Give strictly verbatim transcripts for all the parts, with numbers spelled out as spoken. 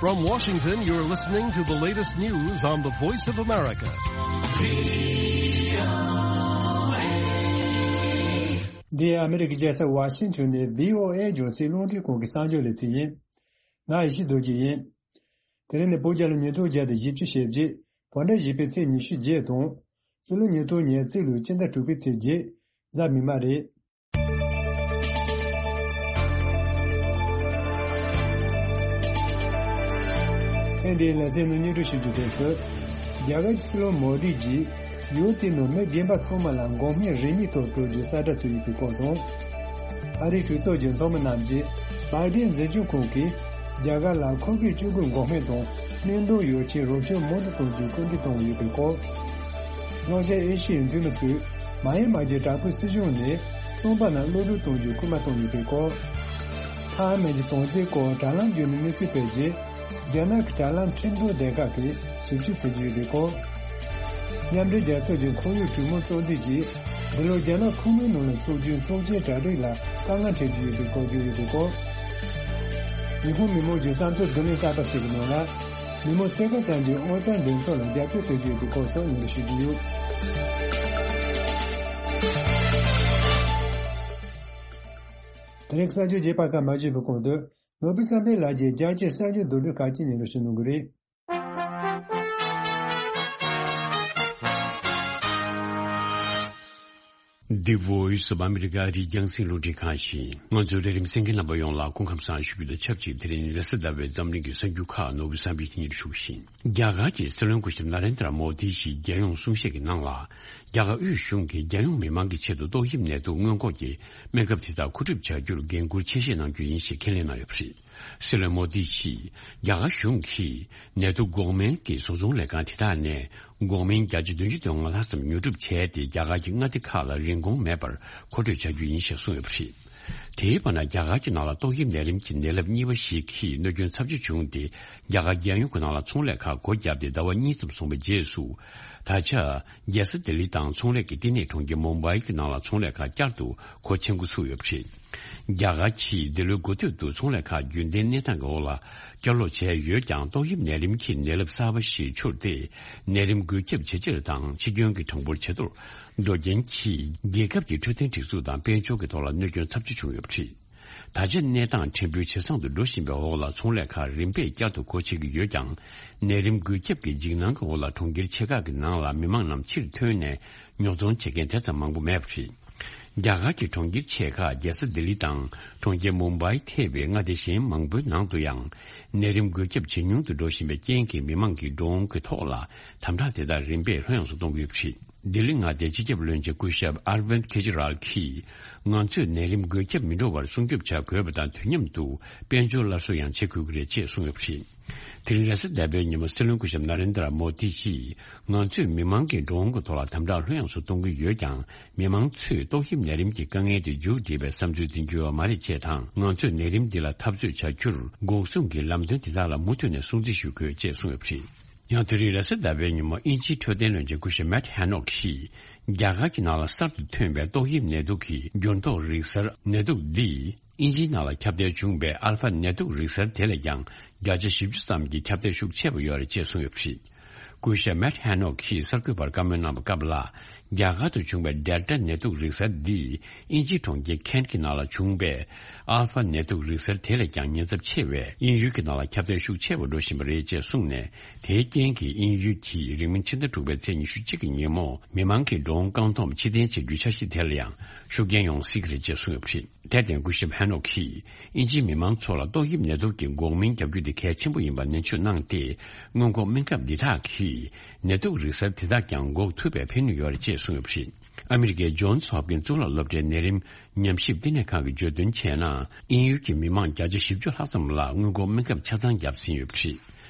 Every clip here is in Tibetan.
From Washington, you're listening to the latest news on the Voice of America. འདི་ཨ་མི་རི་ཀའི་རྒྱལ་ས་ཝ་ཤིང་ཊོན་ནས་བྷི་ཨོ་ཨེ་རྒྱང་སྲིང་རླུང་འཕྲིན་ཁང་གི་གསར་འགྱུར་ལེ་ཚན་ཡིན། ང་ཡེ་ཤེས་རྡོ་རྗེ་ཡིན། དེ་རིང་ནི་བོད་རྒྱལ་ལོ་ཉིས་སྟོང་བརྒྱ་དང་བཞི་བཅུ་ཞེ་བརྒྱད། བོད་ཟླ་བཞི་པའི་ཚེས་ཉི་ཤུ་བརྒྱད་དང་། སྤྱི་ལོ་ཉིས་སྟོང་ཉེར་གཅིག་ལོའི་སྤྱི་ཟླ་དྲུག་པའི་ཚེས་བརྒྱད། གཟའ་མིག་དམར་རེད། ཐེངས་འདིའི་ལེ་ཚན་ནང་སྙན་སྒྲོན་ཞུ་རྒྱུ་དེ་ཚོ། རྒྱ་གར་གྱི་སྲིད་བློན་མོ་དི་གྱིས་ཡུལ་དེའི་ནང་མི་རྒན་པ་ཚང་མ་ལ་འགོག་སྨན་རིན་མེད་ཐོག་སྤྲོད་རྒྱུའི་གསལ་བསྒྲགས་བྱས་ཡོད་པའི་སྐོར་དང་། ཨ་རིའི་གྲོས་ཚོགས་ཀྱི་ཚོགས་མི་རྣམས་ཀྱིས་བྷའི་ཌེན་འཛིན་སྐྱོང་ཁང་གིས་རྒྱ་གར་ལ་ཁོ་གའི་བཅུ་དགུ་འགོག་སྨན་དང་སྨན་དོན་ཡོ་བྱད་རོགས་སྐྱོར་མང་དུ་གཏོང་རྒྱུའི་སྐུལ་འདེད་གཏོང་གི་ཡོད་པའི་སྐོར། ལྷོ་ཤར་ཨེ་ཤི་ཡའི་འཐུས་མི་ཚོས་མཱ་ཡན་མཱ་གྱི་དྲག་པོའི་སྲིད་གཞུང་ནས་སྟོང་པ་རྣམས་གློད་གྲོལ་གཏོང་རྒྱུའི་སྐུལ་མ་གཏོང་ཡོད་པའི་སྐོར། ཐའེ་ཝན་གྱི་དོན་རྐྱེན་སྐོར་དྲ་ལམ་བརྒྱུད་ནས་གནས་ཚུལ་སྤེལ་རྗེས། རྒྱ་ནག་གི་དྲ་ལམ་ཁྲིམས་དོན་སྡེ་ཁག་གིས་ཞིབ་དཔྱོད་བྱེད་ཀྱི་ཡོད་པའི་སྐོར། མཉམ་འབྲེལ་རྒྱལ་ཚོགས་ཀྱི་ཁོར་ཡུག་གྲོས་མོལ་ཚོགས་འདུས་ཀྱིས་འདི་ལོ་རྒྱ་ནག་ཁོངས་མིའི་ནང་ལ་འཚོགས་རྒྱུའི་ཚོགས་ཆེན་གྲ་སྒྲིག་ལ་དཀའ་ངལ་འཕྲད་ཀྱི་ཡོད་པའི་སྐོར་བརྗོད་ཡོད་པའི་སྐོར། ཉི་ཧོང་མི་མང་གི་བསམ་ཚུལ་བསྡུ་ལེན་གསར་པ་ཞིག་གི་ནང་ལ། མི་མང་ཚོས་ཁ་སང་གི་ཨོ་རྩལ་འགྲན་ཚོགས་ལ་རྒྱབ་སྐྱོར་བྱེད་ཀྱི་ཡོད་པའི་སྐོར་སོགས་སྙན་སྒྲོན་ཞུ་རྒྱུ་ཡོད། དེ་རིང་གསར་འགྱུར་རྒྱས་པ་ཁག་མ་ཞུས་པའི་གོང་དུ། ནོར་བུ་བསམ་འཕེལ་ལགས་ཀྱིས་རྒྱ་ཆེའི་གསར་འགྱུར་མདོར་བསྡུས་ཁག་ཅིག་སྙན་སྒྲོན་ཞུ་གནང་གི་རེད། The Voice of America ཨ་རིའི་རྒྱང་སྲིང་རླུང་འཕྲིན་ཁང་ཡིན། ང་ཚོའི་ལས་རིམ་གསན་མཁན་རྣམ་པ་ཡོངས་ལ་སྐུ་ཁམས་བཟང་ཞུ་རྒྱུ་དང་ཆབས་ཅིག་དེ་རིང་རེས་གཟའ་ཟླ་བའི་འཛམ་གླིང་གི་གསར་འགྱུར་ཁག་ནོར་བུ་བསམ་འཕེལ་གྱིས་སྙན་སྒྲོན་ཞུ་གི་ཡིན། རྒྱ་གར་གྱི་སྲིད་བློན་སྐུ་ཞབས་ན་རེན་དྲ་མོ་དི་ཡིས་རྒྱལ་ཡོངས་གསུང་བཤད་ཀྱི་ནང་ལ། རྒྱ་གར་དབུས་གཞུང་གིས་རྒྱལ་ཡོངས་མི་མང་གི་ཆེད་དུ་ཏོག་དབྱིབས་ནད་དུག་སྔོན་འགོག་གི་སྨན་ཁབ་དེ་དག་མཁོ་སྒྲུབ་བྱ་རྒྱུར་འགན་འཁུར་ཆེ་བཞེས་གནང་རྒྱུ་ཡིན་ཞེས་ཁས་ལེན་གནང་ཡོད་པ་རེད། སྲིད་བློན་མོ་དི་ཡིས་རྒྱ་གར་གཞུང་གིས་ནད་དུག་འགོག་སྨན་གྱི་བཟོ་ཚོང་ལས་ཁང་དེ་དག་ནས་འགོག་སྨན་བརྒྱ་ཆ་བདུན་ཅུ་དོན་ལྔ་ལྷག་ཙམ་ཉོ་སྒྲུབ་བྱས་ཏེ། རྒྱ་གར་གྱི་མངའ་སྡེ་ཁག་ལ་རིན་གོང་མེད་པར་མཁོ་སྤྲོད་བྱ་རྒྱུ་ཡིན་ཞེས་གསུངས་ཡོད་པ་རེད། དེའི་བར་ན། རྒྱ་གར་གྱི་ནང་ལ་ཏོག་དབྱིབས་ནད་རིམས་ཀྱི་ནད་རླབས་གཉིས་པ་ཞིག་གིས་གནོད་སྐྱོན་ཚབས་ཆེ་བྱུང་སྟེ། རྒྱ་གར་རྒྱལ་ཡོངས་ཀྱི་ནང་ལ་ཚོང་ལས་ཁག་སྒོ་བརྒྱབ་སྟེ་ཟླ་བ་གཉིས་ཙམ་སོང་བའི་རྗེས་སུ། ད་ཆ། རྒྱལ་ས་ལྡི་ལི་དང་ཚོང་ལས་ཀྱི་ལྟེ་གནས་གྲོང་ཁྱེར་མུམ་བྷའི་གི་ནང་ལ་ཚོང་ལས་ཁག་བསྐྱར་དུ་སྒོ་ཕྱེ་འགོ་ཚུགས་ཡོད་པ་རེད། རྒྱ་གར་གྱིས་འདི་ལོའི་འགོ་སྟོད་དུ་ཚོང་ལས་ཁག་རྒྱུན་ལྡན་གནས་སྟངས་ཀྱི་འོག་ལ་བསྐྱར་ལོག་བྱས་ཡོད་ཀྱང་། ཏོག་དབྱིབས་ནད་རིམས་ཀྱི་ནད་རླབས་གསར་པ་ཞིག་འཕྱུར་ཏེ། ནད་རིམས་འགོས་ཁྱབ་ཇེ་ཆེར་དང་འཆི་སྐྱོན་གྱི་གྲངས་འབོར་ཇེ་མཐོར་འགྲོ་རྐྱེན་གྱིས། རྒྱལ་ཁབ་ཀྱི་འཕྲོད་བསྟེན་སྒྲིག་འཛུགས་དང་དཔལ་འབྱོར་གྱི་ཐོག་ལ་གནོད་སྐྱོན་ཚབས་ཆེ་བྱུང་ཡོད་པ་རེད། ད་ཆ་གནས་སྟངས་ཕྲན་བུ་ཇེ་བཟང་དུ་འགྲོ་བཞིན་པའི་འོག་ལ། ཚོང་ལས་ཁག་རིམ་པས་བསྐྱར་དུ་སྒོ་ཕྱེ་གི་ཡོད་ཀྱང་། ནད་རིམས་འགོས་ཁྱབ་ཀྱི་འཇིགས་སྣང་གི་འོག་ལ། གྲོང་ཁྱེར་ཆེ་ཁག་གི་ནང་ལ་མི་མང་རྣམས་ཕྱིར་ཐོན་ནས་ཉོ་ཚོང་བྱེད་མཁན་དེ་ཙམ་མང་པོ་མེད་པ་རེད། རྒྱ་གར་གྱི་གྲོང་ཁྱེར་ཆེ་ཁག་རྒྱལ་ས་ལྡི་ལི་དང་གྲོང་ཁྱེར་མུམ་བྷའི་ཐེ་བའི་མངའ་སྡེ་གཞན་མང་པོའི་ནང་དུ་ཡང་། ནད་རིམས་འགོས་ཁྱབ་ཇེ་ཉུང་དུ་འགྲོ་བཞིན་པའི་རྐྱེན་གྱིས། མི་མང་གིས་ཌོ་རོན་གྱི་ཐོག་ལ་དམ་དྲག་དེ་དག་རིམ་པས་ལྷོད་ཡངས་སུ་གཏོང་གི་ཡོད་པ་རེད། ལྡི་ལི་མངའ་སྡེའི་སྤྱི་ཁྱབ་བློན་ཆེན་སྐུ་ཞབས་ཨར་ཝིན་ཁེ་ཇི་རལ་གྱིས། ང་ཚོས་ནད་རིམས་འགོས་ཁྱབ་མི་འགྲོ་བར་སྲུང་སྐྱོབ་བྱ་དགོས་པ་དང་། དུས་མཉམ་དུ་དཔལ་འབྱོར་སླར་གསོ་ཡང་བྱེད་དགོས་ཀྱི་རེད་ཅེས་གསུངས་ཡོད་པ་རེད། དེ་རིང་རེས་གཟའ་ཟླ་བའི་ཉིན་མོ། སྲིད་བློན་སྐུ་ཞབས་ན་རེན་དྲ་མོ་དི་ཡིས། ང་ཚོས་མི་མང་གིས་ཌོ་རོན་གྱི་ཐོག་ལ་དམ་དྲག་ལྷོད་ཡངས་སུ་གཏོང་གི་ཡོད་ཀྱང་། མི་མང་ཚོས་ཏོག་དབྱིབས་ནད་རིམས་ཀྱི་དཀའ་ངལ་དེ་མཇུག་སྒྲིལ་བའི་བསམ་ཚུལ་འཛིན་གྱི་ཡོད་མ་རེད་ཅེས་དང་། ང་ཚོས་ནད་རིམས་འདི་ལ་འཐབ་རྩོད་བྱ་རྒྱུར། འགོག་སྲུང་གི་ལམ་སྟོན་དེ་དག་ལ་མུ་མཐུད་ནས་སྲུང་བརྩི་ཞུ་དགོས་ཅེས་གསུངས་ཡོད་པ་རེད། ཡང་དེ་རིང་རེས་གཟའ་ཟླ་བའི་ཉིན་མོ། དབྱིན་ཇིའི་འཕྲོད་བསྟེན་བློན་ཆེན་སྐུ་ཞབས་མེཊ་ཧེ་ནོག་གིས། རྒྱ་གར་གྱི་ནང་ལ་གསར་དུ་ཐོན་པའི་ཏོག་དབྱིབས་ནད་དུག་གི་འགྱུར་ལྡོག་རིག་གསར་ནད་དུག་འདིས། དབྱིན་ཇིའི་ནང་ལ་ཁྱབ་གདལ་བྱུང་བའི་ཨལ་ཕ་ནད་དུག་རིག་གསར་དེ་ལས་ཀྱང་། བརྒྱ་ཆ་བཞི་བཅུ་ཙམ་གྱི་ཁྱབ་གདལ་ཤུགས་ཆེ་བ་ཡོད་རེད་ཅེས་གསུངས་ཡོད་པ་རེད། སྐུ་ཞབས་མེཊ་ཧེ་ནོག་གིས་གསར་འགོད་པར་བཀའ་མོལ་གནང་བའི་སྐབས་ལ། རྒྱ་གར་དུ་བྱུང་བའི་ཌེལ་ཊ་ནད་དུག་རིག་གསར་འདིས། དབྱིན་ཇིའི་གྲོང་ཁྱེར་ཁེན་གྱི་ནང་ལ་བྱུང་བའི་ཨལ་ཕ་ནད་དུག་རིག་གསར་དེ་ལས་ཀྱང་ཉེན་ཚབས་ཆེ་བས། དབྱིན་ཡུལ་གྱི་ནང་ལ་ཁྱབ་གདལ་ཤུགས་ཆེ་བ་འགྲོ་བཞིན་པ་རེད་ཅེས་གསུངས་ནས། དེའི་རྐྱེན་གྱིས་དབྱིན་ཡུལ་གྱིས་རིང་མིན་ཕྱི་ཟླ་དྲུག་པའི་ཚེས་ཉི་ཤུ་གཅིག་གི་ཉིན་མོ། མི་མང་གིས་ཌོ་རོན་རྐང་འཐོམ་ཕྱིར་འཐེན་བྱ་རྒྱུའི་འཆར་གཞི་དེ་ལ་ཡང་ཤུགས་རྐྱེན་ཡོང་སྲིད་ཀྱི་རེད་ཅེས་གསུངས་ཡོད་པ་རེད། དེར་བརྟེན། སྐུ་ཞབས་ཧེ་ནོག་གིས། དབྱིན་ཇིའི་མི་མང་ཚོ་ལ་ཏོག་དབྱིབས་ནད་དུག་གི་འགོག་སྨན་བརྒྱབ་རྒྱུ་དེ་གལ་ཆེན་པོ་ཡིན་པ་ནན་བརྗོད་གནང་སྟེ། སྔོན་འགོག་སྨན་ཁབ་འདི་དག་གིས་ནད་དུག་རིག་གསར་དེ་དག་ཀྱང་འགོག་ཐུབ་པའི་ཕན་ནུས་ཡོད་རེད་ཅེས་གསུངས་ཡོད་པ་རེད། ཨ་མི་རི་ཀའི་ཇོན་སི་ཧོབ་ཀིན་གཙུག་ལག་སློབ་གྲྭའི་ནད་རིམས་ཉམས་ཞིབ་བསྟི་གནས་ཁང་གིས་བརྗོད་དོན་བྱས་ན། དབྱིན་ཡུལ་གྱི་མི་མང་བརྒྱ་ཆ་བཞི་བཅུ་ལྷག་ཙམ་ལ་སྔོན་འགོག་སྨན་ཁབ་ཆ་ཚང་བརྒྱབ་ཟིན་ཡོད་པ་རེད།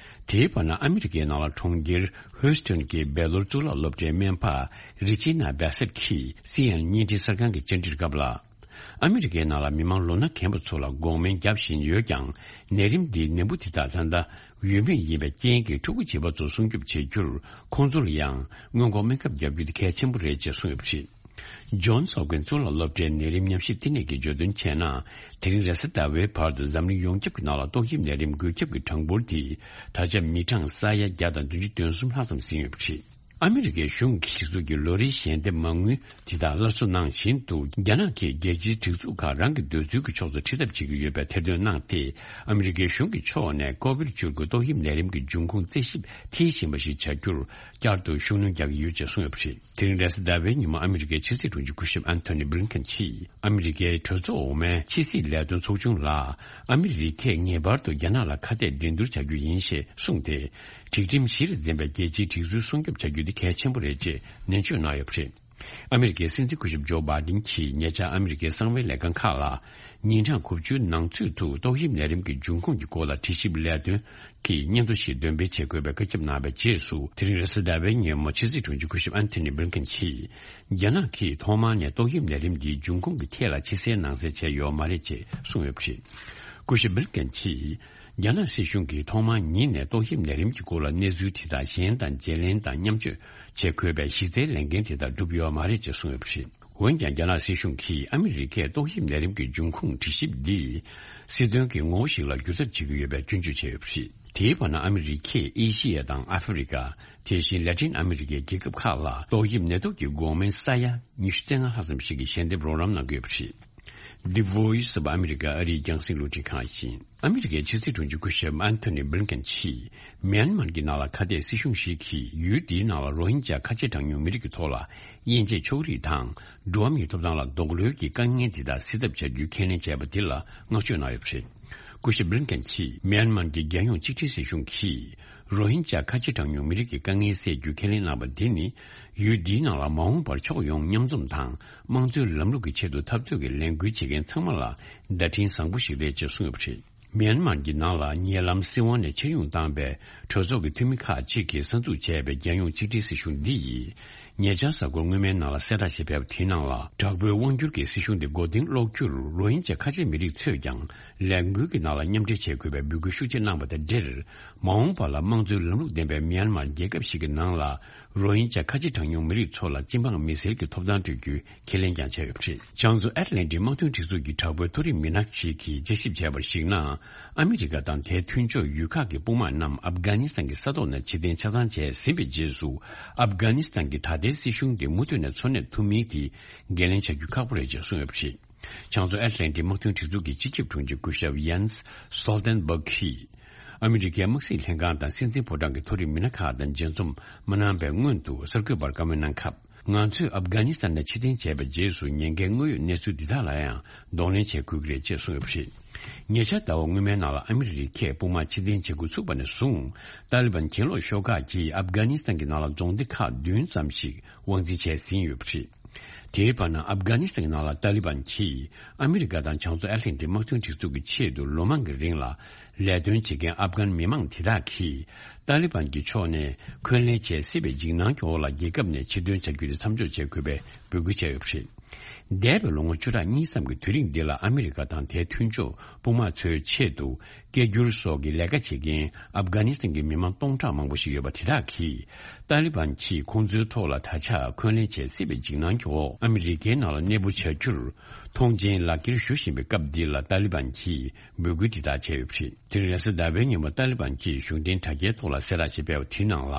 དེའི་བར་ན། ཨ་མི་རི་ཀའི་ནང་ལ་གྲོང་ཁྱེར་ཧུའུ་སི་ཊོན་གྱི་བེ་ལོར་གཙུག་ལག་སློབ་གྲྭའི་སྨན་པ་རི་ཅི་ན་བེ་སེད་ཀྱིས་སི་ཨེན་ཨེན་བརྙན་འཕྲིན་གསར་ཁང་གི་བཅར་འདྲིར་སྐབས་ལ། ཨ་མི་རི་ཀའི་ནང་ལ་མི་མང་ལོ་ན་རྒན་པ་ཚོ་ལ་འགོག་སྨན་བརྒྱབ་བཞིན་ཡོད་ཀྱང་། ནད་རིམས་འདིའི་ནད་འབུ་དེ་དག་ད་ལྟ་ཡོད་མེད་ཡིན་པའི་རྐྱེན་གྱིས། ཕྲུ་གུ་བྱིས་པ་ཚོ་སྲུང་སྐྱོབ་བྱེད་རྒྱུར། ཁོང་ཚོ་ལ་ཡང་སྔོན་འགོག་སྨན་ཁབ་བརྒྱབ་རྒྱུ་དེ་གལ་ཆེན་པོ་རེད་ཅེས་གསུངས་ཡོད་པ་རེད། ཇོན་སོབ་ཀིན་གཙུག་ལག་སློབ་གྲྭའི་ནད་རིམས་ཉམས་ཞིབ་བསྟི་གནས་ཀྱིས་བརྗོད་དོན་བྱས་ན། དེ་རིང་རེས་གཟའ་ཟླ་བའི་བར་དུ་འཛམ་གླིང་ཡོངས་ཁྱབ་ཀྱི་ནང་ལ་ཏོག་དབྱིབས་ནད་རིམས་འགོས་ཁྱབ་ཀྱི་གྲངས་འབོར་དེ་ད་ཆ་མི་གྲངས་ས་ཡ་བརྒྱ་དང་བདུན་ཅུ་དོན་གསུམ་ལྷག་ཙམ་ཟིན་ཡོད་པ་རེད། ཨ་མི་རི་ཀའི་གཞུང་གི་གཞི་ཚུགས་ཀྱི་ལོ་རེའི་ཞལ་འདེབས་མ་དངུལ་དེ་དག་སླར་གསོ་གནང་བཞིན་དུ། རྒྱ་ནག་གིས་རྒྱལ་སྤྱིའི་སྒྲིག་འཛུགས་ཁག་རང་གི་འདོད་ཚུལ་གྱི་ཕྱོགས་སུ་ཁྲིད་ཐབས་བྱེད་ཀྱི་ཡོད་པའི་ཐེར་འདོན་གནང་སྟེ། ཨ་མི་རི་ཀའི་གཞུང་གི་ཕྱོགས་ནས་ཀོ་བིཌ་བཅུ་དགུ་ཏོག་དབྱིབས་ནད་རིམས་ཀྱི་འབྱུང་ཁུངས་རྩད་ཞིབ་མཐིལ་ཕྱིན་པ་ཞིག་བྱ་རྒྱུར་བསྐྱར་དུ་ཤུགས་སྣོན་རྒྱག་གི་ཡོད་ཅེས་གསུངས་ཡོད་པ་རེད། དེ་རིང་རེས་གཟའ་ཟླ་བའི་ཉིན་མོ་ཨ་མི་རི་ཀའི་ཕྱི་སྲིད་དྲུང་ཆེ་སྐུ་ཞབས་ཨན་ཐོ་ནི་བྷི་ལིན་ཀེན་གྱིས་ཨ་མི་རི་ཀའི་གྲོས་ཚོགས་འོག་མའི་ཕྱི་སྲིད་ལས་དོན་ཚོགས་ཆུང་ལ། ཨ་མི་རི་ཀས་ངེས་པར་དུ་རྒྱ་ནག་ལ་ཁ་གཏད་འགྲན་བསྡུར་བྱ་རྒྱུ་ཡིན་ཞེས་གསུངས་ཏེ། སྒྲིག་ཁྲིམས་གཞིར་འཛིན་པའི་རྒྱལ་སྤྱིའི་སྒྲིག་འཛུལ་སྲུང་སྐྱོབ་བྱ་རྒྱུ་དེ་གལ་ཆེན་པོ་རེད་ཅེས་ནན་བརྗོད་གནང་ཡོད་པ་རེད། ཨ་མི་རི་ཀའི་སྲིད་འཛིན་སྐུ་ཞབས་ཇོ་བྷའི་ཌེན་གྱིས་ཉེ་ཆར་ཨ་མི་རི་ཀའི་གསང་བའི་ལས་ཁང་ཁག་ལ། ཉིན་གྲངས་དགུ་བཅུའི་ནང་ཚུད་དུ་ཏོག་དབྱིབས་ནད་རིམས་ཀྱི་འབྱུང་ཁུངས་ཀྱི་སྐོར་ལ་དྲི་ཞིབ་ལས་དོན་གྱི་སྙན་ཐོ་ཞིག་འདོན་སྤེལ་བྱེད་དགོས་པའི་བཀའ་ཁྱབ་གནང་བའི་རྗེས་སུ། དེ་རིང་རེས་གཟའ་ཟླ་བའི་ཉིན་མོ་ཕྱི་སྲིད་དྲུང་ཆེ་སྐུ་ཞབས་ཨན་ཐོ་ནི་བྷི་ལིན་ཀེན་གྱིས། རྒྱ་ནག་གིས་ཐོག་མར་ནས་ཏོག་དབྱིབས་ནད་རིམས་འདིའི་འབྱུང་ཁུངས་ཀྱི་ཐད་ལ་ཕྱི་གསལ་ནང་གསལ་བྱས་ཡོད་མ་རེད་ཅེས་གསུངས་ཡོད་པ་རེད། སྐུ་ཞབས་བྷི་ལིན་ཀེན་གྱིས། རྒྱ་ནག་སྲིད་གཞུང་གིས་ཐོག་མར་ཉིད་ནས་ཏོག་དབྱིབས་ནད་རིམས་ཀྱི་སྐོར་ལ་གནས་ཚུལ་དེ་དག་གཞན་དང་བརྗེ་ལེན་དང་མཉམ་སྤྱོད་བྱེད་དགོས་པའི་གཞི་རྩའི་ལས་འགན་དེ་དག་བསྒྲུབས་ཡོད་མ་རེད་ཅེས་གསུངས་ཡོད་པ་རེད། འོན་ཀྱང་། རྒྱ་ནག་སྲིད་གཞུང་གིས་ཨ་མི་རི་ཀས་ཏོག་དབྱིབས་ནད་རིམས་ཀྱི་འབྱུང་ཁུངས་དྲི་ཞིབ་འདི་སྲིད་དོན་གྱི་ངོ་བོ་ཞིག་ལ་བསྒྱུར་ཐབས་བྱེད་ཀྱི་ཡོད་པའི་སྐྱོན་བརྗོད་བྱས་ཡོད་པ་རེད། དེའི་བར་ན། ཨ་མི་རི་ཀས་ཨེ་ཤི་ཡ་དང་ཨ་ཧྥེ་རི་ཀ། དེ་བཞིན་ལ་ཏིན་ཨ་མི་རི་ཀའི་རྒྱལ་ཁབ་ཁག་ལ་ཏོག་དབྱིབས་ནད་དུག་གི་འགོག་སྨན་ས་ཡ་ཉི་ཤུ་རྩ་ལྔ་ལྷག་ཙམ་ཞིག་གི་ཞལ་འདེབས་རོགས་རམ་གནང་གི་ཡོད་པ་རེད། The Voice of America ཨ་རིའི་རྒྱང་སྲིང་རླུང་འཕྲིན་ཁང་ཡིན། ཨ་མི་རི་ཀའི་ཕྱི་སྲིད་དྲུང་ཆེ་སྐུ་ཞབས་ཨན་ཐོ་ནི་བྷི་ལིན་ཀེན་གྱིས། མིའན་མར་གྱི་ནང་ལ་ཁ་གཏད་སྲིད་གཞུང་ཞིག་གིས་ཡུལ་དེའི་ནང་ལ་རོ་ཧིན་ཇཱ་ཁ་ཆེ་གྲངས་ཉུང་མི་རིགས་ཀྱི་ཐོག་ལ་དབྱེ་འབྱེད་ཕྱོགས་རིས་དང་། འགྲོ་བ་མིའི་ཐོབ་ཐང་ལ་རྡོག་རོལ་གྱི་དཀའ་ངལ་དེ་དག་སེལ་ཐབས་བྱ་རྒྱུའི་ཁས་ལེན་བྱས་པ་དེ་ལ་བསྔགས་བརྗོད་གནང་ཡོད་པ་རེད། སྐུ་ཞབས་བྷི་ལིན་ཀེན་གྱིས། མིའན་མར་གྱི་རྒྱལ་ཡོངས་གཅིག་སྒྲིལ་སྲིད་གཞུང་གིས། རོ་ཧིན་ཇཱ་ཁ་ཆེ་གྲངས་ཉུང་མི་རིགས་ཀྱི་དཀའ་ངལ་སེལ་རྒྱུའི་ཁས་ལེན་གནང་བ་འདི་ནི། ཡུལ་འདིའི་ནང་ལ་མ་འོངས་པར་ཕྱོགས་ཡོངས་མཉམ་འཛོམས་དང་། དམངས་གཙོའི་ལམ་ལུགས་ཀྱི་ཆེད་དུ་འཐབ་རྩོད་ཀྱི་ལས་འགུལ་བྱེད་མཁན་ཚང་མ་ལ་བརྡ་འཕྲིན་བཟང་པོ་ཞིག་རེད་ཅེས་གསུངས་ཡོད་པ་རེད། མིའན་མར་གྱི་ནང་ལ་ཉེ་ལམ་སྲིད་དབང་ནས་ཕྱིར་ཡོང་བཏང་བའི་གྲོས་ཚོགས་ཀྱི་འཐུས་མི་ཁག་ཅིག་གིས་གསར་འཛུགས་བྱས་པའི་རྒྱལ་ཡོངས་གཅིག་སྒྲིལ་སྲིད་གཞུང་འདི་ཡིས། ཉེ་ཆར་གཟའ་འཁོར་སྔོན་མའི་ནང་ལ་གསལ་བསྒྲགས་ཤིག་སྤེལ་བ་དེའི་ནང་ལ། དྲག་པོའི་དབང་སྒྱུར་གྱི་སྲིད་གཞུང་དེ་མགོ་རྟིང་སློག་རྒྱུར་རོ་ཧིན་ཇཱ་ཁ་ཆེ་མི་རིགས་ཚོས་ཀྱང་ལས་འགུལ་གྱི་ནང་ལ་མཉམ་འབྲེལ་བྱེད་དགོས་པའི་འབོད་སྐུལ་ཤུགས་ཆེ་གནང་བ་དང་འབྲེལ། མ་འོངས་པ་ལ་དམངས་གཙོའི་ལམ་ལུགས་ལྡན་པའི་མིའན་མར་རྒྱལ་ཁབ་ཞིག་གི་ནང་ལ། རོ་ཧིན་ཇཱ་ཁ་ཆེ་གྲངས་ཉུང་མི་རིགས་ཚོ་ལ་སྤྱི་འབངས་མི་སེར་གྱི་ཐོབ་ཐང་སྤྲོད་རྒྱུའི་ཁས་ལེན་ཀྱང་བྱས་ཡོད་པ་རེད། བྱང་མཚོ་ཨེཊ་ལན་ཊིག་དམག་དོན་སྒྲིག་འཛུགས་ཀྱི་དྲག་པོའི་མཐོ་རིམ་མི་སྣ་ཞིག་གིས་དཔྱད་ཞིབ་བྱས་པར་གཞིགས་ན། ཨ་མི་རི་ཀ་དང་དེའི་མཐུན་ཕྱོགས་ཡུལ་ཁག་གི་དཔུང་དམག་རྣམས་ཨབ་གྷ་ནི་སི་ཐན་གྱི་ས་ཐོག་ནས་ཕྱིར་འཐེན་ཆ་ཚང་བྱས་ཟིན་པའི་རྗེས་སུ། ཨབ་གྷ་ནི་སི་ཐན་གྱི་ད་ལྟའི་སྲིད་གཞུང་དེ་མུ་མཐུད་ནས་འཚོ་གནས་ཐུབ་མིན་དེ་འགན་ལེན་བྱ་རྒྱུ་ཁག་པོ་རེད་ཅེས་གསུངས་ཡོད་པ་རེད། བྱང་མཚོ་ཨེཊ་ལན་ཊིག་དམག་དོན་སྒྲིག་འཛུགས་ཀྱི་སྤྱི་ཁྱབ་དྲུང་ཆེ་སྐུ་ཞབས་ཡཱན་སི་སོལ་ཏན་བྷག་གིས། ཨ་མི་རི་ཀའི་དམག་སྲིད་ལྷན་ཁང་དང་སྲིད་འཛིན་ཕོ་བྲང་གི་མཐོ་རིམ་མི་སྣ་ཁག་དང་མཇལ་འཛོམས་མ་གནང་བའི་སྔོན་དུ་གསར་འགོད་པར་བཀའ་མོལ་གནང་སྐབས། ང་ཚོས་ཨབ་གྷ་ནི་སི་ཐན་ནས་ཕྱིར་འཐེན་བྱས་པའི་རྗེས་སུ་ཉེན་ཁའི་དངོས་ཡོད་གནས་ཚུལ་འདི་དག་ལ་ཡང་གདོང་ལེན་བྱེད་དགོས་ཀྱི་རེད་ཅེས་གསུངས་ཡོད་པ་རེད། ཉེ་ཆར་ཟླ་བ་སྔོན་མའི་ནང་ལ་ཨ་མི་རི་ཀས་དཔུང་དམག་ཕྱིར་འཐེན་བྱེད་འགོ་ཚུགས་པ་ནས་བཟུང་། ཏཱ་ལི་བན་གྱེན་ལོག་ཤོག་ཁག་གིས་ཨབ་གྷ་ནི་སི་ཐན་གྱི་ནང་ལ་རྫོང་སྡེ་ཁག་བདུན་ཙམ་ཞིག་དབང་འཛིན་བྱས་ཟིན་ཡོད་པ་རེད། དེའི་བར་ན་ཨབ་གྷ་ནི་སི་ཐན་གྱི་ནང་ལ་ཏཱ་ལི་བན་གྱིས་ཨ་མི་རི་ཀ་དང་བྱང་མཚོ་ཨེཊ་ལན་ཊིག་དམག་དོན་སྒྲིག་འཛུགས་ཀྱི་ཆེད་དུ་ལོ་མང་གི་རིང་ལ་ལས་དོན་བྱེད་མཁན་ཨབ་གྷན་མི་མང་དེ་དག་གིས་ཏཱ་ལི་བན་གྱི་ཕྱོགས་ནས་འཁོན་ལན་བྱེད་སྲིད་པའི་འཇིགས་སྣང་གི་འོག་ལ་རྒྱལ་ཁབ་ནས་ཕྱིར་ཐོན་བྱ་རྒྱུ་དེ་མཚམས་འཇོག་བྱེད་དགོས་པའི་འབོད་སྐུལ་བྱས་ཡོད་པ་རེད། འདས་པའི་ལོ་ངོ་བཅུ་ཕྲག་གཉིས་ཙམ་གྱི་དུས་རིང་འདི་ལ་ཨ་མི་རི་ཀ་དང་དེའི་མཐུན་ཕྱོགས་དཔུང་དམག་ཚོའི་ཆེད་དུ། སྐད་སྒྱུར་སོགས་ཀྱི་ལས་ཀ་བྱེད་མཁན་ཨབ་གྷ་ནི་སི་ཐན་གྱི་མི་མང་སྟོང་ཕྲག་མང་པོ་ཞིག་ཡོད་པ་དེ་དག་གིས། ཏཱ་ལི་བན་གྱིས་ཁོང་ཚོའི་ཐོག་ལ་ད་ཆ་འཁོན་ལན་བྱེད་སྲིད་པའི་འཇིགས་སྣང་གི་འོག་ཨ་མི་རི་ཀའི་ནང་ལ་གནས་སྤོ་བྱ་རྒྱུར་མཐོང་མཆན་ལག་འཁྱེར་ཞུ་བཞིན་པའི་སྐབས་འདི་ལ་ཏཱ་ལི་བན་གྱིས་འབོད་སྐུལ་འདི་དག་བྱས་ཡོད་པ་རེད། དེ་རིང་རེས་གཟའ་ཟླ་བའི་ཉིན་མོ་ཏཱ་ལི་བན་གྱིས་གཞུང་འབྲེལ་དྲ་རྒྱའི་ཐོག་ལ་གསལ་བསྒྲགས་ཤིག་སྤེལ་བ་དེའི་ནང་ལ།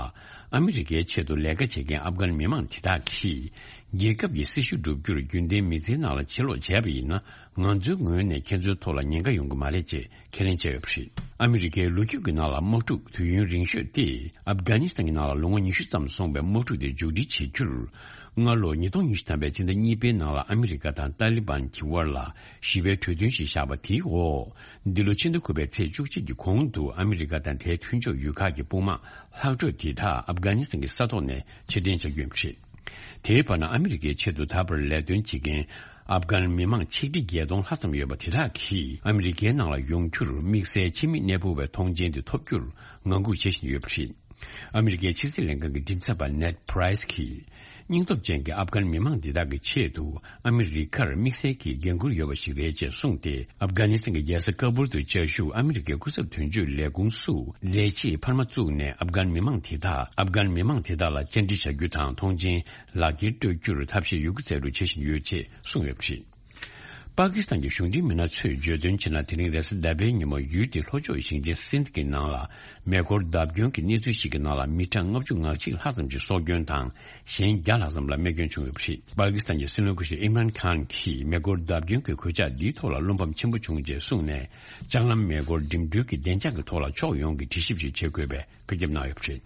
ཨ་མི་རི་ཀའི་ཆེད་དུ་ལས་ཀ་བྱེད་མཁན་ཨབ་གྷན་མི་མང་དེ་དག་གིས། རྒྱལ་ཁབ་ཀྱི་སྲི་ཞུ་བསྒྲུབ་རྒྱུར་རྒྱུན་ལྡན་མི་ཚེའི་ནང་ལ་ཕྱིར་ལོག་བྱས་པ་ཡིན་ན། ང་ཚོའི་ངོས་ནས་ཁྱེད་ཚོའི་ཐོག་ལ་ཉེན་ཁ་ཡོང་གི་མ་རེད་ཅེས་ཁས་ལེན་བྱས་ཡོད་པ་རེད། ཨ་མི་རི་ཀའི་ལོ་རྒྱུས་ཀྱི་ནང་ལ་དམག་འཁྲུག་དུས་ཡུན་རིང་ཤོས་དེ་ཨབ་གྷ་ནི་སི་ཐན་གྱི་ནང་ལ་ལོ་ངོ་ཉི་ཤུ་ཙམ་སོང་བའི་དམག་འཁྲུག་དེ་མཇུག་སྒྲིལ་བྱེད་རྒྱུར། སྔ་ལོ་ཉིས་སྟོང་ཉི་ཤུ་ཐམ་པའི་ཕྱི་ཟླ་གཉིས་པའི་ནང་ལ་ཨ་མི་རི་ཀ་དང་ཏཱ་ལི་བན་གྱི་དབར་ལ་ཞི་བའི་གྲོས་མཐུན་ཞིག་བཞག་པ་དེའི་འོག་འདི་ལོ་ཕྱི་ཟླ་དགུ་པའི་ཚེས་བཅུ་གཅིག་གི་གོང་དུ་ཨ་མི་རི་ཀ་དང་དེའི་མཐུན་ཕྱོགས་ཡུལ་ཁག་གི་དཔུང་དམག་ལྷག་འཕྲོས་དེ་དག་ཨབ་གྷ་ནི་སི་ཐན་གྱི་ས་ཐོག་ནས་ཕྱིར་འཐེན་བྱ་རྒྱུ་ཡིན་པ་རེད། དེའི་བར་ན་ཨ་མི་རི་ཀའི་ཆེད་དུ་ད་བར་ལས་དོན་བྱེད་མཁན་ཨབ་གྷན་མི་མང་ཆིག་ཁྲི་བརྒྱད་སྟོང་ལྷག་ཙམ་ཡོད་པ་དེ་དག་གིས་ཨ་མི་རི་ཀའི་ནང་ལ་ཡོང་རྒྱུར་དམིགས་བསལ་ཕྱི་མི་གནས་སྤོ་བའི་མཐོང་མཆན་དེ་ཐོབ་རྒྱུར་ངང་སྒུག་བྱེད་བཞིན་ཡོད་པ་རེད། ཨ་མི་རི་ཀའི་ཕྱི་སྲིད་ལྷན་ཁང་གི་མགྲིན་ཚབ་པ་ནེཌ་པྲའི་སི་གིས། སྙིང་སྟོབས་ཅན་གྱི་ཨབ་གྷན་མི་མང་འདི་དག་གི་ཆེད་དུ་ཨ་མི་རི་ཀར་དམིགས་བསལ་གྱི་འགན་འཁུར་ཡོད་པ་ཞིག་རེད་ཅེས་གསུངས་ཏེ། ཨབ་གྷ་ནི་སི་ཐན་གྱི་རྒྱལ་ས་ཀ་བུལ་དུ་བཅའ་བཞུགས་ཨ་མི་རི་ཀའི་སྐུ་ཚབ་དོན་གཅོད་ལས་ཁུངས་སུ་ལས་བྱེད་འཕར་མ་བཙུགས་ནས། ཨབ་གྷན་མི་མང་དེ་དག་ཨབ་གྷན་མི་མང་དེ་དག་ལ་བཅར་འདྲི་བྱ་རྒྱུ་དང་། མཐོང་མཆན་ལག་འཁྱེར་སྤྲོད་རྒྱུར་ཐབས་ཤེས་ཡོད་རྒུ་མཛད་རུ་བྱེད་བཞིན་ཡོད་ཅེས་གསུངས་ཡོད་པ་རེད། པ་ཀི་སི་ཐན་གྱི་གཞུང་འབྲེལ་མི་སྣ་ཚོས་བརྗོད་དོན་བྱས་ན། དེ་རིང་རེས་གཟའ་ཟླ་བའི་ཉིན་མོ་ཡུལ་དེའི་ལྷོ་ཕྱོགས་ཞིང་ཆེན་སིནྡ་གི་ནང་ལ་མེ་འཁོར་བརྡབ་སྐྱོན་གྱི་གནས་ཚུལ་ཞིག་གི་ནང་ལ་མི་གྲངས་ལྔ་བཅུ་ང་གཅིག་ལྷག་ཙམ་ཞིག་སྲོག་སྐྱོན་དང་། གཞན་བརྒྱ་ལྷག་ཙམ་ལ་རྨས་སྐྱོན་བྱུང་ཡོད་པ་རེད། པ་ཀི་སི་ཐན་གྱི་སྲིད་བློན་སྐུ་ཞབས་ཨིམ་རན་ཁཱན་གྱིས་མེ་འཁོར་བརྡབ་སྐྱོན་གྱི་གོད་ཆག་འདིའི་ཐོག་ལ་བློ་ཕམ་ཆེན་པོ་བྱུང་ཅེས་གསུངས་ནས། ལྕགས་ལམ་མེ་འཁོར་འགྲིམ་འགྲུལ་གྱི་བདེ་འཇགས་ཀྱི་ཐོག་ལ་ཕྱོགས་ཡོངས་ཀྱིས་དྲི་ཞིབ་ཞིག་བྱེད་དགོས་པའི་བཀའ་ཁྱབ་གནང་ཡོད་པ་རེད།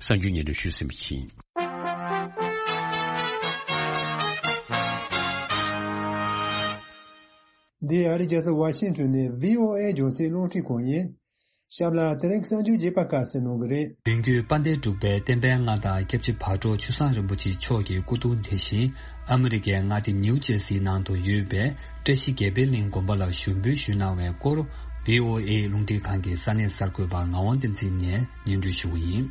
གསར་འགྱུར་སྙན་སྒྲོན་ཞུས་ཟིན་པ་ཡིན། འདི་ཨ་རིའི་རྒྱལ་ས་ཝ་ཤིང་ཊོན་ནས་བྷི་ཨོ་ཨེ་རྒྱང་སྲིང་རླུང་འཕྲིན་ཁང་ཡིན། གཤམ་ལ་དེ་རིང་གི་གསར་འགྱུར་རྒྱས་པ་ཁ་གསལ་གནང་གི་རེད། མདུན་སྐྱོད་དཔལ་ལྡན་འབྲུག་པའི་བསྟན་པའི་མངའ་བདག་སྐྱབས་རྗེ་བག་གྲོ་ཆུ་བཟང་རིན་པོ་ཆེ་མཆོག་གི་སྐུ་གདུང་དེ་བཞིན་ཨ་མི་རི་ཀའི་མངའ་སྡེ་ནིའུ་ཇེར་སིའི་ནང་དུ་ཡོད་པའི་བཀྲ་ཤིས་དགེ་འཕེལ་གླིང་དགོན་པ་ལ་ཞུགས་འབུལ་ཞུས་གནང་བའི་སྐོར། བྷི་ཨོ་ཨེ་རླུང་འཕྲིན་ཁང་གི་ས་གནས་གསར་འགོད་པ་ངག་དབང་བསྟན་འཛིན་ནས་སྙན་སྒྲོན་ཞུ་གི་ཡིན།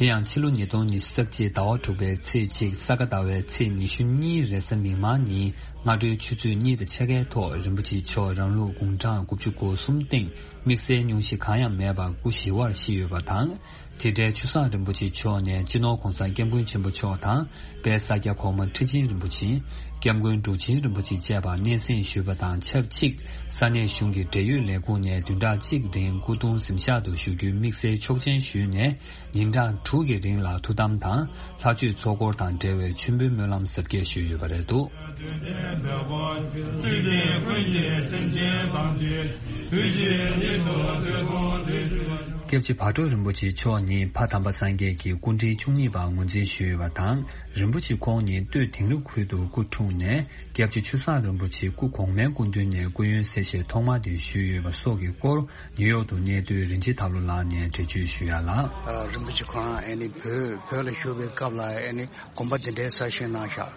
དེ་ཡང་ཕྱི་ལོ་ཉིས་སྟོང་ཉི་ཤུ་རྩ་གཅིག་ཟླ་བ་དྲུག་པའི་ཚེས་གཅིག་ས་ག་ཟླ་བའི་ཚེས་ཉི་ཤུ་གཉིས་རེས་གཟའ་མིག་དམར་ཉིན་སྔ་དྲོའི་ཆུ་ཚོད་གཉིས་དང་ཕྱེད་ཀའི་ཐོག་རིན་པོ་ཆེ་མཆོག་རང་ལུགས་དགུང་གྲངས་དགུ་བཅུ་གོ་གསུམ་སྟེང་དམིགས་བསལ་སྙུང་གཞི་གང་ཡང་མེད་པར་སྐུ་ཞི་བར་གཤེགས་ཡོད་པ་དང་། དེ་འབྲེལ་ཆུ་བཟང་རིན་པོ་ཆེ་མཆོག་ནས་སྤྱི་ནོར་༸གོང་ས་༸སྐྱབས་མགོན་ཆེན་པོ་མཆོག་དང་། དཔལ་ས་སྐྱ་གོང་མ་ཁྲི་ཆེན་རིན་པོ་ཆེ། སྐྱབས་མགོན་འབྲུག་ཆེན་རིན་པོ་ཆེ་བཅས་པ་སྙན་སེང་ཞུས་པ་དང་ཆབས་ཅིག་ས་གནས་གཞུང་གི་འབྲེལ་ཡོད་ལས་ཁུངས་ནས་བདུན་ཕྲག་གཅིག་རིང་སྐུ་གདུང་གཟིམ་ཤག་ཏུ་བཞུགས་རྒྱུའི་དམིགས་བསལ་ཆོག་མཆན་ཞུས་ནས། ཉིན་གྲངས་དྲུག་གི་རིང་ལ་ཐུགས་དམ་དང་། ལྷ་མཆོད་ཚོགས་འཁོར་དང་འབྲེལ་བའི་མཆོད་འབུལ་སྨོན་ལམ་གཟབ་རྒྱས་ཞུས་ཡོད་པ་རེད་འདུག། སྐྱབས་རྗེ་བག་གྲོ་རིན་པོ་ཆེ་མཆོག་ཉིད་ཕ་དམ་པ་སངས་རྒྱས་ཀྱི་སྐུ་ཕྲེང་བཅུ་གཉིས་པ་ངོས་འཛིན་ཞུས་ཡོད་པ་དང་། རིན་པོ་ཆེ་ཁོང་ཉིད་སྟོད་དིང་རི་ཁུལ་དུ་སྐུ་འཁྲུངས་ནས། སྐྱབས་རྗེ་ཆུ་བཟང་རིན་པོ་ཆེ་སྐུ་གོང་མའི་སྐུ་མདུན་ནས་སྐུ་ཡོན་གསལ་བཤད་ཐོག་མ་དེ་ཞུས་ཡོད་པ་སོགས་ཀྱི་སྐོར། ནིའུ་ཡོག་ཏུ་གནས་སྡོད་རིན་ཆེན་ཐར་ལུ་ལགས་ནས་འགྲེལ་བརྗོད་ཞུ་ཡ་ལ། ཨ། རིན་པོ་ཆེ་ཁོ་རང་ཨེ་ནི་བོད་བོད་ལ་བཞུགས་པའི་སྐབས་ལ་ཨེ་ནི་དགོན་པ་འདི་འདྲའི་གསར་བཞེངས་གནང་ཤག།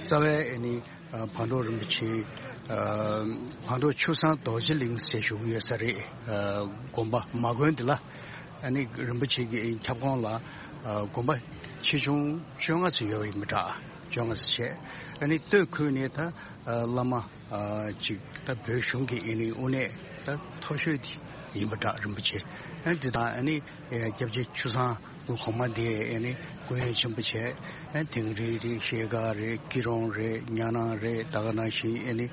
རྩ་བའི་ཨེ་ནི་ཨ། བག་གྲོ་རིན་པོ་ཆེ། ཨ། བག་གྲོ་ཆུ་བཟང་རྡོ་རྗེ་གླིང་ཟེར་ཞུ་གི་ཡོད་ས་རེད། ཨ། དགོན་པ་མ་དགོན་འདི་ལ་ཨ་ནི་རིན་པོ་ཆེ་གི་ཁྱབ་ཁོངས་ལ་ཨ། དགོན་པ་ཆེ་ཆུང་བཅོ་ལྔ་ཙམ་ཡོད་པ་ཡིན་པ་འདྲ། བཅོ་ལྔ་ཙམ་བྱས། ཨ་ནི་སྟོད་ཁུལ་ནས་ད་ཨ། བླ་མ་ཨ། ཅིག་ད་བོད་གཞུང་གི་ཨ་ནི་དབུ་གནས་ད་མཐོ་ཤོས་དེ་ཡིན་པ་འདྲ། རིན་པོ་ཆེ། ཨ། འདི་དང་ཨ་ནི་ཨ། སྐྱབས་རྗེ་ཆུ་བཟང་སྐུ་གོང་མ་དེ་ཨ་ནི་སྐུ་ཡོན་ཆེན་པོ་བྱས། ཨ། དིང་རི་རེད། ཤེལ་དཀར་རེད། སྐྱིད་གྲོང་རེད། གཉའ་ནང་རེད། ད་ག་ནང་བཞིན་ཨ་ནི་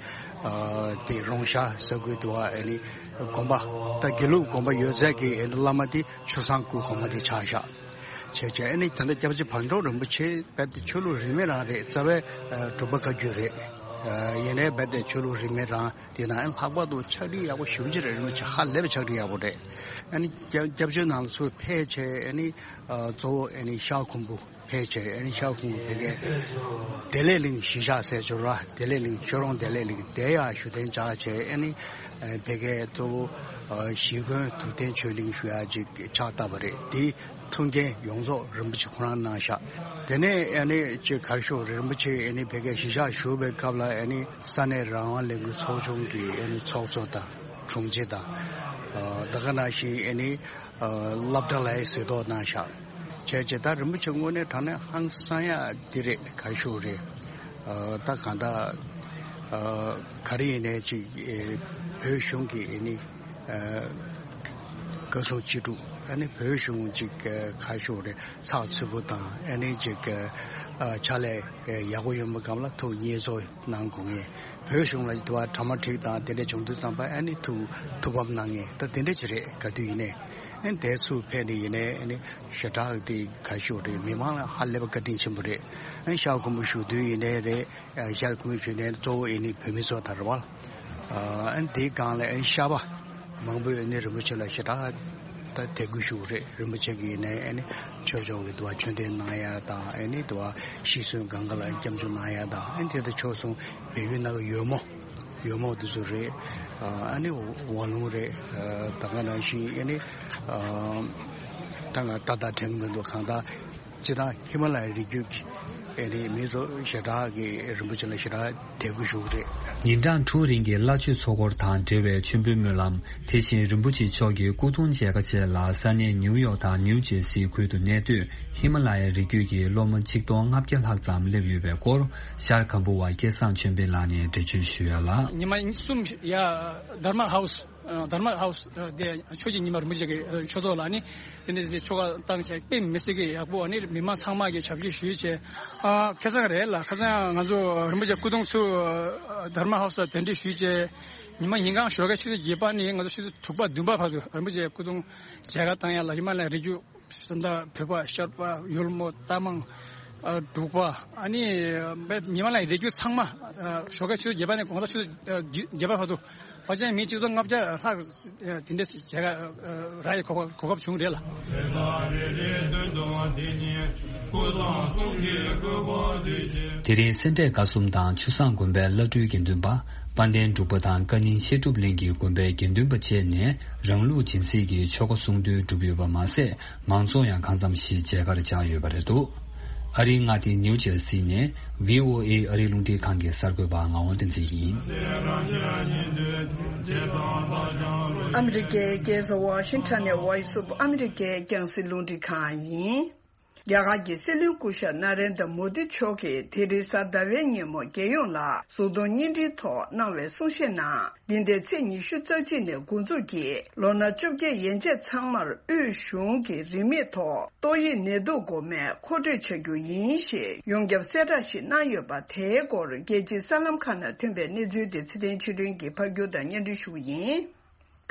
ཨ། དེ་རོང་ཤར་ས་ཁུལ་དུ་ཨ་ནི་དགོན་པ་ད་དགེ་ལུགས་དགོན་པ་ཡོད་ཚད་ཀྱི་ཨ་ནི་བླ་མ་དེ་ཆུ་བཟང་སྐུ་གོང་མ་དེ་ཆགས་བཞག་བྱས་བྱས། ཨ་ནི་ད་ལྟ་སྐྱབས་རྗེ་བག་གྲོ་རིན་པོ་ཆེ་རྦད་དེ་ཆོས་ལུགས་རིས་མེད་རང་རེད། རྩ་བའི་ཨ། འབྲུག་པ་བཀའ་བརྒྱུད་རེད། ཨ། ཡིན་ནའི་རྦད་དེ་ཆོས་ལུགས་རིས་མེད་རང་དེ་ན་ཨ་ནི་ལྷག་པར་དུ་ཕྱག་བྲིས་ཡག་པོ་ཞེ་པོ་ཅིག་རེད། རིན་པོ་ཆེ་ཧ་ལས་པའི་ཕྱག་བྲིས་ཡག་པོ་རེད། ཨ་ནི་སྐྱབས་སྐྱབས་བཅོལ་ནང་ལ་ཚུར་ཕེབས་བྱས་ཨ་ནི་ཨ། གཙོ་བོ་ཨ་ནི་ཤར་ཁུམ་བུ་ཕེབས་བྱས། ཨ་ནི་ཤར་ཁུམ་བུ་ཕ་གིའི་བདེ་ལེགས་གླིང་གཞིས་ཆགས་ཟེར་ཆོག་ར། བདེ་ལེགས་གླིང་ཤོ་རོང་བདེ་ལེགས་གླིང་དེ་ཡང་བཞུགས་གདན་འཇགས་བྱས། ཨ་ནི་ཨ། ཕ་གིའི་གཙོ་བོ་ཨ། གཞིས་དགོན་དུར་བརྟེན་ཆོས་གླིང་ཞུ་ཡག་ཅིག་ཕྱག་བཏབ་པ་རེད། དེའི་ཐུགས་འགན་ཡོངས་རྫོགས་རིན་པོ་ཆེ་ཁོ་རང་གནང་བཞག། དེ་ནས་ཨ་ནི་ཅིག་ག་རེ་ཞུ་དགོས་རེད། རིན་པོ་ཆེ་ཨ་ནི་ཕ་གིའི་གཞིས་ཆགས་བཞུགས་པའི་སྐབས་ལ་ཨ་ནི་ས་གནས་རང་དབང་ལས་འགུལ་ཚོགས་ཆུང་གི་ཨ་ནི་ཚོགས་གཙོ་དང་དྲུང་ཆེ་དང་། ཨ། ད་ག་ནང་བཞིན་ཨ་ནི་ཨ། སློབ་གྲྭ་ལ་ཡང་གཟིགས་རྟོག་གནང་བཞག། བྱས་བྱས་ད་རིན་པོ་ཆེ་དངོས་གནས་དྲང་གནས་ཧང་སང་ཡག་འདི་རེད། ག་རེ་ཞུ་དགོས་རེད། ཨ། ད་གང་ལྟར་ཨ། ག་རེ་ཡིན་ནའི་ཅིག་ཨེ། བོད་གཞུང་གི་ཨ་ནི་ཨ། བཀའ་ཟུར་སྤྱི་ཁྱབ་ཨ་ནི་བོད་གཞུང་ཅིག་ཨ། ག་རེ་ཞུ་དགོས་རེད། ཚགས་ཚུད་པོ་དང་ཨ་ནི་ཅིག་ཨ། ཕྱག་ལས་ཨེ། ཡག་པོ་ཡོང་བའི་སྒང་ལ་ཐུགས་མཉེས་གསོལ་གནང་དགོས་ངེས། བོད་གཞུང་ལ་དུ་བ་གྲ་མ་འགྲིག་དང་དེ་འདྲ་བྱུང་དུས་ཙམ་པ་ཨ་ནི་ཐུགས་ཐུགས་ཕམ་གནང་ངེས། ད་དེ་འདྲ་ཅིག་རེད། ག་དུས་ཡིན་ནའི་ཨ་ནི་དེ་ཚུར་ཕེབས་ནས་ཡིན་ནའི་ཨ་ནི་ཞེ་དྲག་དེ་ག་རེ་ཞུ་དགོས་རེད། མི་མང་ལ་ཧ་ལས་པ་བཀའ་དྲིན་ཆེན་པོ་རེད། ཨ་ནི་ཤར་ཁུམ་བུ་བཞུགས་དུས་ཡིན་ནའི་རེད། ཨ། ཤར་ཁུམ་བུ་བཞུགས་ནས་གཙོ་བོ་ཨ་ནི་བོད་མི་ཚོ་དང་རེད་བ། ཨ། ཨ་ནི་དེའི་སྒང་ལ་ཨ་ནི་ཤར་པ་མང་པོས་ཨ་ནི་རིན་པོ་ཆེ་ལ་ཞེ་དྲག་ད་དད་གུས་ཞུ་གི་རེད། རིན་པོ་ཆེ་གིས་ནས་ཨ་ནི་ཆོས་ཕྱོགས་ཀྱི་དུ་བ་ཆོས་འབྲེལ་གནང་ཡ་དང་། ཨ་ནི་དུ་བ་ཤི་གསོན་གང་ག་ལ་སྐྱབས་འཇུག་གནང་ཡ་དང་། ཨ་ནི་དེ་ལྟར་ཆོས་གསུང་བལ་ཡུལ་ནང་གི་ཡོལ་མོ་ཡོལ་མོ་དེ་ཚོ་རེད། ཨ་ནི་ཝ་ལུང་རེད། ད་ག་ནང་བཞིན་ཨ་ནི་ད་ང་ཏག་ཏག་དྲན་གྱི་མི་འདུག། གང་ལྟར་སྤྱིར་བཏང་ཧི་མ་ལ་ཡའི་རི་རྒྱུད་ཀྱི་ ཨེ་ནི་མི་ཚོ་ཞེ་དྲག་གི་རིན་པོ་ཆེ་ལ་ཞེ་དྲག་དད་གུས་ཞུ་གི་རེད། ཉིན་གྲངས་དྲུག་རིང་གི་བླ་མཆོད་ཚོགས་འཁོར་དང་འབྲེལ་བའི་མཆོད་འབུལ་སྨོན་ལམ། དེ་བཞིན་རིན་པོ་ཆེ་མཆོག་གི་སྐུ་གདུང་མཇལ་ཁ་བཅས་ལ་ས་གནས་ནིའུ་ཡོག་དང་ནིའུ་ཇེར་སིའི་ཁུལ་དུ་གནས་སྡོད་ཧི་མ་ལ་ཡའི་རི་རྒྱུད་ཀྱི་སློབ་མ་ཆིག་སྟོང་ལྔ་བརྒྱ་ལྷག་ཙམ་སླེབས་ཡོད་པའི་སྐོར། ཤར་གམ་བུ་བ་སྐལ་བཟང་ཆོས་འཕེལ་ལགས་ནས་འགྲེལ་བརྗོད་ཞུ་ཡ་ལ། ཉི་མ་གསུམ་ཡ་དྷརྨ་ཧའུ་སི། ཨ་དྷརྨ་ཧའུ་སི་དེ་ཆོས་ཀྱི་ཉི་མ་རིན་པོ་ཆེ་གི་ཆོས་ཚོགས་ལ་ནི་དེ་འདྲ་ཆོ་ག་བཏང་བྱས་དཔེ་མི་སྲིད་ཀྱི་ཡག་པོ། ཨ་ནི་མི་མང་ཚང་མ་གི་ཞབས་ཕྱི་ཞུས་བྱས། ཨ་ཁ་སང་རེད་ལ། ཁ་སང་ང་ཚོ་རིན་པོ་ཆེ་སྐུ་གདུང་ཚུར་དྷརྨ་ཧའུ་སི་ལ་གདན་འདྲེན་ཞུས་བྱས། ཉི་མ་ཉིན་གང་ཞོགས་ཀ་ཆུ་ཚོད་བརྒྱད་པ་ནས་ང་ཚོ་ཆུ་ཚོད་དྲུག་པ་བདུན་པ་བར་དུ་རིན་པོ་ཆེ་སྐུ་གདུང་མཇལ་ཁ་བཏང་ཡ་ལ་ཧི་མ་ལ་ཡའི་རི་རྒྱུད། ད་ལྟ་བོད་པ་ཤར་པ་ཡུལ་མོ་རྟ་མང་། ཨ་འབྲུག་པ། ཨ་ནི་ཉི་མ་ལ་ཡའི་རི་རྒྱུད་ཚང་མ། ཨ་ཞོགས་ཀ་ཆུ་ཚོད་བརྒྱད་པ་ནས་དགོང་དག་ཆུ་ཚོད་ཨ་བརྒྱད་པ་བར་དུ་ཕལ་ཆེར་མི་ཆིག་སྟོང་ལྔ་བརྒྱ་ལྷག་ཨ་དེ་འདྲ་ཞིག་མཇལ་ཁ་ཨ་རག་ཡའི་གོ་སྐབས་གོ་སྐབས་བྱུང་རེད་ལ། དེ་རིང་སེ་འབྲས་དགའ་གསུམ་དང་ཆུ་བཟང་དགོན་པའི་བླ་སྤྲུལ་དགེ་འདུན་པ། དཔལ་ལྡན་འབྲུག་པ་དང་བཀའ་རྙིང་བཤད་སྒྲུབ་གླིང་གི་དགོན་པའི་དགེ་འདུན་པ་བཅས་ནས་རང་ལུགས་སྦྱིན་སྲེག་གི་ཆོ་ག་གསུང་འདོན་གྲུབ་ཡོད་པ་མ་ཟད། མང་ཚོགས་ཡང་གང་འཚམ་ཞིག་མཇལ་ཁར་བཅར་ཡོད་པ་རེད་འདུག་ཨ་རིའི་མངའ་སྡེ་ནིའུ་ཇར་སི་ནས་བྷི་ཨོ་ཨེ་ཨ་རིའི་རླུང་འཕྲིན་ཁང་གི་གསར་འགོད་པ་ངག་དབང་བསྟན་འཛིན་ཡིན། ཨ་མི་རི་ཀའི་རྒྱལ་ས་ཝ་ཤིང་ཊོན་ནས་ཝོ་ཡིས་ཨོཕ་ཨ་མི་རི་ཀའི་རྒྱང་སྲིང་རླུང་འཕྲིན་ཁང་ཡིན། རྒྱ་གར་གྱི་སྲིད་བློན་སྐུ་ཞབས་ན་རེན་དྲ་མོ་དི་མཆོག་གིས་དེ་རིང་གཟའ་ཟླ་བའི་ཉིན་མོ་རྒྱལ་ཡོངས་ལ་གཟུགས་མཐོང་བརྙན་འཕྲིན་ཐོག་གནང་བའི་གསུང་བཤད་ནང་། འདི་ཟླའི་ཚེས་ཉི་ཤུ་རྩ་གཅིག་ནས་འགོ་འཛུགས་ཀྱིས་ལོ་ན་བཅོ་བརྒྱད་ཡན་ཆད་ཚང་མར་དབུས་གཞུང་གིས་རིན་མེད་ཐོག་ཏོག་དབྱིབས་ནད་དུག་འགོག་སྨན་མཁོ་སྤྲོད་བྱ་རྒྱུ་ཡིན་ཞེས་ཡོངས་ཁྱབ་གསལ་བསྒྲགས་ཤིག་གནང་ཡོད་པ། དེའི་སྐོར་རྒྱལ་སྤྱིའི་གསར་ལམ་ཁག་ནང་ཐོན་པའི་གནས་ཚུལ་དེ་ཚེ་བརྟན་ཆོས་སྒྲོན་གྱིས་ཕབ་སྒྱུར་དང་སྙན་སྒྲོན་ཞུ་རྒྱུ་ཡིན།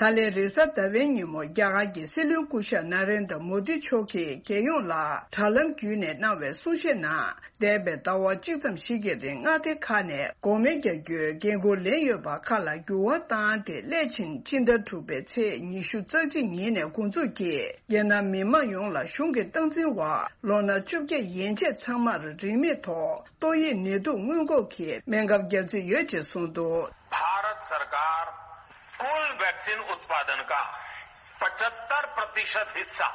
ད་ལན་རེས་གཟའ་ཟླ་བའི་ཉིན་མོ་རྒྱ་གར་གྱི་སྲིད་བློན་སྐུ་ཞབས་ན་རེན་དྲ་མོ་དི་མཆོག་གིས་རྒྱལ་ཡོངས་ལ་དྲ་ལམ་བརྒྱུད་ནས་གནང་བའི་གསུང་བཤད་ནང་། འདས་པའི་ཟླ་བ་གཅིག་ཙམ་ཞིག་གི་རིང་མངའ་སྡེ་ཁག་ནས་འགོག་སྨན་རྒྱག་རྒྱུའི་འགན་འཁུར་ལེན་ཡོད་པ་ཁག་ལ་འགྱུར་བ་བཏང་སྟེ། སླད་ཕྱིན་ཕྱི་ཟླ་དྲུག་པའི་ཚེས་ཉི་ཤུ་རྩ་གཅིག་ཉིན་ནས་འགོ་འཛུགས་ཀྱིས་རྒྱལ་ནང་མི་མང་ཡོངས་ལ་གཞུང་གི་སྟངས་འཛིན་འོག་ལོ་ན་བཅོ་བརྒྱད་ཡན་ཆད་ཚང་མར་རིན་མེད་ཐོག་ཏོག་དབྱིབས་ནད་དུག་སྔོན་འགོག་གི་སྨན་ཁབ་བརྒྱབ་རྩིས་ཡོད་ཅེས་གསུངས་འདུག भारत सरकार कुल वैक्सीन उत्पादन का पचहत्तर प्रतिशत हिस्सा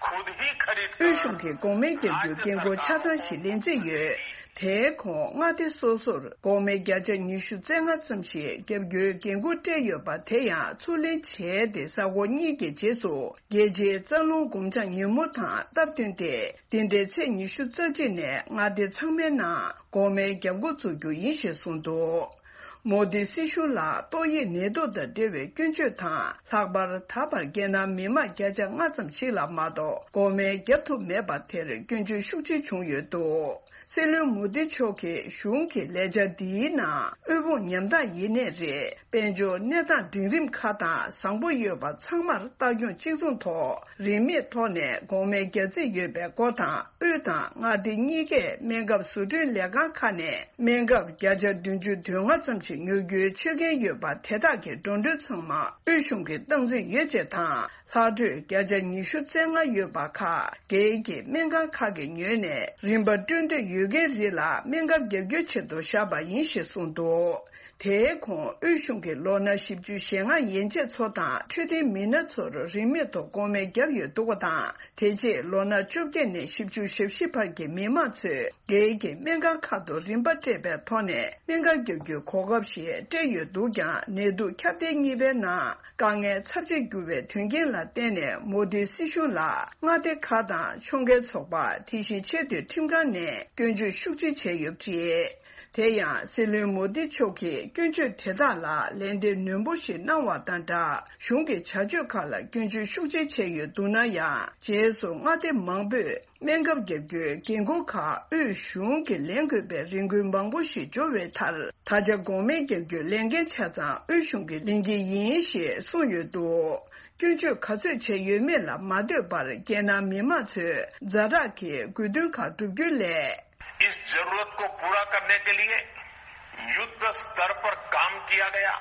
खुद ही खरीद कर དབུས་གཞུང་གིས་འགོག་སྨན་རྒྱག་རྒྱུའི་འགན་འཁུར་ཆ་ཚང་ཞིག་ལེན་རྩིས་ཡོད། དེའི་གོང་མངའ་སྡེ་སོ་སོར་འགོག་སྨན་བརྒྱ་ཆ་ཉི་ཤུ་རྩ་ལྔ་ཙམ་ཞིག་བརྒྱབ་རྒྱུའི་འགན་འཁུར་སྤྲད་ཡོད་པ། དེ་ཡང་ཚུར་ལེན་བྱས་ཏེ་གཟའ་འཁོར་གཉིས་ཀྱི་རྗེས་སུ་རྒྱལ་སྤྱིའི་རྩ་རླུང་སྒོམ་བྱང་ཉིན་མོ་དང་སྟབས་བསྟུན་ཏེ། འདི་ཟླའི་ཚེས་ཉི་ཤུ་རྩ་གཅིག་ནས་མངའ་སྡེ་ཚང་མའི་ནང་འགོག་སྨན་བརྒྱབ་འགོ་འཛུགས་རྒྱུ་ཡིན་ཞེས་གསུངས་འདུག་མོ་དི་སྲིད་གཞུང་ལ་ཏོག་དབྱིབས་ནད་དུག་དང་འབྲེལ་བའི་སྐྱོན་བརྗོད་དང་། ལྷག་པར་ད་བར་རྒྱལ་ནང་མི་མང་བརྒྱ་ཆ་ལྔ་ཙམ་ཞིག་ལ་མ་གཏོགས་འགོག་སྨན་བརྒྱབ་ཐུབ་མེད་པ་དེར་སྐྱོན་བརྗོད་ཤུགས་ཆེ་བྱུང་ཡོད་འདུག་སྲིད་བློན་མོ་དི་མཆོག་གིས་གཞུང་གི་ལས་འཆར་འདིའི་ནང་དབུལ་ཕོངས་ཉམ་ཐག་ཡིན་ནའི་རེད། དཔལ་འབྱོར་གནས་སྟངས་འབྲིང་རིམ་ཁག་དང་བཟང་པོ་ཡོད་པ་ཚང་མར་ལྟ་སྐྱོང་གཅིག་མཚུངས་ཐོག་རིན་མེད་ཐོག་ནས་འགོག་སྨན་བརྒྱབ་རྩིས་ཡོད་པའི་སྐོར་དང་། དབུས་དང་མངའ་སྡེ་གཉིས་ཀས་སྨན་ཁབ་བཟོ་སྐྲུན་ལས་ཁང་ཁག་ནས་སྨན་ཁབ་བརྒྱ་ཆ་བདུན་ཅུ་དོན་ལྔ་ཙམ་ཞིག་ཉོ་རྒྱུའི་ཆོད་གན་ཡོད་པ། དེ་དག་གི་འགྲོ་གྲོན་ཚང་མ་དབུས་གཞུང་གིས་སྟངས་འཛིན་ཡོད་ཅེས་དང་། ལྷག་འཕྲོས་བརྒྱ་ཆ་ཉི་ཤུ་རྩ་ལྔ་ཡོད་པ་ཁག་སྒེར་གྱི་སྨན་ཁང་ཁག་གིས་ཉོས་ནས་རིན་པ་སྤྲོད་འདོད་ཡོད་མཁན་རིགས་ལ་སྨན་ཁབ་བརྒྱབ་རྒྱུའི་ཆེད་དུ་བཞག་པ་ཡིན་ཞེས་གསུངས་འདུག་དེའི་གོང་དབུས་གཞུང་གིས་ལོ་ན་བཞི་བཅུ་ཞེ་ལྔ་ཡན་ཆད་ཚོ་དང་འཕྲོད་བསྟེན་མི་སྣ་ཚོར་རིན་མེད་ཐོག་འགོག་སྨན་བརྒྱབ་ཡོད་འདུག་པ་དང་། དེ་རྗེས་ལོ་ན་བཅོ་བརྒྱད་ནས་བཞི་བཅུ་ཞེ་བཞི་བར་གྱི་མི་མང་ཚོས་སྒེར་གྱི་སྨན་ཁང་ཁག་ཏུ་རིན་པ་སྤྲད་པའི་ཐོག་ནས་སྨན་ཁབ་བརྒྱབ་རྒྱུའི་གོ་སྐབས་ཤིག་སྤྲད་ཡོད་འདུག་ཀྱང་། ནད་དུག་ཁྱབ་གདལ་གཉིས་པའི་ནང་དཀའ་ངལ་ཚབས་ཆེ་གྱུར་བའི་དོན་རྐྱེན་ལ་བརྟེན་ནས། མོ་དིའི་སྲིད་གཞུང་ལ་མངའ་སྡེ་ཁག་དང་ཕྱོགས་འགལ་ཚོགས་པ། དེ་བཞིན་ཆེས་མཐོའི་ཁྲིམས་ཁང་ནས་སྐྱོན་བརྗོད་ཤུགས་ཆེ་བྱས་ཡོད་པ་རེད། དེ་ཡང་སྲིད་བློན་མོ་དི་མཆོག་གིས་སྐྱོན་བརྗོད་དེ་དག་ལ་ལན་འདེབས་ནན་པོ་ཞིག་གནང་བ་དང་སྦྲགས། གཞུང་གི་བྱ་སྤྱོད་ཁག་ལ་སྐྱོན་བརྗོད་ཤུགས་ཆེ་བྱས་ཡོད་འདུག་ན་ཡང་། རྗེས་སུ་མངའ་སྡེ་མང་པོས་སྨན་ཁབ་བརྒྱབ་རྒྱུའི་འགན་འཁུར་ཁག་དབུས་གཞུང་གིས་ལེན་དགོས་པའི་རེ་སྐུལ་མང་པོ་ཞིག་འབྱོར་བའི་མཐར། ད་ཆ་འགོག་སྨན་བརྒྱབ་རྒྱུའི་ལས་འགན་ཆ་ཚང་དབུས་གཞུང་གིས་ལེན་གྱི་ཡིན་ཞེས་གསུངས་ཡོད་འདུག་སྐྱོན་བརྗོད་ག་ཚོད་བྱས་ཡོད་མེད་ལ་མ་ལྟོས་པར། རྒྱལ་ནང་མི་མང་ཚོས་ཛ་དྲག་གི་དགོས་འདུན་ཁག་བསྒྲུབ་རྒྱུའི་སླད། इस जरूरत को पूरा करने के लिए युद्ध स्तर पर काम किया गया।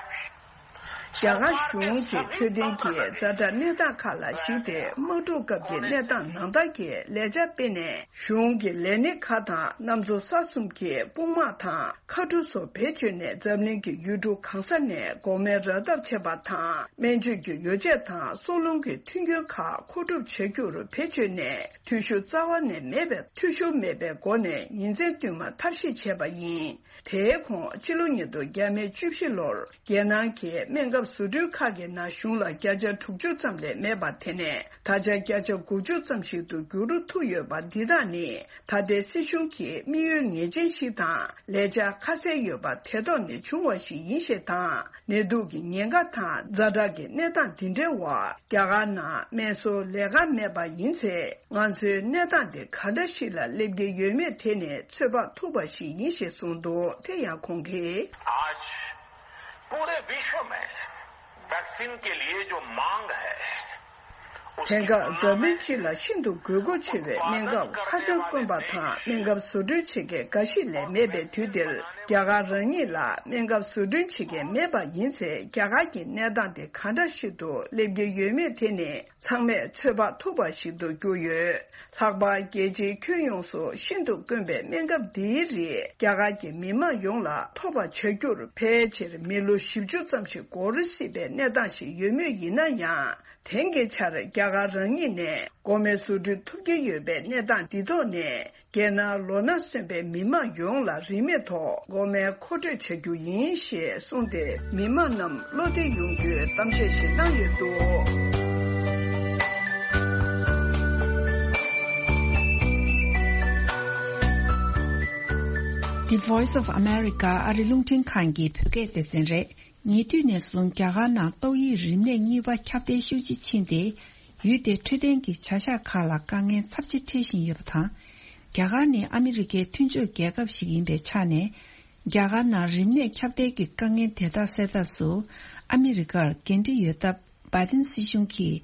རྒྱ་གར་གཞུང་གི་འཕྲོད་བསྟེན་གྱི་ཛ་དྲག་གནས་སྟངས་ཁག་ལ་གཞིགས་ཏེ། དམག་འཁྲུག་སྐབས་ཀྱི་གནས་སྟངས་ནང་ལྟར་གྱི་ལས་འཆར་སྤེལ་ནས། གཞུང་གི་ལས་སྣེ་ཁག་དང་གནམ་མཚོ་ས་གསུམ་གྱི་དཔུང་དམག་དང་། མཁའ་གྲུ་སོགས་བེད་སྤྱོད་ནས། འཛམ་གླིང་གི་ཡུལ་གྲུ་གང་ས་ནས་འགོག་སྨན་རག་ཐབས་བྱེད་པ་དང་། སྨན་བཅོས་ཀྱི་ཡོ་བྱད་དང་། སྲོག་རླུང་གི་མཐུན་རྐྱེན་ཁག་མཁོ་སྒྲུབ་བྱ་རྒྱུར་བེད་སྤྱོད་ནས། འཐུས་ཤོར་རྩ་བ་ནས་མེད་པའི། འཐུས་ཤོར་མེད་པའི་སྒོ་ནས་ཉིན་མཚན་བསྟུད་མར་ཐབས་ཤེས་བྱས་པ་ཡིན། དེའི་གོང་། ཕྱི་ལོ་ཉིས་སྟོང་བརྒྱ་མེད་བཅུ་བཞི་ལོར། རྒྱལ་ནང་གི་སྨན་ཁབ་བཟོ་སྐྲུན་ཁག་གི་ནང་གཞུང་ལ་བརྒྱ་ཆ་དྲུག་ཅུ་ཙམ་ལས་མེད་པ། དེ་ནས་ད་ཆ་བརྒྱ་ཆ་དགུ་བཅུ་ཙམ་ཞིག་ཏུ་འགྱུར་རུ་ཐུབ་ཡོད་པ། འདི་དག་ནི་ད་ལྟའི་སྲིད་གཞུང་གི་དམིགས་ཡུལ་ངེས་ཅན་ཞིག་དང་། ལས་འཆར་ཁ་གསལ་ཡོད་པ་དེ་ཐོག་ནས་བྱུང་བ་ཞིག་ཡིན་ཞེས་དང་། ནད་དུག་གི་ཉེན་ཁ་དང་ཛ་དྲག་གི་གནས་སྟངས་འདི་འདྲའི་འོག་རྒྱ་གར་ནང་སྨན་གསོ་ལས་ཀ་མེད་པ་ཡིན་ཚེ། ང་ཚོའི་གནས་སྟངས་དེ་ག་འདྲ་ཞིག་ལ་སླེབས་ཀྱི་ཡོད་མེད་དེ་ནས་ཚོད་དཔག་ཐུབ་པ་ཞིག་ཡིན་ཞེས་གསུངས་འདུག་དེ་ཡང་ཁོང་གིས། आज पूरे विश्व में वैक्सीन के लिए जो मांग है, དེང་སྐབས་འཛམ་གླིང་སྤྱི་ལ་ཤིན་ཏུ་དགོས་མཁོ་ཆེ་བའི་སྨན་ཁབ་ཁ་བྱང་དཀོན་པ་དང་། སྨན་ཁབ་བཟོ་སྐྲུན་བྱེད་མཁན་འགའ་ཞིག་ལས་མེད་པའི་དུས་འདིར། རྒྱ་གར་རང་ཉིད་ལ་སྨན་ཁབ་བཟོ་སྐྲུན་བྱེད་མཁན་མེད་པ་ཡིན་ཚེ། རྒྱ་གར་གྱི་གནས་སྟངས་དེ་ག་འདྲ་ཞིག་ཏུ་སླེབས་ཀྱི་ཡོད་མེད་དེ་ནི་ཚང་མས་ཚོད་དཔག་ཐུབ་པ་ཞིག་ཏུ་གྱུར་ཡོད། ལྷག་པར་རྒྱལ་སྤྱིའི་ཁྱོན་ཡོངས་སུ་ཤིན་ཏུ་དཀོན་པའི་སྨན་ཁབ་འདིའི་རིགས་རྒྱ་གར་གྱི་མི་དམངས་ཡོངས་ལ་ཐོབ་པ་བྱ་རྒྱུར། ཕལ་ཆེར་མི་ལོ་བཞི་བཅུ་ཙམ་ཞིག་འགོར་སྲིད་པའི་གནས་སྟངས་ཤིག་ཡོད་མུས་ཡིན་ན་ཡང་། དེང་གི་ཆར་རྒྱ་གར་རང་ཉིད་ནས་འགོག་སྨན་བཟོ་སྐྲུན་ཐུབ་ཀྱི་ཡོད་པའི་གནས་སྟངས་འདི་ཐོག་ནས། རྒྱལ་ནང་ལོ་ན་སོན་པའི་མི་དམངས་ཡོངས་ལ་རིན་མེད་ཐོག་འགོག་སྨན་མཁོ་སྤྲོད་བྱ་རྒྱུ་ཡིན་ཞེས་གསུངས་ཏེ། མི་དམངས་རྣམས་བློ་བདེ་ཡོང་རྒྱུའི་གཏམ་བཤད་ཞིག་བཏང་ཡོད་འདུག The Voice of America ཨ་རི་རླུང་འཕྲིན་ཁང་གི་བོད་སྐད་སྡེ་ཚན་རེད། ཉེ་དུས་ནས་བཟུང་རྒྱ་གར་ནང་ཏོག་དབྱིབས་རིམས་ནད་གཉིས་པ་ཁྱབ་གདལ་ཤུགས་ཆེ་ཕྱིན་ཏེ། ཡུལ་དེའི་འཕྲོད་བསྟེན་གྱི་བྱ་གཞག་ཁག་ལ་དཀའ་ངལ་ཚབས་ཆེ་འཕྲད་བཞིན་ཡོད་པ་དང་། རྒྱ་གར་ནི་ཨ་མི་རི་ཀའི་མཐུན་ཕྱོགས་རྒྱལ་ཁབ་ཞིག་ཡིན་པའི་ཆ་ནས། རྒྱ་གར་ནང་རིམས་ནད་ཁྱབ་གདལ་གྱི་དཀའ་ངལ་དེ་དག་སེལ་ཐབས་སུ་ཨ་མི་རི་ཀར་འགན་འཁྲི་ཡོད་སྟབས། བྷའི་ཏིན་སྲིད་གཞུང་གིས་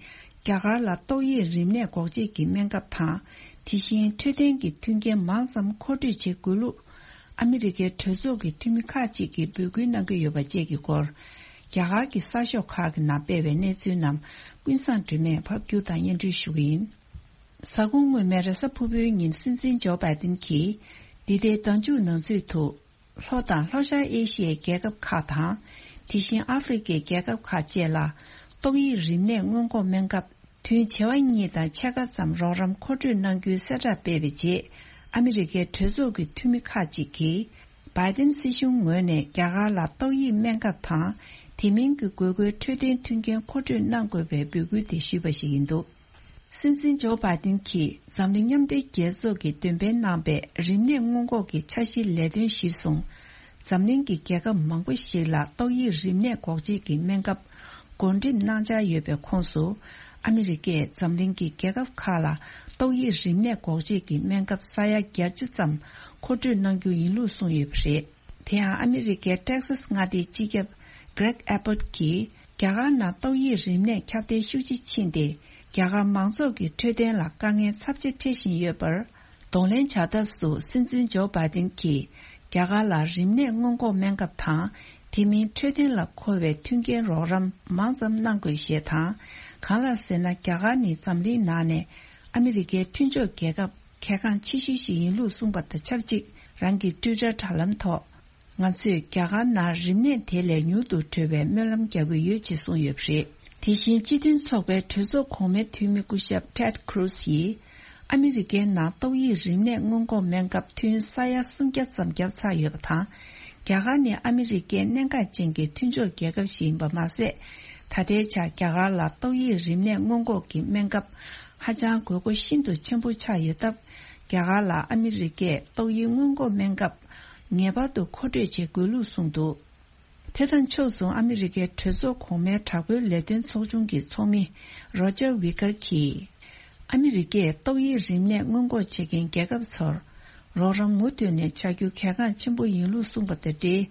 རྒྱ་གར་ལ་ཏོག་དབྱིབས་རིམས་ནད་འགོག་བཅོས་ཀྱི་སྨན་ཁབ་དང་། དེ་བཞིན་འཕྲོད་བསྟེན་གྱི་མཐུན་རྐྱེན་མང་ཙམ་མཁོ་སྤྲོད་བྱེད་དགོས་ལུགས། ཨ་མི་རི་ཀའི་གྲོས་ཚོགས་ཀྱི་འཐུས་མི་ཁག་ཅིག་གིས་འབོད་སྐུལ་གནང་གི་ཡོད་པ་བཅས་ཀྱི་སྐོར། རྒྱ་གར་གྱི་གསར་ཤོག་ཁག་གི་ནང་སྤེལ་བའི་གནས་ཚུལ་རྣམས་ཀུན་བཟང་སྒྲོལ་མས་ཕབ་སྒྱུར་དང་སྙན་སྒྲོན་ཞུ་གི་ཡིན། གཟའ་འཁོར་སྔོན་མའི་རེས་གཟའ་ཕུར་བུའི་ཉིན་སྲིད་འཛིན་ཇོ་བྷའི་ཏིན་གྱིས། འདི་ཟླའི་ཟླ་མཇུག་ནང་ཚུད་དུ། ལྷོ་དང་ལྷོ་ཤར་ཨེ་ཤི་ཡའི་རྒྱལ་ཁབ་ཁག་དང་། དེ་བཞིན་ཨ་ཧྥེ་རི་ཁའི་རྒྱལ་ཁབ་ཁག་བཅས་ལ། ཏོག་དབྱིབས་རིམས་ནད་སྔོན་འགོག་སྨན་ཁབ། ཐུན་བྱེ་བ་གཉིས་དང་ཕྱེད་ཀ་ཙམ་རོགས་རམ་མཁོ་སྤྲོད་གནང་རྒྱུའི་གསལ་བསྒྲགས་སྤེལ་བའི་རྗེས། ཨ་མི་རི་ཀའི་གྲོས་ཚོགས་ཀྱི་འཐུས་མི་ཁག་ཅིག་གིས། བྷའི་ཏིན་སྲིད་གཞུང་ངོས་ནས་རྒྱ་གར་ལ་ཏོག་དབྱིབས་སྨན་ཁབ་དང་། དེ་མིན་གྱི་དགོས་མཁོའི་འཕྲོད་བསྟེན་མཐུན་རྐྱེན་མཁོ་སྤྲོད་གནང་དགོས་པའི་འབོད་སྐུལ་དེ་ཞུས་པ་ཞིག་ཡིན་འདུག་སྲིད་འཛིན་ཇོ་བྷའི་ཏིན་གྱིས་འཛམ་གླིང་མཉམ་འབྲེལ་རྒྱལ་ཚོགས་ཀྱིས་འདོན་སྤེལ་གནང་པའི་རིམས་ནད་སྔོན་འགོག་གི་འཆར་གཞིའི་ལས་དོན་གཞིར་བཟུང་། འཛམ་གླིང་གི་རྒྱལ་ཁབ་མང་པོ་ཞིག་ལ་ཏོག་དབྱིབས་རིམས་ནད་འགོག་བཅོས་ཀྱི་སྨན་ཁབ་བགོ་འགྲེམས་གནང་འཆར་ཡོད་པའི་ཁོངས་སུ། ཨ་མི་རི་ཀས་འཛམ་གླིང་གི་རྒྱལ་ཁབ་ཁག་ལ་ཏོག་དབྱིབས་རིམས་ནད་འགོག་བཅོས་ཀྱི་སྨན་ཁབ་ས་ཡ་བརྒྱད་ཅུ་ཙམ་མཁོ་སྤྲོད་གནང་རྒྱུ་ཡིན་ལུགས་གསུངས་ཡོད་པ་རེད། དེ་ཡང་ཨ་མི་རི་ཀའི་ཏེག་སཱས་མངའ་སྡེའི་སྤྱི་ཁྱབ་Greg Abbott གྱིས། རྒྱ་གར་ནང་ཏོག་དབྱིབས་རིམས་ནད་ཁྱབ་གདལ་ཤུགས་ཆེ་ཕྱིན་ཏེ། རྒྱ་གར་མང་ཚོགས་ཀྱི་འཕྲོད་བསྟེན་ལ་དཀའ་ངལ་ཚབས་ཆེ་འཕྲད་བཞིན་ཡོད་པར། གདོང་ལེན་བྱ་ཐབས་སུ་སྲིད་འཛིན་ཇོ་བྷའི་ཏིན་གྱིས། རྒྱ་གར་ལ་རིམས་ནད་སྔོན་འགོག་སྨན་ཁབ་དང་། དེ་མིན་འཕྲོད་བསྟེན་ལ་མཁོ་བའི་མཐུན་རྐྱེན་རོགས་རམ་མང་ཙམ་གནང་དགོས་ཞེས་དང་། གང་ལགས་ཟེར་ན། རྒྱ་གར་ནི་འཛམ་གླིང་ནང་ནས་ཨ་མི་རི་ཀའི་མཐུན་ཕྱོགས་རྒྱལ་ཁབ་གལ་འགངས་ཆེ་ཤོས་ཤིག་ཡིན་ལུགས་གསུངས་པ་དང་ཆབས་ཅིག་རང་གི་ཊུའི་ཊར་དྲ་ལམ་ཐོག་ང་ཚོས་རྒྱ་གར་ནང་རིམས་ནད་དེ་ལས་མྱུར་དུ་གྲོལ་བའི་སྨོན་ལམ་རྒྱག་གི་ཡོད་ཅེས་གསུངས་ཡོད་པ་རེད། དེ་བཞིན་སྤྱི་མཐུན་ཚོགས་པའི་གྲོས་ཚོགས་གོང་མའི་འཐུས་མི་སྐུ་ཞབས་Ted Cruz ཡིས། ཨ་མི་རི་ཀའི་ནང་ཏོག་དབྱིབས་རིམས་ནད་སྔོན་འགོག་སྨན་ཁབ་ཐུན་ས་ཡ་སུམ་བརྒྱ་ཙམ་བརྒྱབ་ཚར་ཡོད་པ་དང་། རྒྱ་གར་ནི་ཨ་མི་རི་ཀའི་གནད་འགག་ཅན་གྱི་མཐུན་ཕྱོགས་རྒྱལ་ཁབ་ཞིག་ཡིན་པ་མ་ཟད། ད་ལྟའི་ཆར་རྒྱ་གར་ལ་ཏོག་དབྱིབས་རིམས་ནད་སྔོན་འགོག་གི་སྨན་ཁབ་ཧ་ཅང་དགོས་མཁོ་ཤིན་ཏུ་ཆེན་པོ་ཆགས་ཡོད་སྟབས། རྒྱ་གར་ལ་ཨ་མི་རི་ཀས་ཏོག་དབྱིབས་སྔོན་འགོག་སྨན་ཁབ་ངེས་པར་དུ་མཁོ་སྤྲོད་བྱེད་དགོས་ལུགས་གསུངས་འདུག་དེ་དང་ཕྱོགས་མཚུངས། ཨ་མི་རི་ཀའི་གྲོས་ཚོགས་གོང་མའི་དྲག་པོའི་ལས་དོན་ཚོགས་ཆུང་གི་ཚོགས་མི་རོ་ཇར་ཝི་ཀར་གྱིས། ཨ་མི་རི་ཀས་ཏོག་དབྱིབས་རིམས་ནད་སྔོན་འགོག་བྱེད་མཁན་རྒྱལ་ཁབ་ཚོར་རོགས་རམ་མུ་མཐུད་ནས་བྱ་རྒྱུ་གལ་འགངས་ཆེན་པོ་ཡིན་ལུགས་གསུངས་པ་དང་འབྲེལ།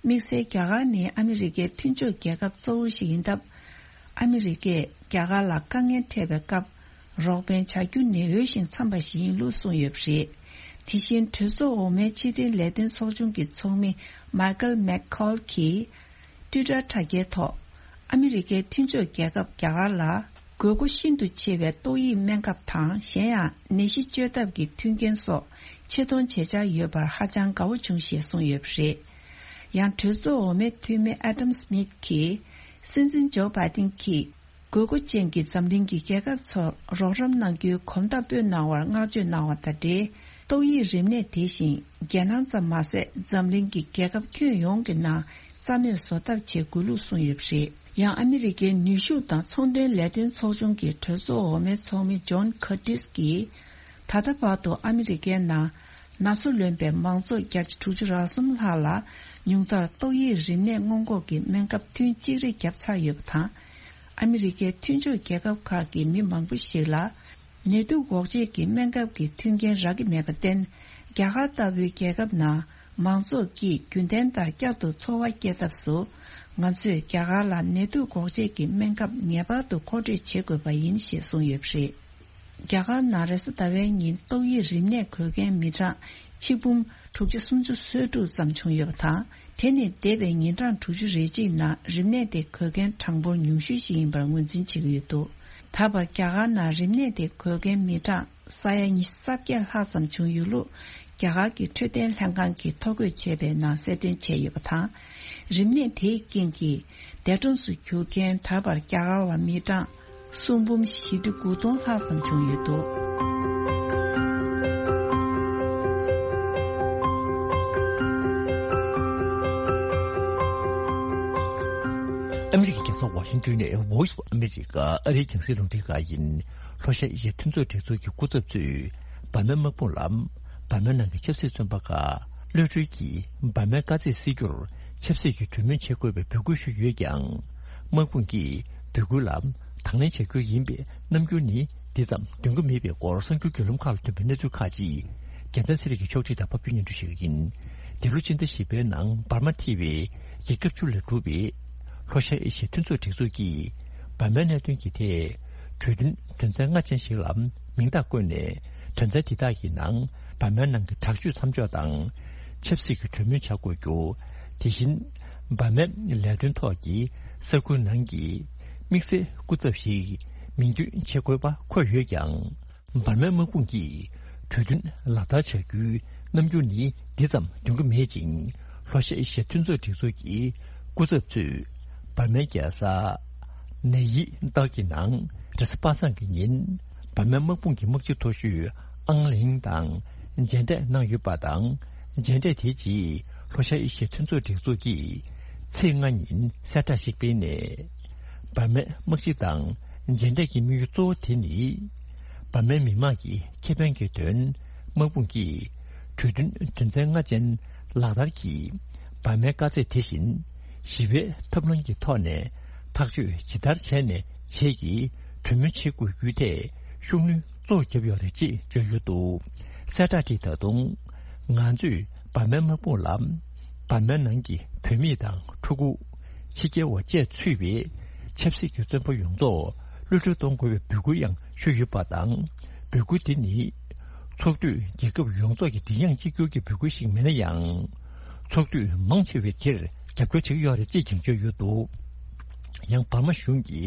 དམིགས་བསལ་རྒྱ་གར་ནི་ཨ་མི་རི་ཀའི་མཐུན་ཕྱོགས་རྒྱལ་ཁབ་གཙོ་བོ་ཞིག་ཡིན་སྟབས། ཨ་མི་རི་ཀས་རྒྱ་གར་ལ་དཀའ་ངལ་འཕྲད་པའི་སྐབས། རོགས་ཕན་བྱ་རྒྱུ་ནི་འོས་ཤིང་འཚམས་པ་ཞིག་ཡིན་ལུགས་གསུངས་ཡོད་པ་རེད། དེ་བཞིན་གྲོས་ཚོགས་འོག་མའི་ཕྱི་འབྲེལ་ལས་དོན་ཚོགས་ཆུང་གི་ཚོགས་མི་མའི་ཀལ་མེག་ཁོལ་གྱིས། ཊུའི་ཊར་དྲ་རྒྱའི་ཐོག་ཨ་མི་རི་ཀའི་མཐུན་ཕྱོགས་རྒྱལ་ཁབ་རྒྱ་གར་ལ་དགོས་མཁོ་ཤིན་ཏུ་ཆེ་བའི་ཏོག་དབྱིབས་སྨན་ཁབ་དང་། གཞན་ཡང་ནད་གཞི་བཅོས་ཐབས་ཀྱི་མཐུན་རྐྱེན་སོགས་ཆེ་མཐོང་ཇེ་ཆེར་ཡོད་པར་ཧ་ཅང་དགའ་བོ་བྱུང་ཞེས་གསུངས་ཡོད་པ་རེད། ཡང་གྲོས་ཚོགས་འོག་མའི་འཐུས་མི་ཨ་ཏམ་སྨིད་ཀྱིས། སྲིད་འཛིན་ཇོ་བྷའི་ཏིན་གྱིས། དགོས་མཁོ་ཅན་གྱི་འཛམ་གླིང་གི་རྒྱལ་ཁབ་ཚོར་རོགས་རམ་གནང་རྒྱུའི་གོམ་སྟབས་སྤོས་གནང་བར་བསྔགས་བརྗོད་གནང་བ་དང་འབྲེལ། ཏོག་དབྱིབས་རིམས་ནད་དེ་བཞིན་རྒྱལ་ནང་ཙམ་མ་ཟད། འཛམ་གླིང་གི་རྒྱལ་ཁབ་ཁྱོན་ཡོངས་ཀྱི་ནང་རྩ་མེད་བཟོ་ཐབས་ཆེད་དགོས་ལུགས་གསུངས་ཡོད་པ་རེད། ཡང་ཨ་མི་རི་ཀའི་ནུས་ཤུགས་དང་ཚོང་དོན་ལས་དོན་ཚོགས་ཆུང་གི་གྲོས་ཚོགས་འོག་མའི་ཚོགས་མི་ཇོན་ཁར་ཏིས་ཀྱིས། ད་ལྟ་བར་དུ་ཨ་མི་རི་ཀའི་ནང་ན་ཚ་ལོན་པའི་མང་ཚོགས་བརྒྱ་ཆ་དྲུག་ཅུ་རེ་གསུམ་ལྷག་ལ་ཉུང་མཐར་ཏོག་དབྱིབས་རིམས་ནད་སྔོན་འགོག་གི་སྨན་ཁབ་ཐུན་གཅིག་རེ་བརྒྱབ་ཚར་ཡོད་པ་དང་། ཨ་མི་རི་ཀའི་མཐུན་ཕྱོགས་རྒྱལ་ཁབ་ཁག་གི་མི་མང་པོ་ཞིག་ལ་ནད་དུག་འགོག་བཅོས་ཀྱི་སྨན་ཁབ་ཀྱི་མཐུན་རྐྱེན་རག་གི་མེད་པར་བརྟེན། རྒྱ་གར་ལྟ་བུའི་རྒྱལ་ཁབ་ནང་མང་ཚོགས་ཀྱིས་རྒྱུན་ལྡན་ལྟར་བསྐྱར་དུ་འཚོ་བ་སྐྱེལ་ཐབས་སུ། ང་ཚོས་རྒྱ་གར་ལ་ནད་དུག་འགོག་བཅོས་ཀྱི་སྨན་ཁབ་ངེས་པར་དུ་མཁོ་སྤྲོད་བྱེད་དགོས་པ་ཡིན་ཞེས་གསུངས་ཡོད་པ་རེད། རྒྱ་གར་ནང་རེས་གཟའ་ཟླ་བའི་ཉིན་ཏོག་དབྱིབས་རིམས་ནད་འགོས་མཁན་མི་གྲངས་ཆིག་འབུམ་དྲུག་ཅུ་སུམ་ཅུ་སོ་དྲུག་ཙམ་བྱུང་ཡོད་པ་དང་། དེ་ནི་འདས་པའི་ཉིན་གྲངས་དྲུག་ཅུ་རེ་གཅིག་ནང་རིམས་ནད་དེ་འགོས་མཁན་གྲངས་འབོར་ཉུང་ཤོས་ཤིག་ཡིན་པར་ངོས་འཛིན་བྱེད་ཀྱི་ཡོད་འདུག་ད་བར་རྒྱ་གར་ནང་རིམས་ནད་དེ་འགོས་མཁན་མི་གྲངས་ས་ཡ་ཉི་ཤུ་རྩ་བརྒྱད་ལྷག་ཙམ་བྱུང་ཡོད་ལུགས། རྒྱ་གར་གྱི་འཕྲོད་བསྟེན་ལྷན་ཁང་གིས་ཐོ་འགོད་བྱས་པའི་ནང་གསལ་སྟོན་བྱས་ཡོད་པ་དང་། རིམས་ནད་དེའི་རྐྱེན་གྱིས་འདས་གྲོངས་སུ་གྱུར་མཁན་ད་བར་རྒྱ་གར་བ་མི་གྲངས་སུམ་འབུམ་བཞི་ཁྲི་དགུ་སྟོང་ལྷག་ཙམ་བྱུང་ཡོད་འདུག་ཨ་མི་རི་ཀའི་རྒྱལ་ས་ཝ་ཤིང་ཏོན་ནས་Voice of America ཨ་རིའི་རྒྱང་སྲིང་རླུང་འཕྲིན་ཁང་ཡིན། ལྷོ་ཤར་ཨེ་ཤི་ཡའི་མཐུན་ཚོགས་སྒྲིག་འཛུགས་ཀྱི་སྐུ་ཚབ་ཚོས་འབར་མའི་དམག་དཔུང་ལ། འབར་མའི་ནང་གི་ཆབ་སྲིད་བཙོན་པ་ཁག་གློད་གྲོལ་གྱིས་འབར་མའི་དཀའ་ཚེགས་སེལ་རྒྱུར་ཆབ་སྲིད་ཀྱི་གྲོས་མོལ་བྱེད་དགོས་པའི་འབོད་སྐུལ་ཞུས་ཡོད་ཀྱང་། དམག་དཔུང་གིས་འབོད་སྐུལ་ལ་དང་ལེན་བྱ་རྒྱུ་ཡིན་པའི་རྣམ་འགྱུར་ནི་འདི་ཙམ་འདོན་གྱི་མེད་པའི་སྐོར་གསར་འགྱུར་བརྒྱུད་ལམ་ཁག་ལ་ཐོན་པའི་གནས་ཚུལ་ཁག་ཅིག་རྒྱལ་མཚན་ཚེ་རིང་གིས་ཕྱོགས་སྒྲིག་དང་ཕབ་སྒྱུར་སྙན་སྒྲོན་ཞུ་གི་ཡིན། འདི་ལོ་སྤྱི་ཟླ་བཞི་པའི་ནང་འབར་མ་ཐེ་བའི་རྒྱལ་ཁབ་བཅུ་ལས་གྲུབ་པའི་ལྷོ་ཤར་ཨེ་ཤི་ཡའི་མཐུན་ཚོགས་སྒྲིག་འཛུགས་ཀྱིས་འབར་མའི་གནད་དོན་གྱི་ཐད་གྲོས་མཐུན་དོན་ཚན་ལྔ་ཅན་ཞིག་ལ་མིང་རྟགས་བཀོད་ནས། དོན་ཚན་དེ་དག་གི་ནང་འབར་མའི་ནང་གི་དྲག་སྤྱོད་མཚམས་འཇོག་དང་། ཆབ་སྲིད་ཀྱི་གྲོས་མོལ་བྱ་དགོས་རྒྱུ། དེ་བཞིན་འབར་མའི་ལས་དོན་ཐོག་གི་ས་ཁུལ་ནང་གི་དམིགས་བསལ་སྐུ་ཚབ་ཞིག་མིང་འདོན་བྱེད་དགོས་པ་འཁོད་ཡོད་ཀྱང་། འབར་མའི་དམག་དཔུང་གིས་གྲོས་མཐུན་ལག་བསྟར་བྱ་རྒྱུའི་རྣམ་འགྱུར་ནི་འདི་ཙམ་འདོན་གྱི་མེད་ཅིང་། ལྷོ་ཤར་ཨེ་ཤི་ཡའི་མཐུན་ཚོགས་སྒྲིག་འཛུགས་ཀྱི་སྐུ་ཚབ་ཚོས་འབར་མའི་རྒྱལ་ས་ནེ་ཡི་ཏག་གི་ནང་རེས་གཟའ་པ་སངས་ཀྱི་ཉིན་འབར་མའི་དམག་དཔུང་གི་དམག་སྤྱི་མཐོ་ཤོས་ཨང་ལིང་དང་མཇལ་འཕྲད་གནང་ཡོད་པ་དང་། མཇལ་འཕྲད་དེའི་རྗེས་ལྷོ་ཤར་ཨེ་ཤི་ཡའི་མཐུན་ཚོགས་སྒྲིག་འཛུགས་ཀྱིས་ཚེས་ལྔ་ཉིན་གསལ་བསྒྲགས་ཤིག་སྤེལ་ནས། འབར་མའི་དམག་སྤྱི་དང་མཇལ་འཕྲད་ཀྱི་དམིགས་ཡུལ་གཙོ་བོ་དེ་ནི། འབར་མའི་མི་དམངས་ཀྱི་ཁེ་ཕན་གྱི་དོན་དམག་དཔུང་གིས་གྲོས་མཐུན་དོན་ཚན་ལྔ་ཅན་ལག་བསྟར་གྱིས་འབར་མའི་དཀའ་ཚེགས་དེ་བཞིན་ཞི་བའི་ཐབས་ལམ་གྱི་ཐོག་ནས་ཐག་གཅོད་ཇི་ལྟར་བྱས་ནས་བྱེད་ཀྱི་གྲོས་མོལ་བྱེད་དགོས་རྒྱུའི་ཐད་ཤུགས་སྣོན་གཙོ་བོ་བརྒྱབ་ཡོད་རེད་ཅེས་བརྗོད་ཡོད་འདུག་གསལ་བསྒྲགས་དེས་ད་དུང་ང་ཚོས་འབར་མའི་དམག་དཔུང་ལ་འབར་མའི་ནང་གི་བུད་མེད་དང་ཕྲུ་གུ། ཕྱི་རྒྱལ་བ་བཅས་ཚུད་པའི་ཆབ་སྲིད་ཀྱི་བཙོན་པ་ཡོངས་རྫོགས་གློད་གྲོལ་གཏོང་དགོས་པའི་འབོད་སྐུལ་ཡང་ཞུས་ཡོད་པ་དང་། འབོད་སྐུལ་འདི་ནི་ཚོགས་འཐུས་རྒྱལ་ཁབ་ཡོངས་རྫོགས་ཀྱི་མགྲིན་དབྱངས་གཅིག་གྱུར་གྱི་འབོད་སྐུལ་ཞིག་མིན་ན་ཡང་། ཚོགས་འཐུས་མང་ཆེ་བས་དེར་རྒྱབ་སྐྱོར་བྱེད་ཀྱི་ཡོད་རེད་ཅེས་ཀྱང་བརྗོད་ཡོད་འདུག་ཡང་འབར་མ་གཞུང་གི་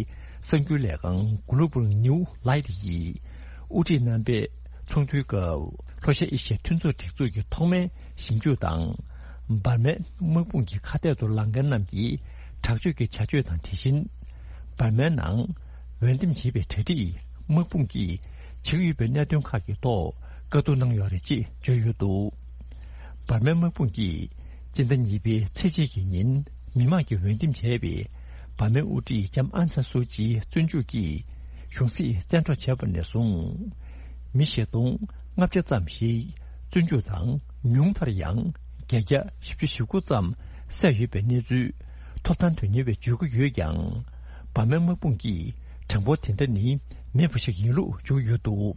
གསར་འགྱུར་ལས་ཁང་Global New Light ཡིས་དབུ་ཁྲིད་གནང་པའི་ཚོགས་འདུའི་སྐབས་ལྷོ་ཤར་ཨེ་ཤི་ཡའི་མཐུན་ཚོགས་སྒྲིག་འཛུགས་ཀྱི་ཐོག་མའི་ཞིབ་འཇུག་དང་། འབར་མའི་དམག་དཔུང་གི་ཁ་གཏད་དུ་ལངས་མཁན་རྣམས་ཀྱི་དྲག་སྤྱོད་ཀྱི་བྱ་སྤྱོད་དང་། དེ་བཞིན་འབར་མའི་ནང་འོས་འདེམས་བྱས་པའི་གྲ་སྒྲིག་དམག་དཔུང་གིས་བྱེད་ཀྱི་ཡོད་པའི་གནད་དོན་ཁག་གི་ཐོག་བཀའ་བསྡུར་གནང་ཡོད་རེད་ཅེས་བརྗོད་ཡོད་འདུག་འབར་མའི་དམག་དཔུང་གིས་སྤྱི་ཟླ་གཉིས་པའི་ཚེས་གཅིག་གི་ཉིན་མི་མང་གིས་འོས་འདེམས་བྱས་པའི་འབར་མའི་དབུ་ཁྲིད་ལྕམ་ཨང་སན་སུའུ་ཅིའི་བཙོན་འཇུག་གིས་གཞུང་སྲིད་བཙན་འཕྲོག་བྱས་པ་ནས་བཟུང་། མི་བཞི་སྟོང་ལྔ་བརྒྱ་ཙམ་ཞིག་བཙོན་འཇུག་དང་ཉུང་མཐར་ཡང་བརྒྱད་བརྒྱ་བཞི་བཅུ་ཞེ་དགུ་ཙམ་བསད་ཡོད་པའི་གནས་ཚུལ་ཐོབ་ཐང་དོན་གཉེར་བས་བརྗོད་ཀྱི་ཡོད་ཀྱང་། འབར་མའི་དམག་དཔུང་གིས་གྲངས་འབོར་དེ་འདྲ་ནི་མེད་པ་ཞིག་ཡིན་ལུགས་བརྗོད་ཡོད་འདུག་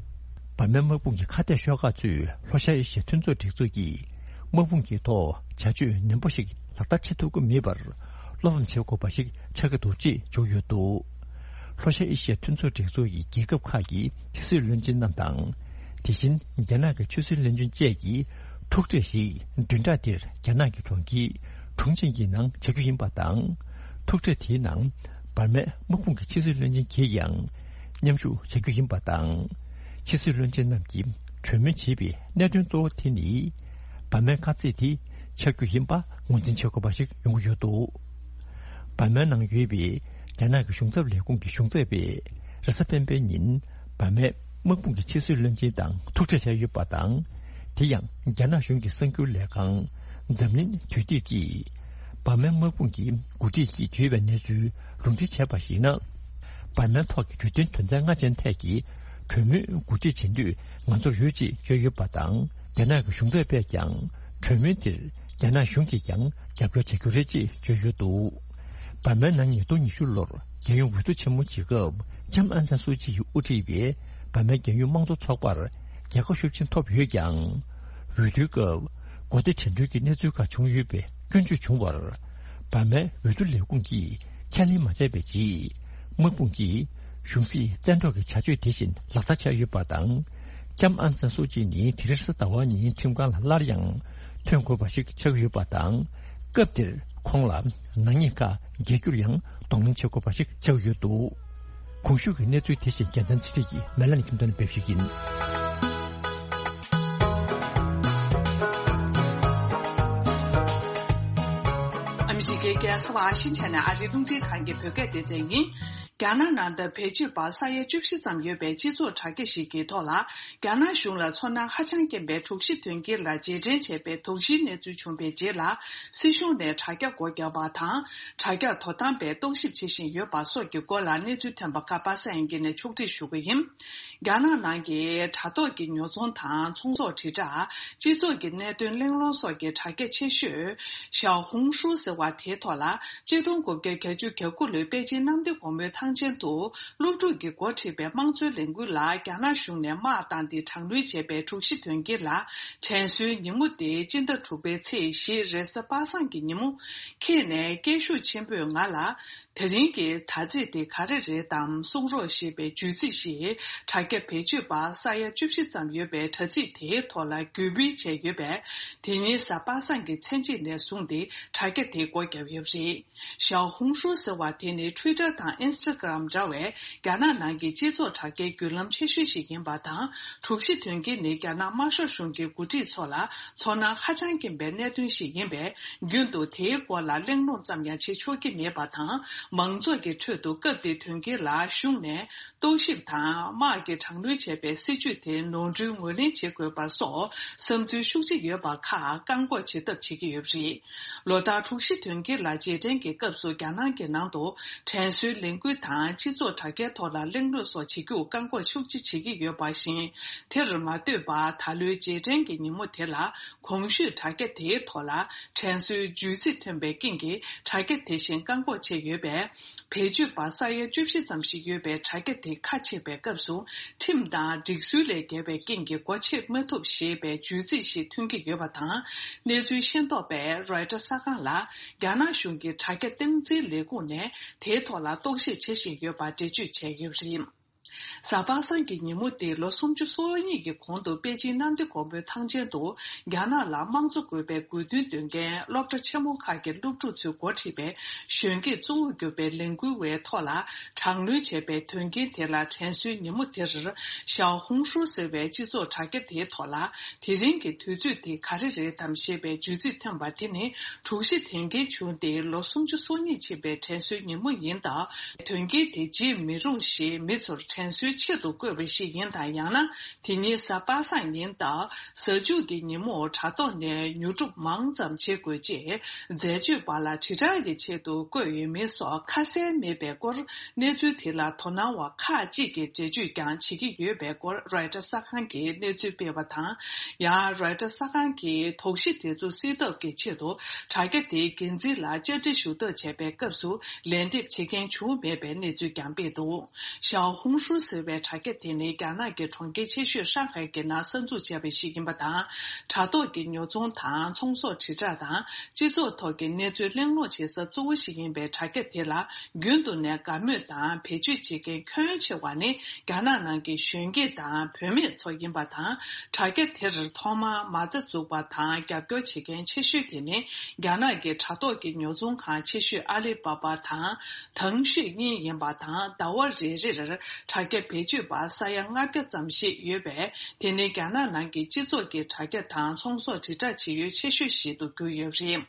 འབར་མའི་དམག་དཔུང་གི་ཁ་གཏད་ཤོག་ཁག་ཚོས་ལྷོ་ཤར་ཨེ་ཤི་ཡའི་མཐུན་ཚོགས་སྒྲིག་འཛུགས་ཀྱི་དམག་དཔུང་གི་ཐོག་བྱ་སྤྱོད་ནན་པོ་ཞིག་ལག་བསྟར་བྱེད་ཐུབ་ཀྱི་མེད་པར་བློ་ཕམ་བྱེད་དགོས་པ་ཞིག་ཆགས་ཀྱི་འདུག་ཅེས་བརྗོད་ཡོད་འདུག་ལྷོ་ཤར་ཨེ་ཤི་ཡའི་མཐུན་ཚོགས་སྒྲིག་འཛུགས་ཀྱི་རྒྱལ་ཁབ་ཁག་གི་ཕྱི་སྲིད་བློན་ཆེན་རྣམས་དང་། དེ་བཞིན་རྒྱ་ནག་གི་ཆོས་སྲིད་བློན་ཆེན་བཅས་ཀྱི་ཐུག་འཕྲད་ཞིག་བདུན་ཕྲག་འདིར་རྒྱ་ནག་གི་གྲོང་ཁྱེར་ཁྲུང་ཆིང་གི་ནང་བྱ་རྒྱུ་ཡིན་པ་དང་། ཐུག་འཕྲད་དེའི་ནང་ འབར་མའི་དམག་དཔུང་གི་ཕྱི་སྲིད་བློན་ཆེན་གྱིས་ཀྱང་མཉམ་ཞུགས་བྱ་རྒྱུ་ཡིན་པ་དང་། ཕྱི་སྲིད་བློན་ཆེན་རྣམས་ཀྱིས་གྲོས་མོལ་བྱས་པའི་གནད་དོན་གཙོ་བོ་དེ་ནི། འབར་མའི་དཀའ་ཚེགས་དེ་ཆགས་རྒྱུ་ཡིན་པ་ངོས་འཛིན་བྱེད་དགོས་པ་ཞིག་ཡོང་གི་ཡོད་འདུག་འབར་མའི་ནང་ཡོད་པའི་རྒྱ་ནག་གི་གཞུང་ཚབ་ལས་ཁུངས་ཀྱི་གཞུང་ཚབ་པས་རེས་གཟའ་སྤེན་པའི་ཉིན་འབར་མའི་དམག་དཔུང་གི་ཕྱི་སྲིད་བློན་ཆེན་དང་ཐུག་འཕྲད་བྱས་ཡོད་པ་དང་། དེ་ཡང་རྒྱ་ནག་གཞུང་གི་གསར་འགྱུར་ལས་ཁང་འཛམ་གླིང་དུས་དེབ་ཀྱིས། འབར་མའི་དམག་དཔུང་གི་འགོ་ཁྲིད་ཀྱིས་བརྗོད་པའི་གནས་ཚུལ་ལུང་འདྲེན་བྱས་པར་གཞིགས་ན། འབར་མའི་ཐོག་གི་གྲོས་མཐུན་དོན་ཚན་ལྔ་ཅན་ཐད་ཀྱི་གྲོས་མོལ་འགོ་ཁྲིད་བྱེད་འདོད་ང་ཚོར་ཡོད་ཅེས་བརྗོད་ཡོད་པ་དང་། རྒྱ་ནག་གི་གཞུང་ཚབ་པས་ཀྱང་གྲོས་མོལ་དེར་རྒྱ་ནག་གཞུང་གིས་ཀྱང་རྒྱབ་སྐྱོར་བྱ་རྒྱུ་རེད་ཅེས་བརྗོད་ཡོད་འདུག་འབར་མའི་ནང་ཉིས་སྟོང་ཉི་ཤུ་ལོར་རྒྱལ་ཡོངས་འོས་བསྡུ་ཆེན་མོ་བྱེད་སྐབས་ལྕམ་ཨང་སན་སུའུ་ཅི་ཡིས་དབུ་ཁྲིད་པའི་འབར་མའི་རྒྱལ་ཡོངས་དམངས་གཙོ་ཚོགས་པར་རྒྱལ་ཁ་ཤུགས་ཆེན་ཐོབ་ཡོད་ཀྱང་། འོས་བསྡུའི་སྐབས་གོ་བདེ་དྲན་འདུན་གྱི་གནས་ཚུལ་ཁག་བྱུང་ཡོད་པའི་སྐྱོན་བརྗོད་བྱུང་བར། འབར་མའི་འོས་བསྡུ་ལས་ཁུངས་ཀྱིས་ཁས་ལེན་མ་བྱས་པའི་རྗེས། དམག་དཔུང་གིས་གཞུང་སྲིད་བཙན་འཕྲོག་གི་བྱ་སྤྱོད་དེ་བཞིན་ལག་བསྟར་བྱས་ཡོད་པ་དང་། ལྕམ་ཨང་སན་སུའུ་ཅི་ནི་དེ་རིང་གཟའ་ཟླ་བ་ཉིན་ཁྲིམས་ཁང་ལ་སླར་ཡང་ཐོན་དགོས་པ་ཞིག་ཆགས་ཡོད་པ་དང་། སྐབས་དེར་ཁོང་ལ་ནག་ཉེས་ཁག་འགེལ་རྒྱུར་ཡང་གདོང་ལེན་བྱེད་དགོས་པ་ཞིག་ཆགས་ཡོད་འདུག་གོང་ཞུས་ཀྱི་གནས་ཚུལ་དེ་བཞིན་རྒྱལ་མཚན་ཚེ་རིང་གིས་མེ་ལན་ཁྱིམ་སྟོན་སྤེལ་ཞིག་ཡིན། ཨ་མི་རི་ཀའི་རྒྱལ་ས་ཝ་ཤིང་ཊོན་ནས་ཨ་རིའི་རླུང་འཕྲིན་ཁང་གི་བོད་སྐད་སྡེ་ཚན་ཡིན། རྒྱ་ནག་ནང་དུ་བེད་སྤྱོད་པ་ས་ཡ་བཅུ་བཞི་ཙམ་ཡོད་པའི་སྤྱི་ཚོགས་དྲ་རྒྱ་ཞིག་གི་ཐོག་ལ། རྒྱ་ནག་གཞུང་ལ་ཚོར་སྣང་ཧ་ཅང་སྐྱེན་པའི་དྲུག་བཞི་དོན་རྐྱེན་ལ་རྗེས་དྲན་བྱས་པའི་དོགས་གཞིའི་གནས་ཚུལ་བྱུང་བའི་རྗེས་ལ། སྲིད་གཞུང་ནས་དྲ་རྒྱ་སྒོ་བརྒྱབ་པ་དང་། དྲ་རྒྱ་དོ་དམ་པས་རྟོག་ཞིབ་བྱེད་བཞིན་ཡོད་པ་སོགས་ཀྱི་སྐོར་ལ་གནས་ཚུལ་ཐོན་པ་ཁག་པ་སངས་དབྱངས་སྐྱིད་ནས་ཕྱོགས་སྒྲིག་ཞུ་གི་ཡིན། རྒྱ་ནག་ནང་གི་དྲ་ཐོག་གི་ཉོ་ཚོང་དང་ཚོང་ཟོག་དྲིལ་བསྒྲགས། སྤྱི་ཚོགས་ཀྱི་གནད་དོན་གླེང་སློང་སོགས་ཀྱི་དྲ་རྒྱ་ཆེ་ཤོས་ཞའོ་ཧུང་ཧྲུའུ་ཟེར་བ་དེའི་ཐོག་ལ། ཆིག་སྟོང་དགུ་བརྒྱ་གྱ་དགུ་ལོའི་པེ་ཅིན་གནམ་བདེ་སྒོ་མོའི་ཐང་ཆེན་དུ་སློབ་ཕྲུག་གིས་འགོ་ཁྲིད་པའི་དམངས་གཙོའི་ལས་འགུལ་ལ་རྒྱ་ནག་གཞུང་ནས་དམག་བཏང་སྟེ་དྲག་གནོན་བྱས་པའི་དྲུག་བཞི་དོན་རྐྱེན་ལ། དྲན་གསོའི་ཉིན་མོ་དེ་སྤྱི་ཟླ་དྲུག་པའི་ཚེས་བཞི་རེས་གཟའ་པ་སངས་ཀྱི་ཉིན་མོ། ཁྱེད་ནས་སྐད་ཤུགས་ཆེན་པོས་ང་ལ། དེ་རིང་གི་དྲ་ཚིགས་དེ་ག་རེ་རེད་དམ་གསུང་རོགས་ཞེས་པའི་བརྗོད་ཚིག་ཞིག་དྲ་རྒྱ་བེད་སྤྱོད་པ་ས་ཡ་བཅུ་བཞི་ཙམ་ཡོད་པའི་དྲ་ཚིགས་དེའི་ཐོག་ལ་བརྒྱུད་སྤེལ་བྱས་ཡོད་པས། དེ་ཉིན་གཟའ་པ་སངས་ཀྱི་མཚན་ཕྱེད་ནས་བཟུང་སྟེ་དྲ་རྒྱ་དེ་སྒོ་བརྒྱབ་ཡོད་པ་རེད། ཞའོ་ཧུང་ཧྲུའུ་ཟེར་བ་དེ་ནི་ཊུའི་ཊར་དང་ཨིན་སི་ཊ་གྷི་རམ་འདྲ་བའི་རྒྱ་ནག་ནང་གི་སྤྱི་ཚོགས་དྲ་རྒྱའི་བརྒྱུད་ལམ་ཆེ་ཤོས་ཤིག་ཡིན་པ་དང་། དྲུག་བཞི་དོན་རྐྱེན་ནི་རྒྱ་ནག་དམར་ཤོག་གཞུང་གི་འགོ་ཁྲིད་ཚོ་ལ་ཚོར་སྣང་ཧ་ཅང་སྐྱེན་པའི་གནད་དོན་ཞིག་ཡིན་པས། རྒྱུན་དུ་དེའི་སྐོར་ལ་གླེང་སློང་ཙམ་ཡང་བྱེད་ཆོག་གི་མེད་པ་དང་། མང་ཚོགས་ཀྱི་ཁྲོད་དུ་སྐབས་དེའི་དོན་རྐྱེན་ལ་གཞུང་ནས་རྟོག་ཞིབ་དང་དམག་གིས་དྲག་གནོན་བྱས་པའི་སྲིད་བྱུས་དེ་ནོར་འཁྲུལ་ངོས་ལེན་བྱེད་དགོས་པ་སོགས་བསམ་ཚུལ་ཤུགས་ཆེ་ཡོད་པ་ཁག་བཀག་འགོག་བྱེད་ཐབས་བྱེད་ཀྱི་ཡོད་པ་རེད། ལོ་ལྟར་དྲུག་བཞི་དོན་རྐྱེན་ལ་རྗེས་དྲན་གྱི་སྐབས་སུ་རྒྱ་ནག་གི་ནང་དུ་དྲན་གསོའི་ལས་འགུལ་དང་སྤྱི་ཚོགས་དྲ་རྒྱའི་ཐོག་ལ་གླེང་སློང་སོགས་བྱེད་རྒྱུར་བཀག་འགོག་ཤུགས་ཆེ་བྱེད་ཀྱི་ཡོད་པ་བཞིན། དེར་མ་ལྟོས་པར་ད་ལོའི་རྗེས་དྲན་གྱི་ཉིན་མོ་དེ་ལ། གོང་ཞུས་དྲ་རྒྱ་དེའི་ཐོག་ལ་དྲན་གསོའི་བརྗོད་ཚིག་ཐོན་པའི་རྐྱེན་གྱིས་དྲ་རྒྱ་དེ་བཞིན་བཀག་འགོག་བྱས་ཡོད་པས། བེད་སྤྱོད་པ་ས་ཡ་བཅུ་བཞི་ཙམ་ཞིག་ཡོད་པའི་དྲ་རྒྱ་དེ་ཁ་ཕྱེ་བའི་སྐབས་སུ། ཁྲིམས་དང་སྒྲིག་སྲོལ་ལས་འགལ་བའི་རྐྱེན་གྱིས་སྒོ་ཕྱེ་མ་ཐུབ་ཞེས་པའི་བརྗོད་ཚིག་ཞིག་ཐོན་གྱི་ཡོད་པ་དང་། གནས་ཚུལ་ཤེས་རྟོགས་པས་རོའི་ཊར་གསར་ཁང་ལ། རྒྱ་ནག་གཞུང་གི་དྲ་རྒྱ་སྟངས་འཛིན་ལས་ཁུངས་ནས་དེའི་ཐོག་ལ་རྟོག་ཞིབ་བྱེད་བཞིན་ཡོད་པ་འགྲེལ་བརྗོད་བྱས་ཡོད་པ་རེད། གཟའ་པ་སངས་ཀྱི་ཉིན་མོ་དེ་ལོ་སུམ་ཅུ་སོ་གཉིས་ཀྱི་གོང་དུ་པེ་ཅིན་གནམ་བདེ་སྒོ་མོའི་ཐང་ཆེན་དུ་རྒྱ་ནག་ལ་དམངས་གཙོ་དགོས་པའི་དགོས་འདུན་འདོན་མཁན་སློབ་གྲྭ་ཆེན་མོ་ཁག་གི་སློབ་ཕྲུག་ཚོས་འགོ་ཁྲིད་པའི་གཞོན་སྐྱེས་གཙོ་བོར་གྱུར་པའི་ལས་འགུལ་བའི་ཐོག་ལ་དྲག་གནོན་བྱས་པའི་དོན་རྐྱེན་དེ་ལ་དྲན་གསོའི་ཉིན་མོ་དེར་ཞའོ་ཧུང་ཧྲུའུ་ཟེར་བའི་སྤྱི་ཚོགས་དྲ་རྒྱ་དེའི་ཐོག་ལ། དེ་རིང་གི་དུས་ཚོད་དེ་ག་རེ་རེད་དམ་ཞེས་པའི་བརྗོད་ཚིག་ཐོན་པ་དེ་ནི་དྲུག་བཞི་དོན་རྐྱེན་བྱུང་སྟེ་ལོ་སུམ་ཅུ་སོ་གཉིས་ཕྱིན་པའི་དྲན་གསོའི་ཉིན་མོ་ཡིན་སྟབས། དོན་རྐྱེན་དེ་བརྗེད་མི་རུང་ཞེས་མི་ཚོར་དྲན་གསོའི་ཆེད་དུ་བཀོད་པ་ཞིག་ཡིན་དང་། ཡང་ན་དེ་ཉིན་གཟའ་པ་སངས་ཡིན་སྟབས། གཟའ་མཇུག་གི་ཉིན་མོར་དྲ་ཐོག་ནས་ཉོ་སྒྲུབ་མང་ཙམ་བྱེད་དགོས་ཅེས་འཛད་སྤྱོད་པ་ལ་དྲིལ་བསྒྲགས་ཀྱི་ཆེད་དུ་བཀོད་ཡོད་མེད་སོགས་ཁ་གསལ་མེད་པའི་སྐོར། གནས་ཚུལ་དེ་ལ་དོ་སྣང་བ་ཁག་ཅིག་གིས་འགྲེལ་བརྗོད་ཀྱང་བྱེད་ཀྱི་ཡོད་པའི་སྐོར་རོའི་ཊར་གསར་ཁང་གིས་གནས་ཚུལ་སྤེལ་བ་དང་། ཡང་རོའི་ཊར་གསར་ཁང་གིས་དོགས་གཞི་དེ་ཚོ་སེལ་ཐབས་ཀྱི་ཆེད་དུ་དྲ་རྒྱ་དེའི་འགན་འཛིན་ལ་བཅར་འདྲི་ཞུ་ཐབས་བྱས་པའི་སྐབས་སུ་ལན་འདེབས་བྱེད་མཁན་བྱུང་མེད་པའི་གནས་ཚུལ་ཀྱང་སྤེལ་འདུག་ཞའོ་ཧུང་ཧྲུའུ་ཟེར། བའི་དྲ་རྒྱ་དེ་ནི་རྒྱ་ནག་གི་གྲོང་ཁྱེར་ཆེ་ཤོས་ཧྲང་ཧའེ་གྱི་ནང་གསར་འཛུགས་བྱས་པ་ཞིག་ཡིན་པ་དང་། དྲ་ཐོག་གི་ཉོ་ཚོང་དང་ཚོང་ཟོག་དྲིལ་བསྒྲགས་དང་སྤྱི་ཚོགས་ཐོག་གི་གནས་ཚུལ་གླེང་སློང་བྱེད་ས་གཙོ་བོ་ཞིག་ཡིན་པའི་དྲ་རྒྱ་དེ་ལ་རྒྱུན་དུ་ནས་དགའ་མོས་དང་བེད་སྤྱོད་བྱེད་མཁན་ཁྱོན་ཆེ་བ་ནི་རྒྱ་ནག་ནང་གི་གཞོན་སྐྱེས་དང་བུད་མེད་ཚོ་ཡིན་པ་དང་། དྲ་རྒྱ་དེར་ཐོག་མར་མ་རྩ་འཛུགས་པ་དང་རྒྱབ་སྐྱོར་བྱེད་མཁན་ཆེ་ཤོས་དེ་ནི་རྒྱ་ནག་གི་དྲ་ཐོག་གི་ཉོ་ཚོང་ཁང་ཆེ་ཤོས་ཨ་ལི་པ་པ་དང་ཐང་ཤོས་གཉིས་ཡིན་པ་དང་། ཟླ་བ་རེ་རེར་དྲ་རྒྱ་བེད་སྤྱོད་པ་ས་ཡ་ལྔ་བརྒྱ་ཙམ་ཞིག་ཡོད་པས། དེ་ནི་རྒྱ་ནག་ནང་གི་སྤྱི་ཚོགས་ཀྱི་དྲ་རྒྱ་དང་ཚོང་ཟོག་དྲིལ་བསྒྲགས་བྱེད་ཡུལ་ཆེ་ཤོས་ཤིག་ཏུ་གྱུར་ཡོད་པ་རེད།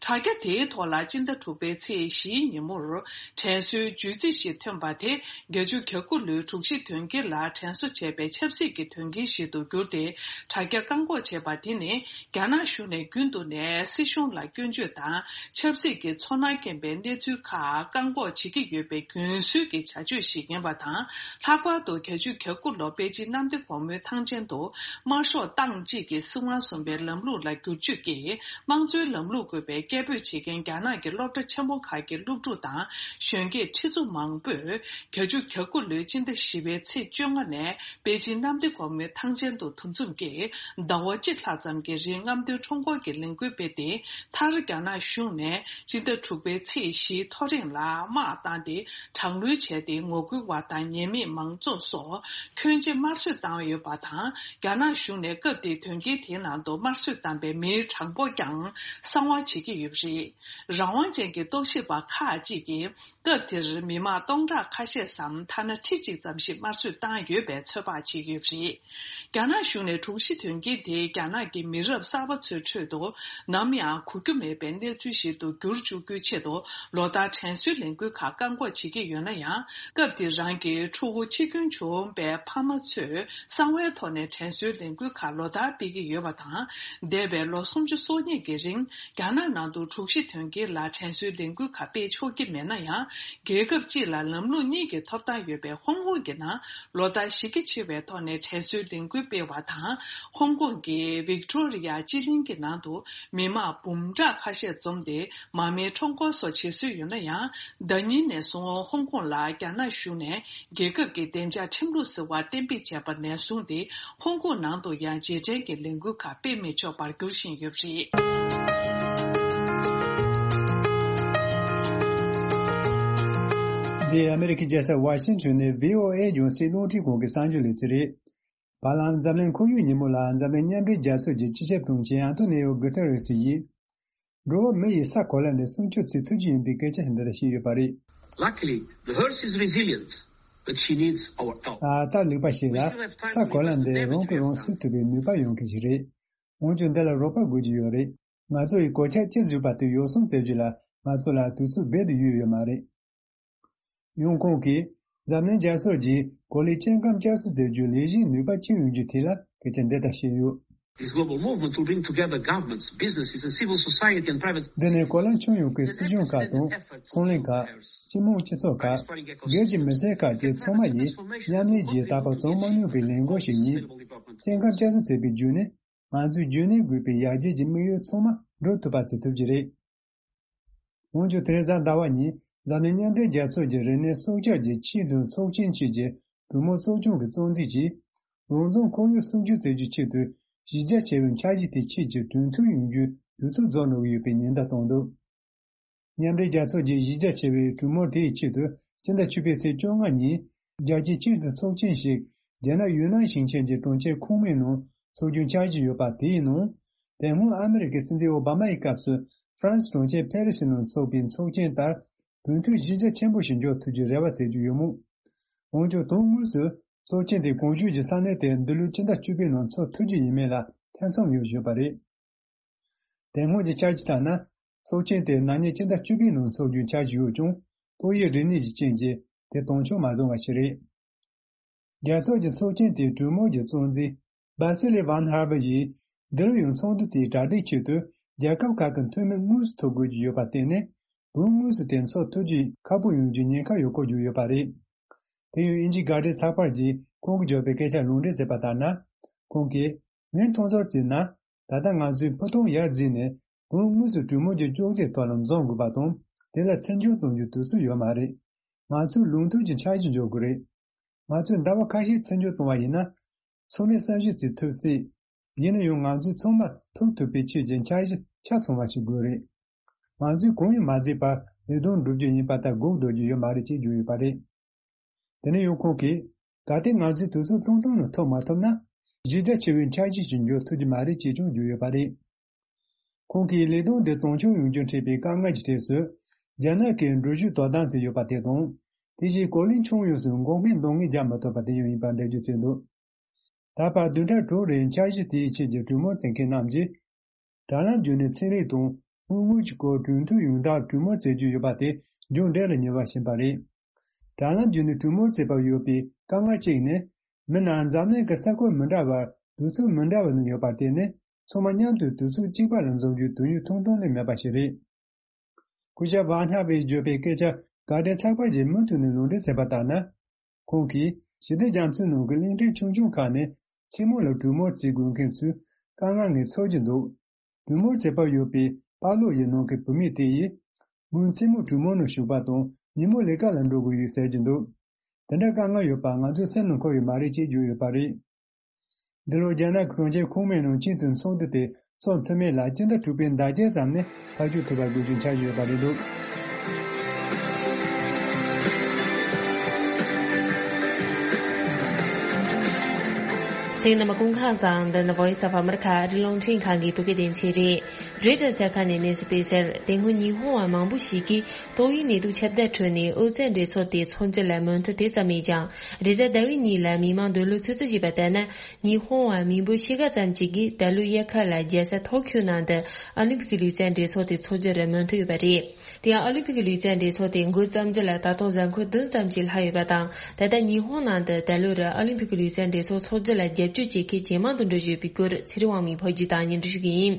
དྲ་རྒྱ་དེའི་ཐོག་ལ་སྤྱི་ཟླ་དྲུག་པའི་ཚེས་བཞིའི་ཉིན་མོར་དྲན་གསོའི་བརྗོད་རྩིས་ཤིག་ཐོན་པ་དེ། བརྒྱད་ཅུ་གྱ་དགུ་ལོའི་དྲུག་བཞི་དོན་རྐྱེན་ལ་དྲན་གསོ་བྱས་པའི་ཆབ་སྲིད་ཀྱི་དོན་རྐྱེན་ཞིག་ཏུ་གྱུར་ཏེ། དྲ་རྒྱ་བཀག་འགོག་བྱས་པ་དེ་ནི། རྒྱ་ནག་གཞུང་ནས་རྒྱུན་དུ་ནས་སྲིད་གཞུང་ལ་སྐྱོན་བརྗོད་དང་ཆབ་སྲིད་ཀྱི་ཚོར་སྣང་སྐྱེན་པའི་གནས་ཚུལ་ཁག་བཀག་འགོག་བྱེད་ཀྱི་ཡོད་པའི་རྒྱུན་སྲོལ་གྱི་བྱ་སྤྱོད་ཞིག་ཡིན་པ་དང་། ལྷག་པར་དུ་བརྒྱད་ཅུ་གྱ་དགུ་ལོ་པེ་ཅིན་གནམ་བདེ་སྒོ་མོའི་ཐང་ཆེན་དུ་དམར་ཤོག་ཏང་གཅིག་གི་སྲིད་དབང་བཟུང་བའི་ལམ་ལུགས་ལ་བསྒྱུར་བཅོས་ཀྱིས་དམངས་གཙོའི་ལམ་ལུགས་དགོས་པའི་སྐད་འབོད་བྱེད་མཁན་རྒྱ་ནག་གི་སློབ་གྲྭ་ཆེན་མོ་ཁག་གི་སློབ་ཕྲུག་དང་གཞོན་སྐྱེས་ཁྲི་ཚོ་མང་པོས། བརྒྱད་ཅུ་གྱ་དགུ་ལོའི་སྤྱི་ཟླ་བཞི་པའི་ཚེས་བཅོ་ལྔ་ནས་པེ་ཅིན་གནམ་བདེ་སྒོ་མོའི་ཐང་ཆེན་དུ་འདུ་འཛོམས་ཀྱིས་ཟླ་བ་གཅིག་ལྷག་ཙམ་གྱི་རིང་རྔམ་སྟོན་ཁྲོམ་སྐོར་གྱི་ལས་འགུལ་སྤེལ་ཏེ། མཐར་རྒྱ་ནག་གཞུང་ནས་སྤྱི་ཟླ་དྲུག་པའི་ཚེས་བཞིའི་ཐོ་རེངས་ལ་དམག་བཏང་སྟེ་དྲག་གནོན་བྱས་ཏེ། ངོ་རྒོལ་བ་དང་ཉེས་མེད་མང་ཚོགས་སོགས་ཁྱོན་ཆེ་དམར་གསོད་བཏང་ཡོད་པ་དང་། རྒྱ་ནག་གཞུང་ནས་སྐབས་དེའི་དོན་རྐྱེན་དེའི་ནང་དུ་དམར་གསོད་བཏང་པའི་མིའི་གྲངས་འབོར་ཀྱང་གསང་བ་བྱེད་ཀྱི་ཡོད་པ་རེད། རང་དབང་ཅན་གྱི་རྟོག་ཞིབ་པ་ཁག་ཅིག་གིས། སྐབས་དེར་མི་མང་སྟོང་ཕྲག་ཁ་ཤས་སམ་ཐ་ན་ཁྲི་གཅིག་ཙམ་ཞིག་དམར་གསོད་བཏང་ཡོད་པའི་ཚོད་དཔག་བྱེད་ཀྱི་ཡོད་པ་རེད། རྒྱ་ནག་གཞུང་ནས་དྲུག་བཞི་དོན་རྐྱེན་དེས་རྒྱ་ནག་གི་མི་རབས་གསར་པ་ཚོའི་ཁྲོད་དུ་ནམ་ཡང་གོ་རྒྱུ་མེད་པའི་གནས་ཚུལ་ཞིག་ཏུ་འགྱུར་བཅུག་རྒྱུའི་ཆེད་དུ་ལོ་ལྟར་དྲན་གསོའི་ལས་འགུལ་ཁག་བཀག་འགོག་བྱེད་ཀྱི་ཡོད་ན་ཡང་། སྐབས་དེར་རང་གི་ཕྲུ་གུ་འཆི་སྐྱོན་བྱུང་བའི་ཕ་མ་ཚོས་གསང་བའི་ཐོག་ནས་དྲན་གསོའི་ལས་འགུལ་ཁག་ལོ་ལྟར་སྤེལ་གྱི་ཡོད་པ་དང་། འདས་པའི་ལོ་སུམ་ཅུ་སོ་གཉིས་ཀྱི་རིང་། རྒྱ་ནག་ནང་དུ་དྲུག་བཞི་དོན་རྐྱེན་ལ་དྲན་གསོའི་ལས་འགུལ་ཁག་སྤེལ་ཆོག་གི་མེད་ན་ཡང་། རྒྱལ་ཁབ་སྤྱི་ལ་ལམ་ལུགས་གཉིས་ཀྱི་ཐོབ་ཐང་ཡོད་པའི་ཧོང་ཀོང་གི་ནང་ལོ་ལྟར་གཞི་རྒྱ་ཆེ་བའི་ཐོག་ནས་དྲན་གསོའི་ལས་འགུལ་སྤེལ་བ་དང་། ཧོང་ཀོང་གི་ཝིག་ཏོ་རི་ཡ་སྤྱི་གླིང་གི་ནང་དུ་མི་མང་འབུམ་ཕྲག་ཁ་ཤས་འཛོམས་ཏེ་མར་མེའི་ཁྲོམ་སྐོར་སོགས་བྱེད་སྲོལ་ཡོད་ན་ཡང་། ཟླ་ཉིན་ནས་བཟུང་ཧོང་ཀོང་ལ་རྒྱ་ནག་གཞུང་ནས་རྒྱལ་ཁབ་ཀྱི་བདེ་འཇགས་ཁྲིམས་ལུགས་ཟེར་བ་གཏན་འབེབས་བྱས་པ་ནས་བཟུང་སྟེ། ཧོང་ཀོང་ནང་དུ་ཡང་རྗེས་དྲན་གྱི་ལས་འགུལ་ཁག་སྤེལ་མི་ཆོག་པར་འགྱུར་བཞིན་ཡོད་པ་རེད། འདི་ཨ་མེ་རི་ཁའི་རྒྱལ་ས་ཝ་ཤིང་ཊོན་ནས་བྷི་ཨོ་ཨེ་རྒྱང་སྲིང་རླུང་འཕྲིན་ཁང་གི་གསར་འགྱུར་ལས་ཚན་རེད། བར་ལམ་འཛམ་གླིང་ཁོར་ཡུག་ཉིན་མོ་ལ་འཛམ་གླིང་མཉམ་འབྲེལ་རྒྱལ་ཚོགས་ཀྱི་སྤྱི་ཁྱབ་དྲུང་ཆེ་ཨན་ཐོ་ནེ་ཡོ་གུ་ཐེ་རེ་སི་ཡིས། འགྲོ་བ་མི་ཡིས་ས་གོ་ལ་ནས་སྲུང་སྐྱོབ་བྱེད་ཐུབ་ཀྱི་ཡིན་པའི་སྐད་ཆ་འདི་ལྟར་བཤད་ཡོད་པ་རེད། Luckily, the Earth is resilient, but she needs our help. ད་ལྟ་ལུག་པ་ཞིག་ལ་ས་གོ་ལ་འདི་རང་གིས་རང་སྲུང་ཐུབ་པའི་ནུས་པ་ཡོད་མཁན་ཞིག་རེད། འོན་ཀྱང་འདི་ལ་རོགས་པ་དགོས་ཀྱི་ཡོད་རེད། ང་ཚོ་ཡི་གོད་ཆག་ཅི་བཟོས་པ་དེ་ཡོ་བསྲང་མཛད་རྒྱུ་ལ་ང་ཚོ་ལ་དུས་ཚོད་རྦད་དེ་ཡོད་ཡོད་མ་རེད། ཡང་ཁོང་གིས་འཛམ་གླིང་རྒྱལ་ཚོགས་ཀྱིས་གོ་ལའི་སྐྱེ་ཁམས་བསྐྱར་གསོ་མཛད་རྒྱུའི་ལས་གཞིའི་ནུས་པ་ཅི་ཡོང་རྒྱུ་དེ་ལ་སྐད་ཆ་འདི་ལྟར་བཤད་ཡོད། This global movement to bring together governments, businesses, and civil society and private འདི་ནི་གོ་ལ་ཁྱོན་ཡོངས་ཀྱི་སྲིད་གཞུང་ཁག་དང་ཚོང་ལས་ཁག་སྤྱི་དམངས་སྤྱི་ཚོགས་ཁག་སྒེར་གྱི་མི་སེར་ཁག་བཅས་ཚང་མ་ཡིས་མཉམ་ལས་ཀྱིས་ད་བར་བྱུང་མ་མྱོང་པའི་ལས་འགུལ་ཞིག་ཡིན། སྐྱེ་ཁམས་བསྐྱར་གསོ་བྱེད་པའི་བརྒྱུད་ནས་ང་ཚོས་རྒྱུན་གནས་དགོས་པའི་ཡར་རྒྱས་ཀྱི་དམིགས་ཡུལ་ཚང་མ་འགྲུབ་ཐུབ་པ་བྱེད་ཐུབ་ཀྱི་རེད། འོན་ཀྱང་དེ་རིང་གཟའ་ཟླ་བ་ཉིན་འཛམ་གླིང་མཉམ་འབྲེལ་རྒྱལ་ཚོགས་ཀྱི་རིག་གནས་སྲོག་ཆགས་ཀྱི་ཆེས་མཐོའི་ཚོགས་ཆེན་ཆེད་ཀྱི་གྲོས་མོལ་ཚོགས་ཆུང་གི་གཙོ་འཛིན་གྱིས། རང་བཙན་ཁོར་ཡུག་སྲུང་སྐྱོབ་བྱེད་རྒྱུའི་ཆེད་དུ་གཞི་རྒྱ་ཆེ་བའི་འཆར་གཞི་དེའི་ཆེད་ཀྱི་གྲོས་མཐུན་ཡོང་རྒྱུའི་དུས་ཚོད་རྫོགས་འགྲོ་གི་ཡོད་པའི་ཉེན་བརྡ་བཏང་འདུག་མཉམ་འབྲེལ་རྒྱལ་ཚོགས་ཀྱི་གཞི་རྒྱ་ཆེ་བའི་གྲོས་མོལ་དེའི་ཆེད་དུ་སྤྱི་ཟླ་བཅུ་པའི་ཚེས་བཅོ་ལྔ་ཉིན་རྒྱལ་སྤྱིའི་ཆེས་མཐོའི་ཚོགས་ཆེན་ཞིག་རྒྱ་ནག་ཡུན་ནན་ཞིང་ཆེན་གྱི་གྲོང་ཁྱེར་ཁུང་མིང་ནང་འཚོགས་རྒྱུའི་འཆར་གཞི་ཡོད་པ་དེའི་ནང་། དེ་སྔོན་ཨ་མེ་རི་ཁའི་སྲིད་འཛིན་ཨོ་བྷ་མ་ཡི་སྐབས་སུ་ཧྥ་རན་སི་གྲོང་ཁྱེར་ཕེ་རི་སི་ནང་འཚོགས་པའི་ཚོགས་ཆེན་ལྟར་གྲོས་མཐུན་གཞི་རྒྱ་ཆེན་པོ་ཞིག་འཇོག་ཐུབ་རྒྱུའི་རེ་བ་བྱེད་ཀྱི་ཡོད་མོད། འོན་ཀྱང་དོན་དངོས་སུ་ཚོགས་ཆེན་དེ་གོང་ཞུས་ཀྱི་ས་གནས་དེར་འདི་ལོའི་སྤྱི་ཟླ་བཅུ་པའི་ནང་འཚོགས་ཐུབ་རྒྱུ་ཡིན་མིན་ལ་ཐེ་ཚོམ་ཡོད་བཞིན་པ་རེད། དེ་སྔོན་གྱི་འཆར་གཞི་ལྟར་ན། ཚོགས་ཆེན་དེ་ན་ནིང་སྤྱི་ཟླ་བཅུ་པའི་ནང་འཚོགས་རྒྱུའི་འཆར་གཞི་ཡོད་ཀྱང་། ཏོག་དབྱིབས་རིམས་ནད་ཀྱི་རྐྱེན་གྱིས་དེ་དོན་འཁྱོལ་མ་སོང་བ་ཞིག་རེད། རྒྱལ་ཚོགས་ཀྱི་ཚོགས་ཆེན་དེའི་གྲོས་མོལ་གྱི་གཙོ་འཛིན་བྷ་སི་ལི་ཝན་ཧར་བྷ་ཡིས། འདི་ལོ་ཡང་ཚོགས་འདུ་དེའི་གྲ་སྒྲིག་ཆེད་དུ་རྒྱལ་ཁབ་ཁག་གི་འཐུས་མི་དངོས་སུ་ཐོབ་དགོས་ཀྱི་ཡོད་པར་བརྟེན་ནས། བོད་དངོས་སུ་དེ་འཚོགས་ཐུབ་རྒྱུ་ཁག་པོ་ཡོང་རྒྱུའི་ཉེན་ཁ་ཡོད་སྐོར་བརྗོད་ཡོད་པ་རེད། དེ་ཡང་དབྱིན་ཇིའི་དགག་སྒྲའི་ཚགས་པར་གྱིས་ཁོང་གིས་བརྗོད་པའི་སྐད་ཆར་ལུང་འདྲེན་བྱས་པ་ལྟར་ན། ཁོང་གིས། ངས་མཐོང་ཚོར་བྱས་ན། ད་ལྟ་ང་ཚོས་ཕུ་ཐུང་ཡར་འཛེགས་ནས་བོད་དངོས་སུ་གྲོས་མོལ་གྱི་ཅོག་ཙེའི་ཐོག་ལ་འཛོམས་དགོས་པ་དང་། དེ་ལ་ཚིག་སྦྱོར་གཏོང་རྒྱུའི་དུས་ཚོད་ཡོད་མ་རེད། ང་ཚོས་ལུགས་མཐུན་གྱི་འཆར་གཞི་འཇོག་དགོས་རེད། ང་ཚོས་ཟླ་བ་ཁ་ཤས་ཚེ་འཇོག་གཏོང་བ་ཡིན་ན། ཚང་མས་བསམ་ཤེས་བྱེད་ཐུབ་སྲིད། ཡིན་ན་ཡང་ང་ཚོས་ཚང་མ་ཐུག་ཐུབ་པའི་ཆེད་ཀྱི་འཆར་གཞི་ཆ་ཚང་བ་ཞིག་དགོས་རེད། ང་ཚོས་གང་ཡང་མ་བརྩིས་པར་ལས་དོན་སྒྲུབ་རྒྱུ་ཡིན་པ་ལྟར་སྒུག་སྡོད་རྒྱུ་ཡོད་མ་རེད་ཅེས་བརྗོད་ཡོད་པ་རེད། དེ་ནས་ཡང་ཁོང་གིས། གལ་ཏེ་ང་ཚོས་དུས་ཚོད་ཐུང་ཐུང་ནང་ཐུག་མ་ཐུབ་ན། གཞི་རྒྱ་ཆེ་བའི་འཆར་གཞི་ཞིག་འཇོག་ཐུབ་ཀྱི་མ་རེད་ཅེས་ཀྱང་བརྗོད་ཡོད་པ་རེད། ཁོང་གིས་ལས་དོན་དེ་དོན་འཁྱོལ་ཡོང་རྒྱུར་འཕྲད་པའི་དཀའ་ངལ་གྱི་གྲས་སུ། རྒྱ་ནག་གི་འགྲུལ་བཞུད་དོ་དམ་ཟེར་ཡོད་པ་དེ་དང་། དེ་བཞིན་གོ་ལའི་ཁྱོན་ཡོངས་སུ་འགོག་སྨན་འདང་ངེས་རྒྱག་མ་ཐུབ་པ་དེ་ཡང་ཡིན་པར་འགྲེལ་བརྗོད་བྱས་འདུག་ད་བར་བདུན་ཕྲག་དྲུག་རིང་འཆར་གཞི་དེའི་ཆེད་ཀྱི་གྲོས་མོལ་བྱེད་མཁན་རྣམས་ཀྱིས། དྲ་ལམ་བརྒྱུད་ནས་ཚན་རིག་དང་དངོས་དངུལ་གྱི་སྐོར་གྲོས་མཐུན་ཡོང་ཐབས་གྲོས་མོལ་བྱེད་རྒྱུ་ཡོད་པ་དེ་མཇུག་འབྲས་ལ་ཉེ་བ་ཕྱིན་པ་རེད། དྲ་ལམ་བརྒྱུད་ནས་གྲོས་མོལ་བྱེད་པར་ཡོད་པའི་དཀའ་ངལ་གཅིག་ནི། མི་རྣམས་འཛམ་གླིང་གི་ས་ཁུལ་མི་འདྲ་བར་དུས་ཚོད་མི་འདྲ་བ་ནང་ཡོད་པ་དེ་ནི། ཚང་མ་མཉམ་དུ་དུས་ཚོད་གཅིག་པ་ལ་འཛོམས་རྒྱུའི་དུས་ཡུན་ཐུང་ཐུང་ལས་མེད་པ་ཞིག་རེད། སྐུ་ཞབས་ཝཱ་ཧ་ཝེས་བརྗོད་པའི་སྐད་ཆ་ག་འདྲ་ཚགས་པར་གྱི་མུ་མཐུད་ནས་ལུང་འདྲེན་བྱས་པ་ལྟར་ན། ཁོང་གིས་ཞི་བདེ་རྒྱ་མཚོའི་ནང་གི་གླིང་ཕྲན་ཆུང་ཆུང་ཁག་ནས་མཚན་མོ་ལ་གྲོས་མོལ་བྱེད་དགོས་མཁན་ཚོའི་དཀའ་ངལ་ངས་ཚོར་གྱི་འདུག་གྲོས་མོལ་བྱེད་པར་ཡོད་པའི་པཱ་ལོ་ཡི་ནང་གི་བུད་མེད་དེ་ཡིས། མོའི་མཚན་མོ་གྲོས་མོལ་ནང་ཞུགས་པ་དང་ཉིན་མོ་ལས་ཀ་ལ་འགྲོ་དགོས་ཡོད་ཟེར་གྱི་འདུག་དེ་འདྲ་དཀའ་ངལ་ཡོད་པ་ང་ཚོའི་སེམས་ནང་འཁོར་ཡོད་མ་རེད་ཅེས་བརྗོད་ཡོད་པ་རེད། འདི་ལོ་རྒྱ་ནག་གི་གྲོང་ཁྱེར་ཁོངས་མིའི་ནང་སྤྱི་འཐུས་ཚོགས་འདུ་དེ་ཚོགས་ཐུབ་མིན་ལ་སྤྱི་ཟླ་དྲུག་པའི་ཟླ་བརྒྱད་ཙམ་ནས་ཐག་གཅོད་ཐུབ་པར་དགོས་རྒྱུའི་འཆར་གཞི་ཡོད་པ་རེད་འདུག་གསན་མཁན་རྣམ་པ་སྐུ་ཁམས་བཟང་། འདི་ནི་Voice of America ཨ་རིའི་རླུང་འཕྲིན་ཁང་གི་བོད་སྐད་སྡེ་ཚན་རེད། རོའི་ཊར་གསར་ཁང་ནས་གནས་ཚུལ་སྤེལ་གསལ། དེ་སྔོན་ཉི་ཧོང་བ་མང་པོ་ཞིག་གིས་ཏོག་དབྱིབས་ནད་དུག་ཁྱབ་གདལ་ཁྲོད་ནས་ཨོ་རྩལ་འགྲན་ཚོགས་དེ་འཚོགས་རྒྱུ་ལ་མོས་མཐུན་དེ་ཙམ་མེད་ཀྱང་། རེས་གཟའ་ཟླ་བའི་ཉིན་ལ་མི་མང་འདོད་བློ་ཚོད་རྩིས་བྱས་པ་ལྟར་ན། ཉི་ཧོང་བ་མི་འབོར་ཕྱེད་ཀ་ཙམ་ཞིག་གིས་ད་ལོའི་དབྱར་ཁ་ལ་རྒྱལ་ས་ཐོ་ཁྱོའི་ནང་དུ་ཨ་ལིམ་ཕིག་གི་ལུས་རྩལ་འགྲན་ཚོགས་དེ་འཚོགས་རྒྱུར་མོས་མཐུན་ཡོད་པ་རེད། དེ་ཡང་ཨ་ལིམ་ཕིག་གི་ལུས་རྩལ་འགྲན་ཚོགས་དེ་འགོ་བརྩམས་རྒྱུ་ལ་ད་དུང་གཟའ་འཁོར་བདུན་ཙམ་ཞིག་ལྷག་ཡོད་པ་དང་། ད་ལྟ་ཉི་ཧོང་ནང་དུ་ད་ལོར་ཨ་ལིམ་ཕིག་གི་ལུས་རྩལ་འགྲན་ཚོགས་འཚོགས་རྒྱུ་ལ་རྒྱབ་སྐྱོར་བྱེད་མཁན་ཇེ་མང་དུ་འགྲོ་བཞིན་ཡོད་པའི་སྐོར་ཚེ་རིང་དབང་མོས་ཕབ་སྒྱུར་དང་སྙན་སྒྲོན་ཞུ་གི་ཡིན།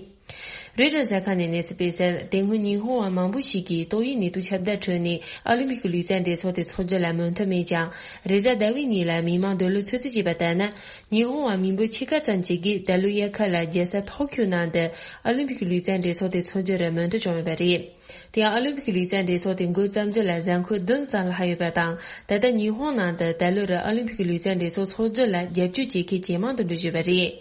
རོའི་ཊར་གསར་ཁང་ནས་གནས་ཚུལ་སྤེལ་གསལ། དེ་སྔོན་ཉི་ཧོང་བ་མང་པོ་ཞིག་གིས་ཏོག་དབྱིབས་ནད་དུག་ཁྱབ་གདལ་ཁྲོད་ནས་ཨ་ལིམ་པིག་གི་ལུས་རྩལ་འགྲན་ཚོགས་དེ་འཚོགས་རྒྱུ་ལ་མོས་མཐུན་མེད་ཀྱང་། རེས་གཟའ་ཟླ་བའི་ཉིན་ལ་མི་མང་འདོད་བློ་ཚོད་རྩིས་བྱས་པ་ལྟར་ན། ཉི་ཧོང་བ་མི་འབོར་ཕྱེད་ཀ་ཙམ་ཞིག་གིས་ད་ལོའི་དབྱར་ཁ་ལ་རྒྱལ་ས་ཐོ་ཁྱོའི་ནང་དུ་ཨ་ལིམ་པིག་གི་ལུས་རྩལ་འགྲན་ཚོགས་དེ་འཚོགས་རྒྱུར་མོས་མཐུན་བྱུང་ཡོད་པ་རེད། དེ་ཡང་ཨ་ལིམ་པིག་གི་ལུས་རྩལ་འགྲན་ཚོགས་དེ་འགོ་བརྩམས་རྒྱུ་ལ་གཟའ་འཁོར་བདུན་ཙམ་ལྷག་ཡོད་པ་དང་། ད་ལྟ་ཉི་ཧོང་ནང་དུ་ད་ལོར་ཨ་ལིམ་པིག་གི་ལུས་རྩལ་འགྲན་ཚོགས་འཚོགས་རྒྱུ་ལ་རྒྱབ་སྐྱོར་བྱེད་མཁན་ཇེ་མང་དུ་འགྲོ་བཞིན་ཡོད་པ་རེད།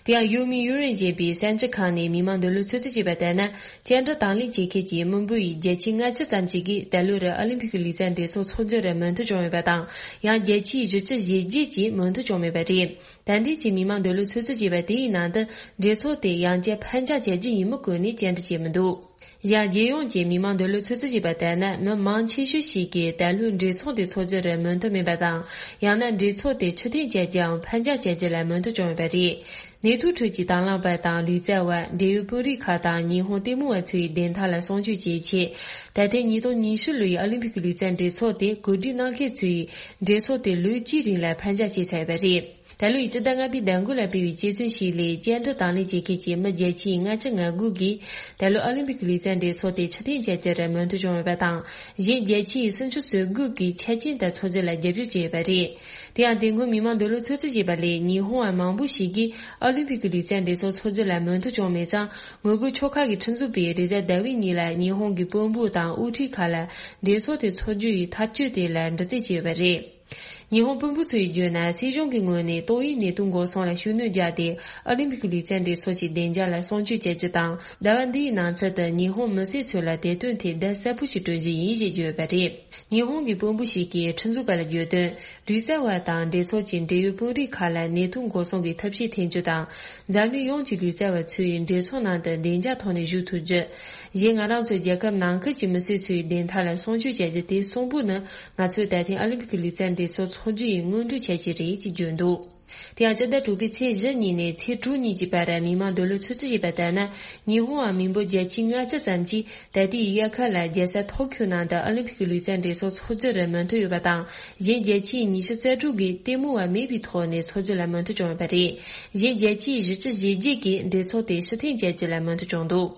དེ་ཡང་ཡུ་མི་ཡུ་རེན་ཞེས་པའི་གསར་འགྱུར་ཁང་ནས་མི་མང་འདོད་བློ་ཚོད་རྩིས་བྱས་པ་ལྟར་ན། བཅར་འདྲི་དང་ལེན་བྱེད་མཁན་གྱི་དམིགས་འབེན་ཡིས་བརྒྱད་ཅུ་ལྔ་བཅུ་ཙམ་ཞིག་གིས་ད་ལོར་ཨ་ལིམ་པིག་གི་ལུས་རྩལ་འགྲན་ཚོགས་འཚོགས་རྒྱུར་མོས་མཐུན་བྱུང་ཡོད་པ་དང་། ཡང་བརྒྱད་ཅུ་བཞི་བཅུ་ཞེ་བརྒྱད་ཀྱིས་མོས་མཐུན་བྱུང་མེད་པ་རེད། ད་ལྟའི་ཆེད་མི་མང་འདོད་བློ་ཚོད་རྩིས་བྱས་པ་དེའི་ནང་དུ། འགྲན་ཚོགས་དེ་ཡང་བསྐྱར་ཕར་འགྱངས་བྱ་རྒྱུ་ཡིན་མིན་སྐོར་ནས་བཅར་འདྲི་བྱས་མི་འདུག་ཡང་རྒྱལ་ཡོངས་ཀྱི་མི་མང་འདོད་བློ་ཚོད་རྩིས་བྱས་པ་ལྟར་ན། མི་མང་ཆེ་ཤོས་ཤིག་གིས་ད་ལོའི་འགྲན་ཚོགས་དེ་འཚོགས་རྒྱུར་མོས་མཐུན་མེད་པ་དང་། ཡང་ན་འགྲན་ཚོགས་དེ་ཕྱིར་འཐེན་བྱ་རྒྱུའམ་ཕར་འགྱངས་བྱ་རྒྱུ་ལ་མོས་མཐུན་བྱུང་ཡོད་པ་རེད། ནད་དུག་ཁྲོད་ཀྱི་དང་བླངས་པ་དང་ལུས་རྩལ་བ། འབྲེལ་ཡོད་དཔོན་རིགས་ཁག་དང་ཉི་ཧོང་ལྟད་མོ་བ་ཚོའི་བདེན་མཐའ་ལ་སྲུང་སྐྱོབ་བྱེད་ཆེད། ད་ཐེངས་ཉིས་སྟོང་ཉི་ཤུ་ལོའི་ཨ་ལིམ་པིག་གི་ལུས་རྩལ་འགྲན་ཚོགས་དེ་གོ་སྒྲིག་གནང་མཁན་ཚོས་འགྲན་ཚོགས་དེ་ལོ་གཅིག་རིང་ལ་ཕར་འགྱངས་བྱས་ཚར་ཡོད་པ་རེད། ད་ལོའི་སྤྱི་ཟླ་ལྔ་པའི་ཟླ་དགུ་ལ་སྤེལ་བའི་དཔྱད་རྩོམ་ཞིག་ལས། བཅར་འདྲི་དང་ལེན་བྱེད་མཁན་གྱི་མི་བརྒྱད་ཅུ་ལྔ་བཅུ་ང་དགུ་གིས་ད་ལོའི་ཨ་ལིམ་པིག་གི་ལུས་རྩལ་འགྲན་ཚོགས་དེ་ཕྱིར་འཐེན་བྱ་རྒྱུར་མོས་མཐུན་བྱུང་ཡོད་པ་དང་། གཞན་བརྒྱད་ཅུ་སུམ་ཅུ་སོ་དགུ་གིས་འཆར་ཅན་ལྟར་འཚོགས་རྒྱུ་ལ་རྒྱབ་སྐྱོར་བྱས་ཡོད་པ་རེད། དེ་ཡང་དེ་སྔོན་མི་མང་འདོད་བློ་ཚོད་རྩིས་བྱས་པ་ལས། ཉི་ཧོང་བ་མང་པོ་ཞིག་གིས་ཨ་ལིམ་པིག་གི་ལུས་རྩལ་འགྲན་ཚོགས་འཚོགས་རྒྱུ་ལ་མོས་མཐུན་བྱུང་མེད་ཙང་། ངོ་རྒོལ་ཕྱོགས་ཁག་གི་ཁྲིམས་འཛུགས་པས་རེས་གཟའ་ཟླ་བའི་ཉིན་ལ་ཉི་ཧོང་གི་དཔོན་པོ་དང་དབུ་ཁྲིད་ཁག་ལ་འགྲན་ཚོགས་དེ་འཚོགས་རྒྱུ་ཡི་ཐབས་བྱུས་དེ་ལ་འདྲི་རྩད་བྱས་ཡོད་པ་རེད། ཉི་ཧོང་དཔོན་པོ་ཚོས་བརྗོད་ན། སྲིད་གཞུང་གི་ངོས་ནས་ཏོག་དབྱིབས་ནད་དུག་འགོག་སྲུང་ལ་ཤུགས་སྣོན་བརྒྱབ་སྟེ། ཨ་ལིམ་པིག་གི་ལུས་རྩལ་འགྲན་ཚོགས་ཀྱི་བདེ་འཇགས་ལ་སྲུང་སྐྱོབ་བྱ་རྒྱུ་དང་། ཟླ་བ་འདིའི་ནང་ཚུད་དུ་ཉི་ཧོང་མི་སེར་ཚོ་ལ་དེ་དོན་ཐད་བརྡ་གསལ་པོ་ཞིག་སྤྲོད་རྒྱུ་ཡིན་ཞེས་བརྗོད་ཡོད་པ་རེད། ཉི་ཧོང་གི་དཔོན་པོ་ཞིག་གིས་ཁྲིམས་འཛུགས་པ་ལ་བརྗོད་དོན། ལུས་རྩལ་བ་དང་འགྲན་ཚོགས་ཀྱི་འབྲེལ་ཡོད་དཔོན་རིགས་ཁག་ལ་ནད་དུག་འགོག་སྲུང་གི་ཐབས་ཤེས་འཐེན་རྒྱུ་དང་། འཛམ་གླིང་ཡོངས་ཀྱི་ལུས་རྩལ་བ་ཚོས་འགྲན་ཚོགས་ནང་དུ་བདེ་འཇགས་ཐོག་ནས་བཞུགས་ཐུབ་རྒྱུ། གཞན་ང་རང་ཚོ་རྒྱལ་ཁབ་ནང་ཁུལ་གྱི་མི་སེར་ཚོའི་བདེན་མཐའ་ལ་སྲུང་སྐྱོབ་བྱ་རྒྱུ་དེ་གསུམ་པོ་ནི། ང་ཚོས་ད་ཐེངས་ཨ་ལིམ་པིག་གི་ལུས་རྩལ་འགྲན་ཚོགས་འཚོགས་རྒྱུ་ཡི་སྔོན་འགྲོའི་འཆར་གཞི་རེད་ཅེས་བརྗོད་འདུག་དེ་ཡང་སྤྱི་ཟླ་དྲུག་པའི་ཚེས་བཞི་ཉིན་ནས་ཚེས་དྲུག་ཉིན་གྱི་བར་མི་མང་འདོད་བློ་ཚོད་རྩིས་བྱས་པ་ལྟར་ན། ཉི་ཧོང་བ་མི་འབོར་བརྒྱད་ཅུ་ལྔ་བཅུ་ཙམ་གྱིས་ད་ལྟའི་དབྱར་ཁ་ལ་རྒྱལ་ས་ཐོ་ཁྱོ་ནང་དུ་ཨ་ལིམ་པིག་གི་ལུས་རྩལ་འགྲན་ཚོགས་འཚོགས་རྒྱུར་མོས་མཐུན་ཡོད་པ་དང་། གཞན་བརྒྱད་ཅུ་ཉི་ཤུ་རྩ་དྲུག་གིས་ལྟད་མོ་བ་མེད་པའི་ཐོག་ནས་འཚོགས་རྒྱུ་ལ་མོས་མཐུན་བྱུང་ཡོད་པ་རེད། གཞན་བརྒྱད་ཅུ་བཞི་བཅུ་ཞེ་བརྒྱད་ཀྱིས་འགྲན་ཚོགས་དེ་ཕྱིར་འཐེན་བྱ་རྒྱུ་ལ་མོས་མཐུན་བྱུང་འདུག་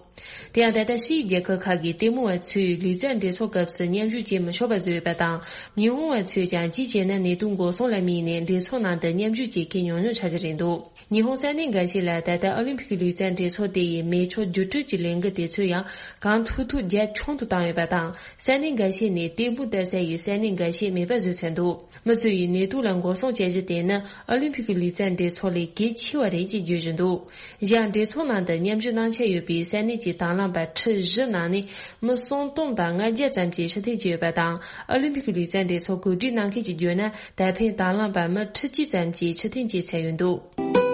དེ་ཡང་ད་ལྟ་ཕྱིའི་རྒྱལ་ཁབ་ཁག་གི་ལྟད་མོ་བ་ཚོས་ལུས་རྩལ་འགྲན་ཚོགས་སྐབས་སུ་མཉམ་ཞུགས་བྱེད་མི་ཆོག་པ་བཟོས་ཡོད་པ་དང་། ཉི་ཧོང་བ་ཚོས་ཀྱང་གཅིག་བྱས་ན་ནད་དུག་འགོག་སྲུང་ལ་དམིགས་ནས་འགྲན་ཚོགས་ནང་དུ་མཉམ་ཞུགས་བྱེད་མཁན་ཉུང་ཉུང་ཆགས་ཀྱི་རེད་འདུག་ཉི་ཧོང་ས་གནས་འགའ་ཤས་ལ་ད་ལྟ་ཨོ་ལིམ་ཕིག་ལུས་རྩལ་འགྲན་ཚོགས་དེ་ཡི་མི་ཆོག་བསྒྱུར་སྤྲོད་ཀྱི་ལས་འགུལ་དེ་ཚོ་ཡང་གང་ཐུབ་ཐུབ་རྒྱ་ཆུང་དུ་བཏང་ཡོད་པ་དང་། ས་གནས་འགའ་ཤས་ནས་ལྟད་མོ་ལྟ་ས་ཡི་ས་གནས་འགའ་ཤས་མེད་པ་བཟོས་ཚར་འདུག་མི་ཚོས་ནད་དུག་ལ་འགོག་སྲུང་བྱ་གཞི་དེ་ནི་ཨོ་ལིམ་ཕིག་གི་ལུས་རྩལ་འགྲན་ཚོགས་ལས་གལ་ཆེ་བ་རེད་ཅེས་བརྗོད་བཞིན་འདུག་གཞན་འགྲན་ཚོགས་ནང་དུ་མཉམ་ཞུགས་གནང་འཆར་ཡོད་པའི་ས་གནས་ཀྱི་དང་བླངས་པ་ཁྲི་བཞི་ནང་ནས་མི་སུམ་སྟོང་དང་ལྔ་བརྒྱ་ཙམ་གྱིས་ཕྱིར་འཐེན་བྱས་ཡོད་པ་དང་། ཨོ་ལིམ་ཕིག་གི་ལུས་རྩལ་འགྲན་ཚོགས་གོ་སྒྲིག་གནང་མཁན་གྱིས་བརྗོད་ན། ད་ཕན་དང་བླངས་པ་མི་ཁྲི་གཅིག་ཙམ་གྱིས་ཕྱིར་འཐེན་བྱས་ཚར་ཡོད་འདུག་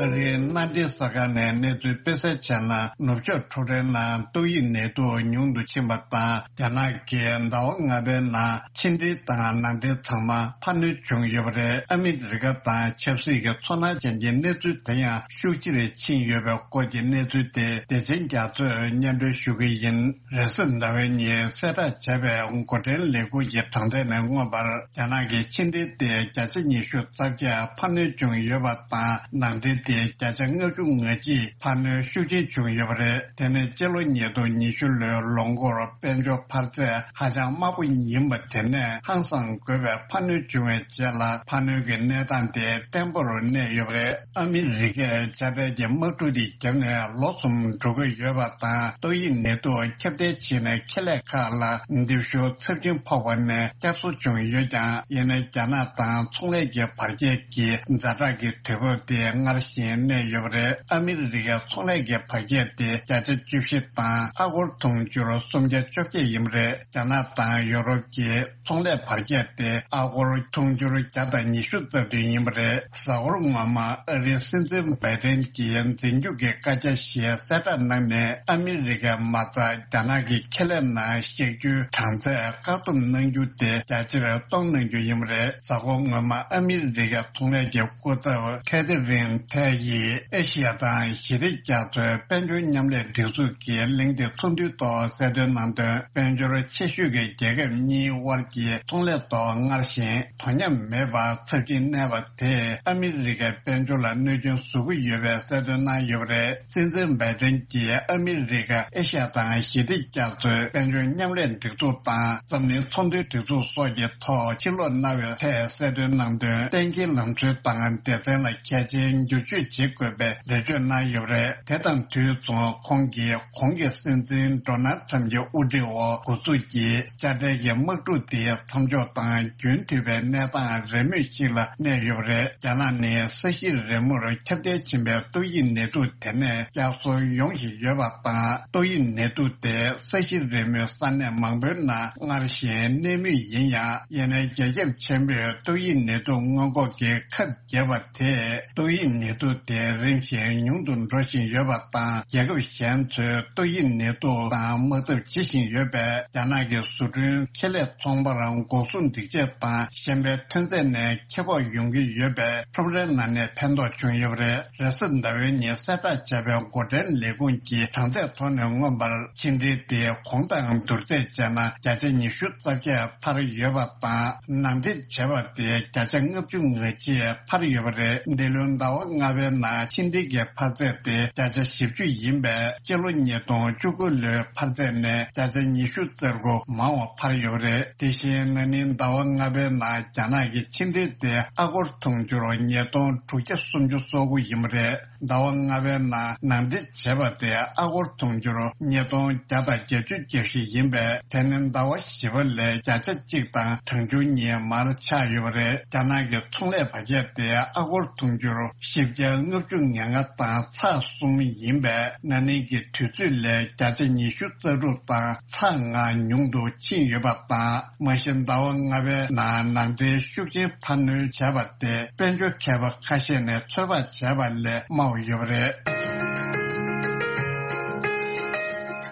ཨ་རིའི་མནའ་འབྲེལ་གསར་ཁང་ནས་གནས་ཚུལ་སྤེལ་གསལ་བྱས་ན། ནུབ་ཕྱོགས་འཕྲོད་བསྟེན་ནང་ཏོག་དབྱིབས་ནད་དུག་ཉུང་དུ་ཕྱིན་པ་དང་། རྒྱ་ནག་གིས་ཟླ་བ་ལྔ་པའི་ནང་ཕྱི་འབྲེལ་དང་ནང་འབྲེལ་ཚང་མ་འཕར་སྣོན་བྱུང་ཡོད་པ་རེད། ཨ་མི་རི་ཀ་དང་ཆབ་སྲིད་ཀྱི་ཚོར་སྣང་ཅན་གྱི་གནས་ཚུལ་དེ་ཡང་ཤུགས་ཆེ་རུ་ཕྱིན་ཡོད་པའི་སྐོར་གྱི་གནས་ཚུལ་དེ་བདེ་ཆེན་རྒྱ་མཚོས་སྙན་སྒྲོན་ཞུ་གི་ཡིན། རེས་གཟའ་ཟླ་བའི་ཉིན་གསལ་བསྒྲགས་བྱས་པའི་འགོ་ཁྲིད་ལས་ཁུངས་ཀྱི་གྲངས་ཐད་ནས་མངོན་པར། རྒྱ་ནག་གི་ཕྱི་འབྲེལ་དེ་བརྒྱ་ཆ་ཉི་ཤུ་རྩ་བརྒྱད་འཕར་སྣོན་བྱུང་ཡོད་པ་དང་། ནང་འབྲེལ་དེ་བརྒྱ་ཆ་ལྔ་བཅུ་ང་གཅིག་འཕར་སྣོན་ཤུགས་ཆེན་བྱུང་ཡོད་པ་རེད། དེ་ནི་སྤྱི་ལོ་ཉིས་སྟོང་ཉི་ཤུ་ལོའི་ལོ་འགོར་དཔལ་འབྱོར་འཕར་ཚད་ཧ་ཅང་དམའ་པོ་ཡིན་པ་དེ་ནས་ཧང་སང་དགོས་པའི་འཕར་སྣོན་བྱུང་བའི་རྗེས་ལ། འཕར་སྣོན་གྱི་གནས་སྟངས་དེ་བརྟན་པོར་གནས་ཡོད་པ་རེད། ཨ་མི་རི་ཀས་དཔྱ་ཁྲལ་གྱི་དམག་འཁྲུག་འདི་བརྒྱབ་ནས་ལོ་གསུམ་འགྲོ་གི་ཡོད་པ་དང་། ཏོག་དབྱིབས་ནད་དུག་ཁྱབ་གདལ་ཕྱིན་ནས་ཁེ་ལས་ཁག་ལ་འདེབས་ཤུགས་ཚབས་ཆེན་ཕོག་པ་ནས་བསྐྱར་གསོ་བྱུང་ཡོད་ཀྱང་། ཡིན་ནའི་རྒྱ་ནག་དང་ཚོང་ལས་ཀྱི་བར་ཁྱད་ཀྱི་ཛ་དྲག་གི་དུས་བབ་དེ་སྔར་བཞིན་གནས་ཡོད་པ་རེད། ཨ་མི་རི་ཀའི་ཚོང་ལས་ཀྱི་བར་ཁྱད་དེ་བརྒྱ་ཆ་བཅུ་བཞི་དང་ཨ་སྒོར་དུང་ཕྱུར་སུམ་བརྒྱ་བཅོ་བརྒྱད་ཡིན་པ་རེད། རྒྱ་ནག་དང་ཡོ་རོབ་ཀྱི་ཚོང་ལས་བར་ཁྱད་དེ་ཨ་སྒོར་དུང་ཕྱུར་བརྒྱ་དང་ཉི་ཤུ་རྩ་བདུན་ཡིན་པ་རེད། གཟའ་འཁོར་སྔོན་མ་ཨ་རིའི་སྲིད་འཛིན་བྷའི་ཌེན་གྱིས་འཛིན་སྐྱོང་གི་བཀའ་རྒྱ་ཞེས་གསལ་བསྒྲགས་གནང་ནས། ཨ་མི་རི་ཀས་མ་རྩ་རྒྱ་ནག་གི་ཁེ་ལས་ནང་བཞག་རྒྱུའི་གྲངས་ཚད་བཀག་སྡོམ་གནང་རྒྱུ་དེ་རྒྱ་ཆེར་གཏོང་གནང་རྒྱུ་ཡིན་པ་རེད། གཟའ་འཁོར་སྔོན་མ་ཨ་མི་རི་ཀའི་ཚོང་ལས་ཀྱི་སྐུ་ཚབ་ཁེ་ཐི་རིན་ཐའེ་ཡིས་ཨེ་ཤི་ཡ་དང་ཞི་བདེ་རྒྱ་མཚོའི་དཔལ་འབྱོར་མཉམ་ལས་སྒྲིག་འཛུགས་ཀྱི་གླེང་སྟེགས་ཚོགས་འདུའི་ཐོག་གསལ་སྟོན་གནང་དོན། དཔལ་འབྱོར་ཆེ་ཤོས་ཀྱི་རྒྱལ་ཁབ་གཉིས་དབར་གྱི་ཚོང་ལས་ཐོག་སྔར་བཞིན་དོ་མཉམ་མེད་པར་ཚབས་ཆེན་གནས་པ་དེས་ཨ་མི་རི་ཀའི་དཔལ་འབྱོར་ལ་གནོད་སྐྱོན་བཟོ་གི་ཡོད་པའི་གསལ་སྟོན་གནང་ཡོད་པ་རེད། སྲིད་འཛིན་བྷའི་ཌེན་གྱིས་ཨ་མི་རི་ཀ་ཨེ་ཤ་ཡ་དང་ཞི་བདེ་རྒྱ་མཚོའི་དཔལ་འབྱོར་མཉམ་ལས་སྒྲིག་འཛུགས་དང་འཛམ་གླིང་ཚོང་དོན་སྒྲིག་འཛུགས་སོགས་ཀྱི་ཐོག་ཕྱིར་སློག་གནང་བའི་ཐད་གསལ་སྟོན་གནང་དོན། གཏན་འཁེལ་ལམ་སྲོལ་དང་སྡེ་ཚན་ལ་གལ་ཆེའི་འགྱུར་བཅོས་བྱེད་དགོས་པའི་འགྲེལ་བརྗོད་གནང་ཡོད་པ་རེད། དེ་དང་དུས་མཚུངས་ཁོང་གིས་གོང་གི་སྲིད་འཛིན་ཌོ་ནལ་ཁྲམ་གྱི་དབུ་ཁྲིད་འོག་འགོ་འཛུགས་ཀྱིས་དཔྱ་ཁྲལ་གྱི་དམག་འཁྲུག་དེ་མཚམས་འཇོག་དང་རྒྱུན་མཐུད་པའི་གནས་སྟངས་རེས་མོས་ཤིག་ལ་གནས་ཡོད་པ་རེད། རྒྱ་ནག་ནི་ས་གཞི་རིལ་མོར་ཁྱབ་གདལ་ཕྱིན་པའི་ཏོག་དབྱིབས་ནད་དུག་དེ་ནས་བསྐྱར་གསོ་ཡོང་བཞིན་ཡོད་པ་དང་། ཏོག་དབྱིབས་ནད་དུག་དེ་ས་གཞི་རིལ་མོའི་ས་གནས་མང་པོའི་ནང་སྔར་བཞིན་གནས་མུས་ཡིན་ཡང་། ཡིན་ནའི་རྒྱ་ཁྱབ་ཆེན་པོས་ཏོག་དབྱིབས་ནད་དུག་སྔོན་འགོག་གི་ཁབ་བརྒྱབ་པ་དེས་ཏོག་དབྱིབས་ནད་དུག་དེ་རིམ་བཞིན་ཉུང་དུ་འགྲོ་བཞིན་ཡོད་པ་དང་། རྒྱལ་ཁབ་གཞན་ཚོས་ཏོག་དབྱིབས་ནད་དུག་དང་དམག་འཐབ་བྱེད་བཞིན་ཡོད་པས། རྒྱ་ནག་གི་བཟོ་སྐྲུན་ཁེ་ལས་ཚོང་པར་འགོག་སྲུང་སྒྲིག་ཆས་དང་གཞན་པའི་ཐོན་རྫས་ནས་ཁེ་སྤོགས་ཡོང་གི་ཡོད་པས། ཁྲོམ་རའི་ནང་ནས་ཕན་ཐོགས་བྱུང་ཡོད་པ་རེད། རེས་གཟའ་ཟླ་བའི་ཉིན་གསལ་བསྒྲགས་བྱས་པའི་འགོ་ཁྲིད་ལས་ཁུངས་ཀྱི་གྲངས་ཚད་ཐོག་ནས་མངོན་པར། ཕྱི་འབྲེལ་དེ་གོང་དང་བསྡུར་ཚད་བྱས་ན་བརྒྱ་ཆ་ཉི་ཤུ་རྩ་བརྒྱད་འཕར་ཡོད་པ་དང་། ནང་འདྲེན་བྱས་པ་དེ་བརྒྱ་ཆ་ལྔ་བཅུ་ང་གཅིག་འཕར་ཡོད་པ་རེད། འདི་ལོའི་ཟླ་བ་ལྔ་པའི་ནང་ཕྱི་འབྲེལ་གྱི་འཕར་ཚད་དེ་བརྒྱ་ཆ་བཞི་བཅུ་ཡིན་པས། སྤྱི་ལོ་ཉིས་སྟོང་བཅུ་དགུ་ལོའི་འཕར་ཚད་ནས་བརྒྱ་ཆ་ཉི་ཤུ་རྩ་དགུ་མང་བ་འཕར་ཡོད་པ་རེད། དེ་བཞིན་ན་ནིང་ཟླ་བ་ལྔ་པའི་ནང་རྒྱ་ནག་གི་ཕྱི་འབྲེལ་དེ་ཨ་སྒོར་དུང་ཕྱུར་ཉིས་སྟོང་དྲུག་བརྒྱ་སུམ་ཅུ་སོ་དགུ་ཡིན་པ་རེད། ཟླ་བ་ལྔ་པའི་ནང་ནང་འདྲེན་བྱས་པ་དེ་ཨ་སྒོར་དུང་ཕྱུར་ཉིས་སྟོང་བརྒྱ་དང་བརྒྱད་ཅུ་གྱ་བཞི་ཡིན་པས། དེ་ནི་ཟླ་བ་བཞི་པ་ལས་བརྒྱ་ཆ་གཅིག་དང་གྲངས་ཆུང་གཉིས་མར་ཆག་ཡོད་པ་རེད། རྒྱ་ནག་གི་ཚོང་ལས་འཕར་ཆག་དེ་ཨ་སྒོར་དུང་ཕྱུར་བཞི་བརྒྱ་ལྔ་བཅུ་ང་ལྔ་དང་ཚེག་གསུམ་ཡིན་པས། ན་ནིང་གི་དུས་ཚོད་ལས་བརྒྱ་ཆ་ཉི་ཤུ་རྩ་དྲུག་དང་ཚེག་ལྔ་ཉུང་དུ་ཕྱིན་ཡོད་པ་དང་། མ་གཞི་ཟླ་བ་ལྔ་པའི་ནང་ནང་འདྲེན་ཤུགས་ཆེན་འཕར་སྣོན་བྱས་པ་དེ་དཔལ་འབྱོར་མཁས་པ་ཁ་ཤས་ནས་ཚོད་དཔག་བྱས་པ་ལས་དམའ་བ་ཡོད་པ་རེད།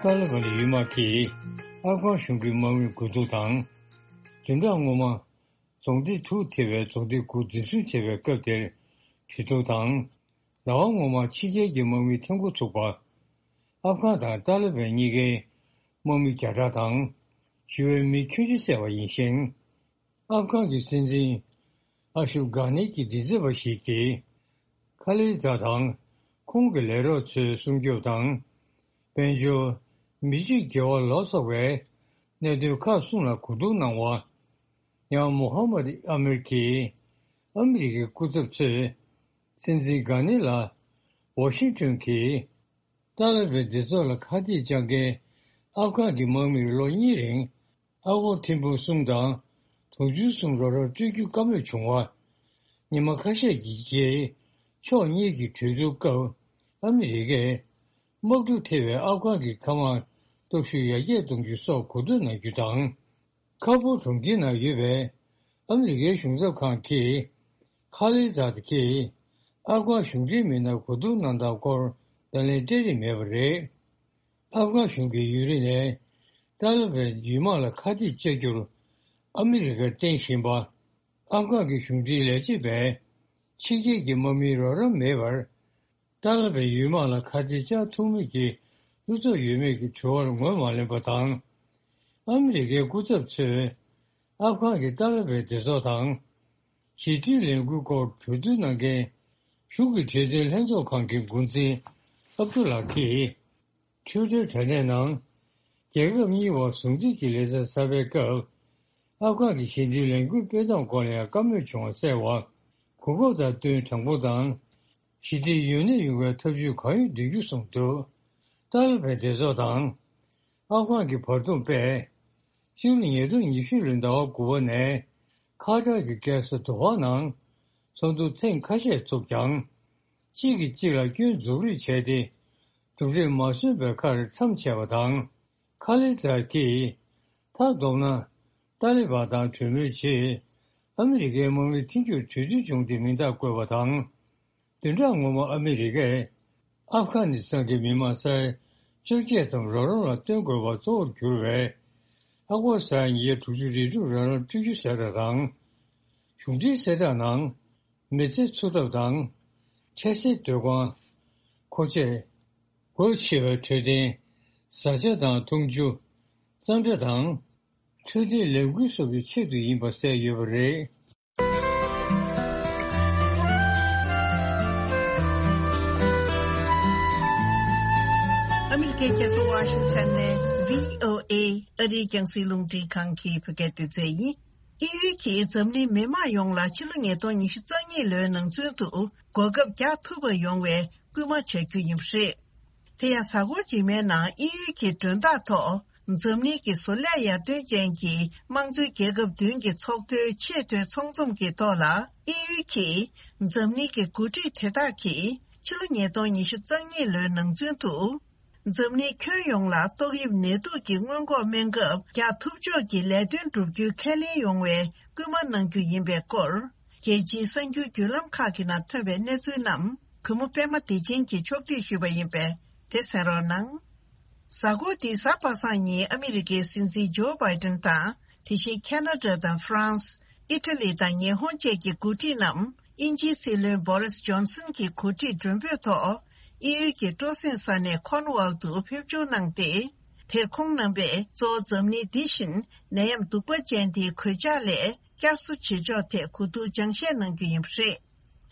ཏཱ་ལི་བན་གྱི་དབུ་དམག་གིས་ཨབ་གྷན་གཞུང་གི་དམག་མི་རྒོལ་རྡུང་དང་། བདུན་ཕྲག་སྔོན་མ་རྫོང་སྡེ་དྲུག་ཐེ་བའི་རྫོང་སྡེ་དགུ་འཛིན་བཟུང་བྱས་པའི་སྐབས་དེར་གྲོས་བསྡུར་དང་། ཟླ་བ་སྔོན་མ་ཕྱི་རྒྱལ་གྱི་དམག་མི་འཐེན་འཁོར་ཚུགས་པ། ཨབ་གྷན་དང་ཏཱ་ལི་བན་གཉིས་ཀའི་དམག་མི་བརྒྱ་ཕྲག་དང་ཞི་བའི་མི་ཁྱོན་ཆེ་བསད་པ་ཡིན་ཞིང་། ཨབ་གྷན་གྱི་སྲིད་འཛིན་ ཨ་ཤུབ་གྷ་ནི་གྱི་མགྲིན་ཚབ་པ་ཞིག་གིས། ཁ་ལི་ཛ་དང་ཁོང་གི་ལས་རོགས་ཚོའི་སྲུང་སྐྱོབ་དང་། དཔལ་འབྱོར། མི་གཅིག་དགེ་བ་ལ་སོགས་པའི་གནད་དོན་ཁག་གསུམ་ལ་གོ་བསྡུར་གནང་བ། ཡང་མོ་ཧ་མད་ཨ་མིར་གྱིས་ཨ་མི་རི་ཀའི་སྐུ་ཚབ་ཚོས་སྲིད་འཛིན་གྷ་ནི་ལ་ཝ་ཤིང་ཏོན་གྱིས་ཏཱ་ལི་བན་སྡེ་ཚོགས་ལ་ཁ་གཏད་གཅོག་མཁན་ཨབ་གྷན་གྱི་དམག་མིར་ལོ་གཉིས་རིང་ཨ་སྒོར་ཐེར་འབུམ་གསུམ་དང་དུང་ཕྱུར་གསུམ་རོགས་རམ་སྤྲོད་རྒྱུ་བཀའ་མོལ་བྱུང་བ། ཉི་མ་ཁ་ཤས་ཀྱི་རྗེས་ཕྱོགས་གཉིས་ཀྱི་གྲོས་བསྡུར་སྐབས་ཨ་མི་རི་ཀས་དམག་འཁྲུག་ཐེབས་པའི་ཨབ་གྷན་གྱི་མཁའ་དམག་སྟོབས་ཤུགས་ཡར་རྒྱས་གཏོང་རྒྱུ་སོགས་གོ་བསྡུར་གནང་རྒྱུ་དང་། ཁ་སྦུག་གྲོང་ཁྱེར་ནང་ཡོད་པའི་ཨ་མི་རི་ཀའི་གཞུང་ཚབ་ཁང་གིས་ཁ་ལི་ཛ་ད་གིས་ཨབ་གྷན་གཞུང་འབྲེལ་མི་སྣར་གོ་བསྡུར་གནང་སྟངས་སྐོར་བརྡ་ལན་སྤྲད་རིན་མེད་པ་རེད། ཨབ་གྷན་གཞུང་གིས་ཡུན་རིང་ནས་ཏཱ་ལི་བན་ཡུལ་དམག་ལ་ཁ་གཏད་གཅོག་རྒྱུར་ཨ་མི་རི་ཀར་བརྟེན་བཞིན་པ། ཨབ་གྷན་གྱི་གཞུང་འབྲེལ་ལས་བྱེད་པས་ཕྱི་རྒྱལ་གྱི་དམག་མིའི་རོགས་རམ་མེད་པར་ཏཱ་ལི་བན་ཡུལ་དམག་ལ་ཁ་གཏད་གཅོག་ཐུབ་མིན་གྱི་ལྷུ་ཚིགས་ཡོད་མེད་ཀྱི་དྲི་བར་ངོས་མ་ལེན་པ་དང་། ཨ་མི་རི་ཀའི་སྐུ་ཚབ་ཚོས་ཨབ་གྷན་གྱི་ཏཱ་ལི་བན་སྡེ་ཚོགས་དང་། ཞི་མཐུན་ལས་འགུལ་སྐོར་གྲོས་བསྡུར་གནང་མཁན་གཞུང་གི་འབྲེལ་མཐུན་ལྷན་ཚོགས་ཁང་གི་འགོ་འཛིན་ཨབ་ཏུ་ལ་གིས། ཊུའི་ཊར་དྲ་གནས་ནང་། རྒྱལ་ཁབ་གཉིས་བར་ཟུང་འབྲེལ་གྱི་ལེ་ཚན་གསར་པའི་སྐབས། ཨབ་གྷན་གྱི་ཞི་མཐུན་ལས་འགུལ་སྤེལ་སྟངས་སྐོར་ལ་ཡང་བཀའ་མོལ་བྱུང་བ་གསལ་བ། གོ་སྐབས་དང་བསྟུན་དྲང་པོ་དང་། ཞི་བདེ་ཡུན་གནས་ཡོང་བའི་ཐབས་ཇུས་གང་ཡོད་འདོན་རྒྱུ་གསུངས་འདུག་ཏཱ་ལི་བན་སྡེ་ཚོགས་དང་། ཨབ་གྷན་གྱི་བར་འདུམ་པས། ཕྱི་ལོ་ཉིས་སྟོང་ཉི་ཤུ་ལོའི་ཟླ་བ་དགུ་པ་ནས། ཁ་ཐར་གྱི་རྒྱལ་ས་དོ་ཧ་ནང་། ཚོགས་འདུ་ཐེངས་ཁ་ཤས་ཚུགས་ཀྱང་། གཅིག་གིས་གཅིག་ལ་སྐྱོན་འཛུགས་རེས་བྱས་ཏེ། གྲུབ་འབྲས་མ་སོན་པའི་ཁར་མཚམས་ཆད་པ་དང་། ཁ་ལི་ཛ་གིས། མཐའ་བསྡོམས་ན། ཏཱ་ལི་བན་དང་གྲོས་མོལ་རྗེས། ཨ་མི་རི་ཀའི་དམག་མི་ཐེར་འགྱུར་གྲོས་མཐུན་བྱུང་སྟེ་མིང་རྟགས་བཀོད་པ་དང་། བདུན་ཕྲག་སྔོན་མ་ཨ་མི་རི་ཀས། ཨབ་གྷ་ནི་སི་ཐན་གྱི་མི་མང་ས་ཡ་བཅོ་བརྒྱད་ཙམ་རོགས་རམ་ལ་བཏོན་དགོས་པ་གཙོ་བོར་གྱུར་བའི། ཨ་སྒོར་ས་ཡ་ཉིས་བརྒྱ་དྲུག་ཅུ་རེ་དྲུག་རོགས་རམ་སྤྲོད་རྒྱུ་གསལ་བསྒྲགས་དང་། གཞུང་འབྲེལ་གསལ་བསྒྲགས་ནང་། མི་ཚེ་འཚོ་ཐབས་དང་། འཕྲལ་སེལ་སྡོད་ཁང་། མཁོ་ཆས། སྒོ་ཕྱེ་བའི་འཕྲོད་བསྟེན། བཟའ་བཅའ་དང་འཐུང་ཆུ། གཙང་སྦྲ་དང་། འཕྲོད་བསྟེན་ལས་འགུལ་སོགས་ཀྱི་ཆེད་དུ་ཡིན་པ་གསལ་ཡོད་པ་རེད། ཨ་མི་རི་ཀའི་རྒྱལ་ས་ཝ་ཤིང་ཊོན་ནས་བྷི་ཨོ་ཨེ་ཨ་རིའི་རྒྱང་སྲིང་རླུང་འཕྲིན་ཁང་གི་བོད་སྐད་སྡེ་ཚན་ཡིན། དབྱིན་ཡུལ་གྱིས་འཛམ་གླིང་མི་དམངས་ཡོངས་ལ་ཕྱི་ལོ་ཉིས་སྟོང་ཉི་ཤུ་རྩ་གཉིས་ལོའི་ནང་ཚུན་དུ་གོ་སྐབས་རྒྱག་ཐུབ་པ་ཡོང་བའི་སྐུལ་མ་བྱ་རྒྱུ་ཡིན་པ་རེད། དེ་ཡང་གཟའ་འཁོར་རྗེས་མའི་ནང་དབྱིན་ཡུལ་གྱི་མགྲོན་བདག་ཐོག་འཛམ་གླིང་གི་བཟོ་ལས་ཡར་ཐོན་ཅན་གྱི་དམངས་གཙོའི་རྒྱལ་ཁབ་བདུན་གྱི་ཚོགས་འདུའི་ཆེས་མཐོའི་ཚོགས་འཛོམས་ཀྱི་ཐོག་ལ། དབྱིན་ཡུལ་གྱིས་འཛམ་གླིང་གི་འགོ་ཁྲིད་དེ་དག་གིས་ཕྱི་ལོ་ཉིས་སྟོང་ཉི་ཤུ་རྩ་གཉིས་ལོའི་ནང་ཚུན་དུ། འཛམ་གླིང་ཁྱོན་ཡོངས་ལ་ཏོག་དབྱིབས་ནད་དུག་གི་སྔོན་འགོག་སྨན་ཁབ་རྒྱག་ཐུབ་ཕྱོགས་ཀྱི་ལས་དོན་བསྒྲུབ་རྒྱུའི་ཁས་ལེན་ཡོང་བའི་སྐུལ་མ་གནང་རྒྱུ་ཡིན་པའི་སྐོར། རྒྱལ་སྤྱིའི་གསར་འགྱུར་བརྒྱུད་ལམ་ཁག་གི་ནང་ཐོན་པའི་གནས་ཚུལ་རྣམས་གུས་མོ་པད་མ་བདེ་ཆེན་གྱིས་ཕྱོགས་སྒྲིག་ཞུས་པ་ཡིན་པས་དེ་གསན་རོགས་གནང་། གཟའ་འཁོར་འདིའི་གཟའ་པ་སངས་ཉིན་ཨ་མི་རི་ཀའི་སྲིད་འཛིན་ཇོ་བྷའི་ཏན་དང་དེ་བཞིན་ཁེ་ན་ཌ་དང་ཧྥ་རན་སི། ཨི་ཊ་ལི་དང་ཉི་ཧོང་བཅས་ཀྱི་འགོ་ཁྲིད་རྣམས་དབྱིན་ཇིའི་སྲིད་བློན་བོ་རིས་ཇོན་སན་གྱི་གོ་སྒྲིག་མགྲོན་འབོད་ཐོག་དབྱིན་ཡུལ་གྱི་སྤྲོ་གསེང་ས་གནས་ཁོར་ནུ་ཝལ་དུ་ཕེབས་འབྱོར་གནང་སྟེ། དེར་ཁོང་རྣམ་པས་གཙོ་བོ་འཛམ་གླིང་འདི་བཞིན་ནད་ཡམས་གདུག་པ་ཅན་དེའི་གོད་ཆག་ལས་བསྐྱར་གསོ་བྱེད་ཕྱོགས་ཐད་གོ་བསྡུར་སྦྱང་བཤད་གནང་རྒྱུ་ཡིན་པ་རེད།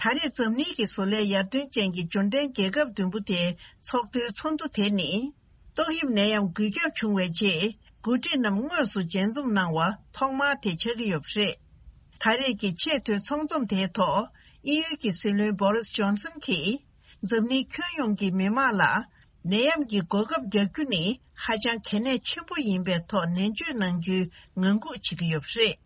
ད་རེས་འཛམ་གླིང་གི་བཟོ་ལས་ཡར་ཐོན་ཅན་གྱི་འབྱོར་ལྡན་རྒྱལ་ཁབ་བདུན་པོ་དེའི་ཚོགས་འདུའི་ཚོགས་འདུ་དེ་ནི། ཏོག་དབྱིབས་ནད་ཡམས་འགོས་ཁྱབ་བྱུང་བའི་རྗེས། འགོ་ཁྲིད་རྣམས་དངོས་སུ་མཇལ་འཛོམས་གནང་བ་ཐོག་མ་དེ་ཆགས་ཀྱི་ཡོད་པ་རེད། ད་རེས་ཀྱི་ཆེས་མཐོའི་ཚོགས་འཛོམས་དེའི་ཐོག་དབྱིན་ཡུལ་གྱི་སྲིད་བློན་བོ་རིས་ཇོན་སན་གྱིས། འཛམ་གླིང་ཁྱོན་ཡོངས་ཀྱི་མི་དམངས་ལ། ནད་ཡམས་ཀྱི་གོ་སྐབས་རྒྱག་རྒྱུ་ནི་ཧ་ཅང་གལ་གནད་ཆེན་པོ་ཡིན་པའི་ཐོག་ནན་བརྗོད་གནང་རྒྱུའི་ངང་སྒུག་བྱེད་ཀྱི་ཡོད་པ་རེད།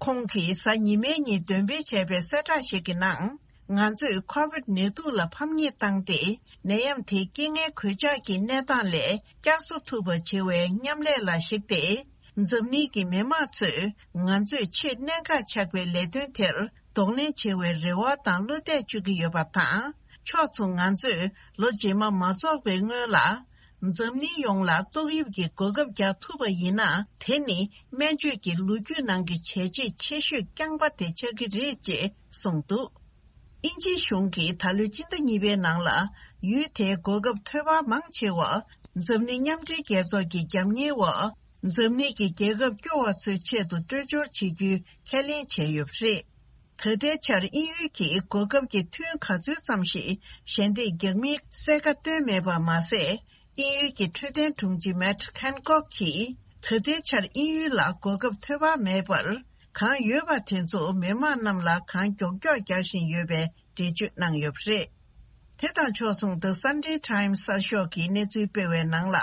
ཁོང་གིས་གཟའ་ཉི་མའི་ཉིན་འདོན་སྤེལ་བྱས་པའི་གསལ་བསྒྲགས་ཤིག་གི་ནང་། ང་ཚོས་ཁོ་བིད་ནད་དུག་ལ་ཕམ་ཉེས་བཏང་སྟེ། ནད་ཡམས་དེའི་རྐྱེན་ངན་གོད་ཆག་གི་གནས་སྟངས་ལས་བསྐྱར་གསོ་ཐུབ་པ་བྱེད་པའི་མཉམ་ལས་ལ་གཞིགས་ཏེ། འཛམ་གླིང་གི་མི་དམངས་ཚོས་ང་ཚོས་ཆེས་གནད་འགག་ཆགས་པའི་ལས་དོན་དེར་གདོང་ལེན་བྱེད་པའི་རེ་བ་དང་བློ་གཏད་བཅོལ་གྱི་ཡོད་པ་དང་། ཕྱོགས་མཚུངས་ང་ཚོས་ལོ་རྗེས་མ་མ་རྫོགས་པའི་སྔོན་ལ། འཛམ་གླིང་ཡོངས་ལ་ཏོག་དབྱིབས་ཀྱི་གོ་སྐབས་རྒྱག་ཐུབ་པ་ཡིན་ན། དེ་ནི་སྨན་བཅོས་ཀྱི་ལོ་རྒྱུས་ནང་གི་བྱས་རྗེས་ཆེ་ཤོས་རྐྱང་པ་དེ་ཆགས་ཀྱི་རེད་ཅེས་གསུངས་འདུག་དབྱིན་ཇིའི་གཞུང་གིས་ད་ལོའི་སྤྱི་ཟླ་གཉིས་པའི་ནང་ལ། ཡུལ་དེའི་གོ་སྐབས་ཐོལ་པ་མང་ཆེ་བ། འཛམ་གླིང་མཉམ་འབྲེལ་རྒྱལ་ཚོགས་ཀྱི་རྒྱབ་གཉེར་འོག་འཛམ་གླིང་གི་རྒྱལ་ཁབ་སྐྱོ་བ་ཚོའི་ཆེད་དུ་སྤྲོད་སྦྱོར་བྱེད་རྒྱུའི་ཁས་ལེན་བྱས་ཡོད་པ་རེད། ད་ལྟའི་ཆར་དབྱིན་ཡུལ་གྱིས་གོ་སྐབས་ཀྱི་ཐུན་ག་ཚོད་ཙམ་ཞིག་ཞལ་འདེབས་རྒྱག་མིན་གསལ་ཁ་བཏོན་མེད་པ་མ་ཟད། དབྱིན་ཡུལ་གྱི་འཕྲོད་བསྟེན་དྲུང་ཆེ་མེཊ་ཁན་ཀོག་གིས་ད་ལྟའི་ཆར་དབྱིན་ཡུལ་ལ་གོ་སྐབས་ཐོབ་པ་མེད་པར། གང་ཡོད་པ་དེ་ཚོ་མི་མང་རྣམས་ལ་གང་མགྱོགས་མགྱོགས་རྒྱག་བཞིན་ཡོད་པའི་འགྲེལ་བརྗོད་གནང་ཡོད་པ་རེད། དེ་དང་ཕྱོགས་མཚུངས། The Sunday Times གསར་ཤོག་གིས་གནས་ཚུལ་སྤེལ་བའི་ནང་ལ།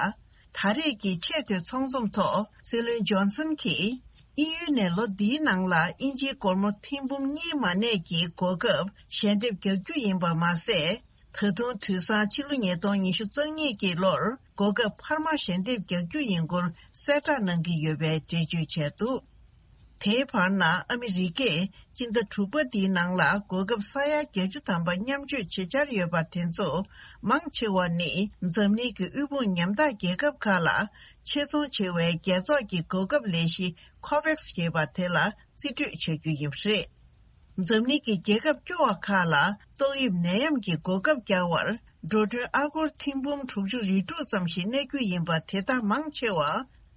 ད་རེས་ཀྱི་ཆེས་མཐོའི་ཚོགས་འཛོམས་ཐོག་སྲིད་བློན་ཇོན་སན་གྱིས། དབྱིན་ཡུལ་ནས་ལོ་འདིའི་ནང་ལ་དབྱིན་ཇིའི་སྒོར་མོ་ཐེར་འབུམ་གཉིས་མ་གནས་ཀྱི་གོ་སྐབས་ཞལ་འདེབས་རྒྱག་རྒྱུ་ཡིན་པ་མ་ཟད། ད་དུང་དུས་སང་ཕྱི་ལོ་ཉིས་སྟོང་ཉི་ཤུ་རྩ་གཉིས་ཀྱི་ལོར་གོ་སྐབས་འཕར་མ་ཞལ་འདེབས་རྒྱག་རྒྱུ་ཡིན་སྐོར་གསལ་བསྒྲགས་གནང་གི་ཡོད་པའི་འགྲེལ་བརྗོད་བྱས་འདུག་དེའི་བར་ན། ཨ་མི་རི་ཀས་སྤྱི་ཟླ་དྲུག་པ་འདིའི་ནང་ལ་གོ་སྐབས་ས་ཡ་བརྒྱད་ཅུ་ཐམ་པ་མཉམ་སྤྱོད་བྱེད་འཆར་ཡོད་པ་དེ་ཚོ་མང་ཆེ་བ་ནི་འཛམ་གླིང་གི་དབུལ་ཕོངས་ཉམ་ཐག་རྒྱལ་ཁབ་ཁག་ལ་ཆེད་ཚོང་བྱེད་པའི་རྒྱལ་ཚོགས་ཀྱི་གོ་སྐབས་ལས་གཞི་ཁོ་ཝེག་སི་ཞེས་པ་དེ་ལ་རྩིས་སྤྲོད་བྱ་རྒྱུ་ཡིན་པ་རེད། འཛམ་གླིང་གི་རྒྱལ་ཁབ་སྐྱོ་བ་ཁག་ལ་ཏོག་དབྱིབས་ནད་ཡམས་ཀྱི་གོ་སྐབས་རྒྱག་པར་འགྲོ་གྲོན་ཨ་སྒོར་ཐེར་འབུམ་དྲུག་ཅུ་རེ་དྲུག་ཙམ་ཞིག་གནས་རྒྱུ་ཡིན་པ། དེ་དག་མང་ཆེ་བ་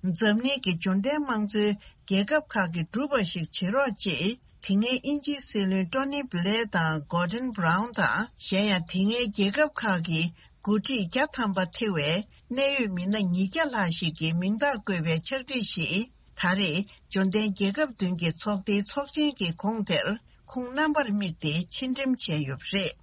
འཛམ་གླིང་གི་འབྱོར་ལྡན་དམངས་གཙོའི་རྒྱལ་ཁབ་ཁག་གིས་བསྒྲུབས་པ་ཞིག་བྱེད་རོགས་ཅེས། དེ་སྔའི་དབྱིན་ཇིའི་སྲིད་བློན་ཀྲོ་ནི་བྷི་ལེར་དང་གོར་ཌོན་བྷ་རའུན་དང་། གཞན་ཡང་དེ་སྔའི་རྒྱལ་ཁབ་ཁག་གི་འགོ་ཁྲིད་བརྒྱ་ཐམ་པ་ཐེ་བའི་གནད་ཡོད་མི་སྣ་ཉིས་བརྒྱ་ལྷག་ཞིག་གི་མིང་རྟགས་བཀོད་པའི་ཕྱག་བྲིས་ཤིག་ད་རེས་འབྱོར་ལྡན་རྒྱལ་ཁབ་བདུན་གྱི་ཚོགས་སྡེའི་ཚོགས་ཆེན་གྱི་གོང་དེར་ཁོང་རྣམ་པར་དམིགས་ཏེ་ཕྱིར་འགྲེམས་བྱས་ཡོད་པ་རེད།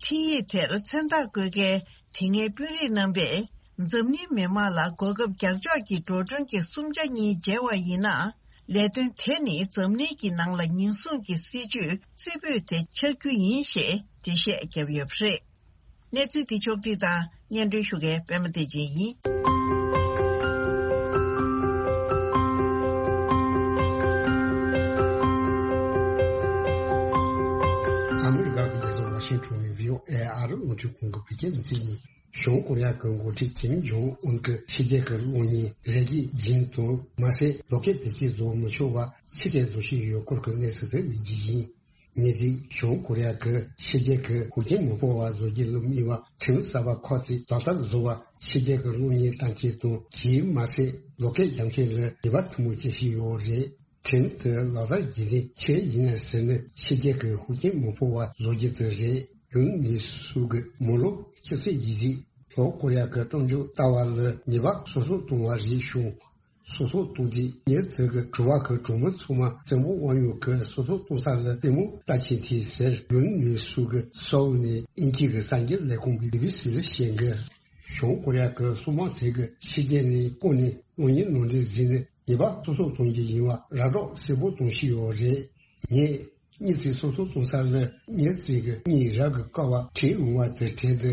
འཕྲིན་ཡིག་དེར་མཚན་རྟགས་བཀོད་མཁན་དེ་སྔའི་དཔོན་རིགས་རྣམ་པས། འཛམ་གླིང་མི་དམངས་ལ་གོ་སྐབས་རྒྱག་ཕྱོགས་ཀྱི་འགྲོ་གྲོན་གྱི་སུམ་ཆ་གཉིས་འཇལ་བ་ཡིན་ན། ལས་དོན་དེ་ནི་འཛམ་གླིང་གི་ནང་ལ་ཉེན་སྲུང་གི་སྲིད་ཇུས་རྩེ་ཕུད་དེ་ཆགས་རྒྱུ་ཡིན་ཞེས་འགྲེལ་བཤད་བརྒྱབ་ཡོད་པ་རེད། གནས་ཚུལ་འདི་ཕྱོགས་བསྒྲིགས་དང་སྙན་སྒྲོན་ཞུ་མཁན་པད་མ་བདེ་ཆེན་ཡིན། ཨ་མི་རི་ཀ་གི་རྒྱལ་ས་ཝ་ཤིང་ཊོན་ནས་བྷི་ཨོ་ཨེ་ཨ་རི་རླུང་འཕྲིན་ཁང་གི་བོད་སྐད་སྡེ་ཚན་ཡིན། བྱང་ཀོ་རི་ཡ་གི་འགོ་ཁྲིད་ཀིམ་ཇོང་ཨུན་གྱིས་ཕྱི་རྒྱལ་གྱི་གློག་བརྙན་རལ་གྲིའི་རྒྱན་དུ་མ་ཟད་ལོ་ཀེལ་བེད་སྤྱོད་བཟོ་མི་ཆོག་པ་ཕྱིར་སྤྲད་བཟོ་བཞིན་ཡོད་སྐོར་གྱི་གནས་ཚུལ་དེ་ལེགས་བསྒྱུར་ཡིན། ཉེ་དུས་བྱང་ཀོ་རི་ཡ་གིས་ཕྱི་རྒྱལ་གྱི་ཤུགས་རྐྱེན་མི་སྤོ་བ་བཟོ་རྒྱུ་ལ་དམིགས་པ་ཁྲིམས་གསར་པ་ཁག་ཅིག་ལག་བསྟར་བཟོ་བར་ཕྱི་རྒྱལ་གྱི་གློག་བརྙན་བཏང་མཁན་དང་། དེས་མ་ཟད་ལོ་ཀེལ་རྒྱག་མཁན་ལ་ཉེས་པ་ཐུན་མོང་བྱེད་བཞིན་ཡོད་རེད། ཁྲིམས་དེ་ལག་བསྟར་བགྱིས་ནས་ཆེད་ཡིན་ན་ཟེར་ནས་ཕྱི་རྒྱལ་གྱི་ཤུགས་རྐྱེན་མི་སྤོ་བ་བཟོ་རྒྱུ་དེ་རེད། ཡུན་ནི་སུ་གི་མོ་ལོ་ཅི་ཚེ་ཡི་རིགས་ལྷོ་ཀོ་རི་ཡ་གི་གཏམ་རྒྱུད་ལྟ་བ་ལ་ཉེས་པ་སོ་སོ་གཏོང་བ་རེད་བྱུང་། སོ་སོ་གཏོང་དུས་ཉེ་དུ་གི་གྲུ་བ་གི་གྲོགས་མོ་ཚང་མ་བཙན་པོ་དབང་ཡོད་གི་སོ་སོ་གཏོང་ས་ལ་ལྟད་མོ་ལྟ་ཕྱིན་ཐེངས་ཟེར། ཡུན་ནི་སུ་གི་སོའུ་ནས་དབྱིན་ཇི་གི་གསར་འགྱུར་ལས་ཁུངས་བི་བི་སི་ལ་བཤད་གི། བྱང་ཀོ་རི་ཡ་གི་སྲུང་དམག་ཚོས་གི་ཕྱི་རྒྱལ་ནས་བསྐོར་ནས་གློག་བརྙན་ནང་འདྲེན་བཟོས་ནས་ཉེས་པ་སོ་སོ་གཏོང་རྒྱུ་ཡིན་པ་ར་སྤྲོད་གསལ་པོ་གཏོང་བཞིན་ཡོད་རེད། ངས་མྱི་ཚེ་སོ་སོ་གཏོང་ས་ལ་མྱི་ཚེ་གི་གཉིས་རག་གི་ཀ་བ་བྲིས་འོང་བ་དེ་བྲིས་ཏེ།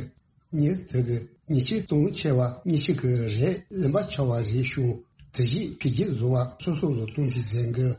མྱི་དེ་གི་ཉེས་ཆད་གཏོང་ཆེ་བ་གཉིས་ཤིག་གི་རེད་ལེན་པ་ཆོག་པ་རེད་བྱུང་། དེ་བཞིན་འཕེལ་རྒྱས་བཟོ་བ་སོ་སོ་ལ་གཏོང་རྒྱུ་མཛད་གི།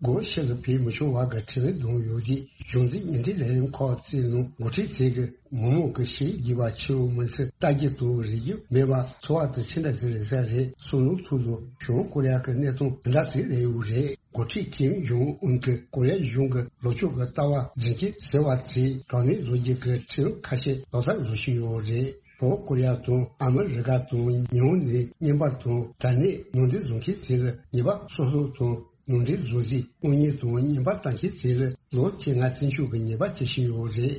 སྒོ་ཕྱི་ལ་ཕེབས་མི་ཆོག་པ་གི་ཁྲིམས་ལུགས་བསྡོམས་ཡོད་དུས་གཞུང་འཛིན་ཉེས་འབྲེལ་ལས་རིམ་ཁག་བཙུགས་ནང་འགོ་ཁྲིད་ཚོས་གི་མི་མང་གི་ཞི་བའི་དགེ་བ་ཆེ་བོ་མིན་ཚེ་ལྟ་རྒྱུ་དང་རིག་རྒྱུ་མེད་པ་ཚོར་བ་དེ་ཅི་འདྲ་ཟིག་རེད་ས་རེད། སོ་ནམ་ཐུག་ལོ་བྱང་ཀོ་རི་ཡ་གི་གནས་སྟངས་དེ་འདྲ་ཟིག་རེད་ཡོད་རེད། འགོ་ཁྲིད་ཀིམ་ཇོང་ཨུན་གྱིས་ཀོ་རི་ཡ་གཞུང་གི་ལོ་ཕྱུགས་ཀྱི་ལྟ་བ་འཛིན་སྐྱོང་ཟེར་བ་ཚོས་དྲག་གནོན་བཟོ་རྒྱུ་གི་ཁྲིམས་ཁ་ཤས་ལག་བསྟར་བཟོ་བཞིན་ཡོད་རེད། ལྷོ་ཀོ་རི་ཡ་དང་ཨ་མི་རི་ཀ་དང་ཉི་ཧོང་ནས་བརྙན་པར་དང་དྲ་གནས་ནང་འདྲེན་བཟོ་མཁན་ཚོ་ལ་ཉེས་པ་སོ་སོ་དང་། ནང་འདྲེན་བཟོ་རྩིས་དངུལ་གཉེར་དང་བརྙན་པར་བཏང་མཁན་ཚོ་ལ་ལོ་བཅོ་ལྔ་བཙོན་འཇུག་གི་ཉེས་པ་བྱེད་བཞིན་ཡོད་རེད།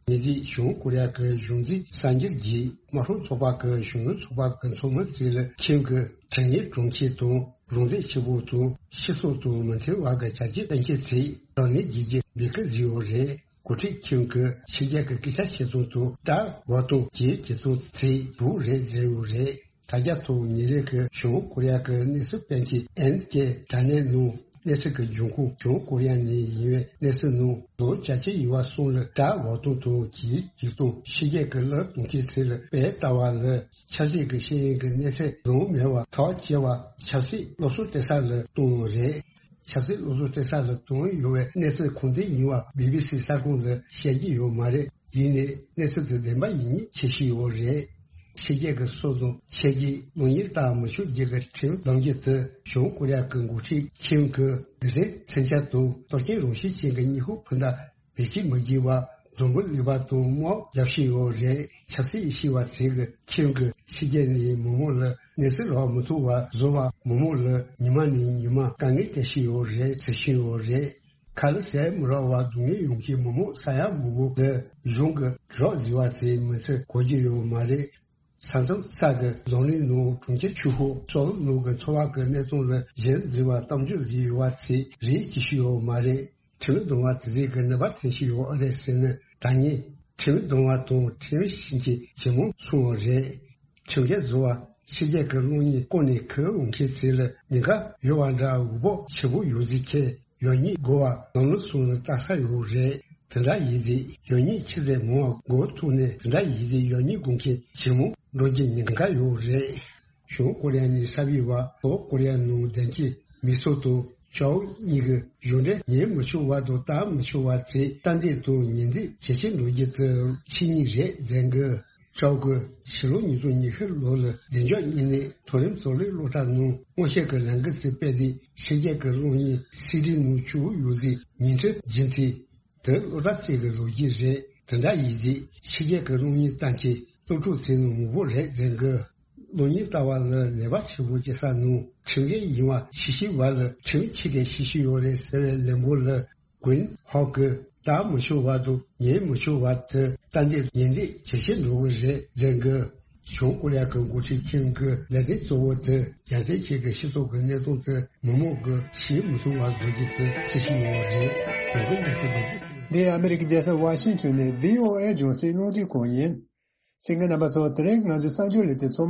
ཉེ་དུས་བྱང་ཀོ་རི་ཡ་གི་གཞུང་འཛིན་གསར་འགྱུར་གྱིས་དམར་ཤོག་ཚོགས་པ་གི་གཞོན་ནུ་ཚོགས་པ་གི་ཚོགས་མི་ཚོ་ལ་ཁིམ་གྱི་དྲན་ཡིག་སྒྲུང་མཁན་དང་རང་བདེ་ཆེ་པོ་དང་སྤྱི་ཚོགས་དང་མི་མཐུན་པ་གི་བྱ་སྤྱོད་སྤེལ་མཁན་ཚོས་དྲག་གནོན་བྱེད་རྒྱུ་འབོད་སྐུལ་བཟོས་ཡོད་རེད། འགོ་ཁྲིད་ཁིམ་གྱིས་ཕྱི་རྒྱལ་གྱི་སྐད་ཆ་བཤད་སྟངས་དང་དགྲ་འོག་ཏུ་གྱེས་བྱེད་སྟངས་ཚོས་སྡུག་རེད་ཟེར་ཡོད་རེད། དྲ་རྒྱ་ཐོག་ཉིན་རེ་གི་བྱང་ཀོ་རི་ཡ་གི་གནས་ཚུལ་སྤེལ་མཁན་ཨེན་ཀེ་དྲ་གནས་ནང་གནས་ཚུལ་གྱི་འབྱུང་ཁུངས་བྱང་ཀོ་རི་ཡ་ནས་ཡིན་པའི་གནས་ཚུལ་ནང་ལོ་བརྒྱད་ཅུ་ཡི་བར་གསུམ་ལ་དགྲ་འོག་སྟོང་དང་གྱེས་གྱེས་སྟངས་ཕྱི་རྒྱལ་གྱི་གླུ་གཏོང་མཁན་ཚོ་ལ་དཔེ་ལྟ་བ་ལ་ཆབ་སྲིད་ཀྱི་ཤེས་ཡོན་གྱི་གནས་ཚད་ལོང་མེད་པ་ཐག་བཅད་པ་ཆབ་སྲིད་སློབ་གསོ་སྤྲད་ས་ལ་གཏོང་ཡོད་རེད། ཆབ་སྲིད་སློབ་གསོ་སྤྲད་ས་ལ་གཏོང་ཡོད་པའི་གནས་ཚུལ་ཁུངས་ལྡན་ཡིན་པ་བི་བི་སི་གསར་ཁང་ལ་བཤད་ཀྱི་ཡོད་མ་རེད། ཡིན་ནའི་གནས་ཚུལ་དེ་བདེན་པ་ཡིན་མིན་འཆད་ཀྱི་ཡོད་རེད། ཕྱི་རྒྱལ་གྱི་སྲོལ་དང་ཆས་ཀྱིས་གློག་བརྙན་ལྟ་མི་ཆོག་རྒྱུ་གི་ཁྲིམས་ལམ་རྒྱུད་དེ་བྱང་ཀོ་རི་ཡ་གི་འགོ་ཁྲིད་ཁིམ་གྱིས་སྡིག་སྒྲིབ་མཚོན་ཆ་དང་གཏོར་སྐྱོན་རང་བཞིན་ཅན་གྱི་ཉི་ཧོང་ཕུ་ནག་བེད་སྤྱོད་མི་བགྱིད་པ་འཛམ་བུ་གླིང་པ་དང་དམག་རྒྱག་བཞིན་ཡོད་རེད། ཆབ་སྲིད་ཤེས་པ་ཚོས་ཀྱིས་ཁིམ་གྱིས་ཕྱི་རྒྱལ་ནས་མི་མང་ལ་གནས་ཚུལ་རག་མི་ཐུབ་པ་བཟོ་བ་མི་མང་ལ་ཉི་མ་ནས་ཉི་མ་དཀའ་ངལ་སྤྲད་བཞིན་ཡོད་རེད་ཟེར་བཞིན་ཡོད་རེད། ཁ་ལ་ཟས་མི་རག་པར་སྡུག་བསྔལ་ཡོང་མཁན་མི་མང་ས་ཡ་མང་པོ་གིས་གཞུང་གི་གྲོགས་བརྫི་བ་ཚོའི་མི་ཚེ་གོ་རྒྱུ་ཡོད་མ་རེད། ས་མཚམས་ས་གི་འཛམ་གླིང་ནང་གྲོང་ཁྱེར་ཆུ་ཤོག་སོགས་ནང་གི་འཚོ་བ་གི་གནས་སྟངས་ལ་གཞན་བརྫི་བ་གཏམ་བརྗོད་བརྫི་བ་ཚོས་རེ་ཅི་ཞིག་ཡོད་མ་རེད། ཁྲིམས་སྡོམ་པ་དེ་ཚོས་གི་ནུས་པ་ཐོན་ཞིག་ཡོད་རེད་ཟེར་ནས་ད་ངས་ཁྲིམས་སྡོམ་པ་དང་ཁྲིམས་ཤིང་གི་ཇེ་མང་སོང་བ་རེད། ཁྲིམས་འགལ་བཟོ་བ་ཕྱི་རྒྱལ་གྱི་གློག་བརྙན་བཀོད་ནས་ཁུར་འོང་མཁན་ཚོ་ལ་ཉེན་ཁ་ཡོད་པ་འདྲ། འུ་བོ་ཆེ་པོ་ཡོད་ཟིག་ཁྱེད་ཡོད་ཉིད་དགོས་པ་ནང་ལོགས་སོང་ནས་ལྟ་ས་ཡོད་རེད། དེ་འདྲ་ཡིན་དུས་ཡོད་ཉིད་ཆི་ཟེར་མང་བ་མགོ་ཐུག་ནས་དེ་འདྲ་ཡིན་དུས་ཡོད་ཉིད་དགོས་མཁན་ཇེ་མང་འགྲོ་རྒྱུ་ཉེན་ཁ་ཡོད་རེད། བྱང་ཀོ་རི་ཡ་ནས་གསར་པའི་བར་ལྷོ་ཀོ་རི་ཡ་ནང་བདེན་སྐྱིད་མི་སོ་དང་ཅའོ་གཉིས་ཀྱི་གཞུང་འབྲེལ་ཉན་མི་ཆོག་པ་དང་ལྟ་མི་ཆོག་པ་ཚོས་རྟ་འདེད་དང་ཉེས་འདེད་ཇེ་ཆེ་འགྲོ་རྒྱུ་དེ་ཆོས་ཉིད་རེད་ཟེར་གི། ཅའོ་གིས་ཕྱི་ལོ་ཉིས་སྟོང་ཉི་ཤུ་ལོ་ལ་བདེ་འཇགས་དངོས་གནས་མཐོ་རིམ་གཙོ་ལས་སློབ་གྲྭ་ནང་སྔོན་བཤད་ཀྱི་ལམ་ཁ་ཚོ་སྤེལ་ཏེ་ཕྱི་རྒྱལ་གྱི་གློག་བརྙན་སི་ཌི་ནང་བཅུག་ཡོད་ཟིག་ཉིན་ཁྲི་བརྒྱུད་དེ། དེ་སློབ་གྲྭ་ཚོ་གི་ལོ་རྒྱུས་རེད། དེ་འདྲ་ཡིན་དུས་ཕྱི་རྒྱལ་གྱི་གློག་བརྙན་ལྟ་མཁན་སློབ་ཕྲུག་ཚོ་ནང་མང་པོ་རེད་ཟེར་གི། གློག་བརྙན་ལྟ་བ་ལ་ནུས་པ་ཆེན་པོ་སྐྱེ་ས་ནང་ཁྲིམས་འགལ་ཡིན་པ་ཤེས་ཤེས་པ་ལ་ཁྲིམས་ཆི་གེ་ཤེས་ཤེས་ཡོད་རེད་ཟེར་བའི་ལན་པོ་ལ་གུན་ཧོག་གི་ལྟ་མི་ཆོག་པ་དང་ཉན་མི་ཆོག་པ་དེ་ལྟ་འདི་ཉན་འདི་ཇེ་ཆེ་འགྲོ་གི་རེད་ཟེར་གི། བྱང་ཀོ་རི་ཡ་གི་འགོ་ཁྲིད་ཁིམ་གི་ལས་དོན་གཙོ་བོ་དེ་རྒྱལ་སྤྱིའི་ཆེད་ཀྱི་སྤྱི་ཚོགས་ཀྱི་གནད་དོན་དེ་མི་མང་གིས་ཤེས་མི་ཐུབ་པ་བཟོ་རྒྱུ་དེ་ཅི་ཞིག་ཡོད་རེད། གོང་གི་གནས་ཚུལ་འདི་ཚོ། འདི་ཨ་མི་རི་ཀའི་རྒྱལ་ས་ཝ་ཤིང་ཊོན་ནས་བྷི་ཨོ་ཨེ་རྒྱང་སྲིང་རླུང་འཕྲིན་ཁང་ཡིན། གསན་མཁན་རྣམ་པ་ཚོ། དེ་རིང་ང་ཚོའི་གསར་འགྱུར་ལེ་ཚན་ཚོ།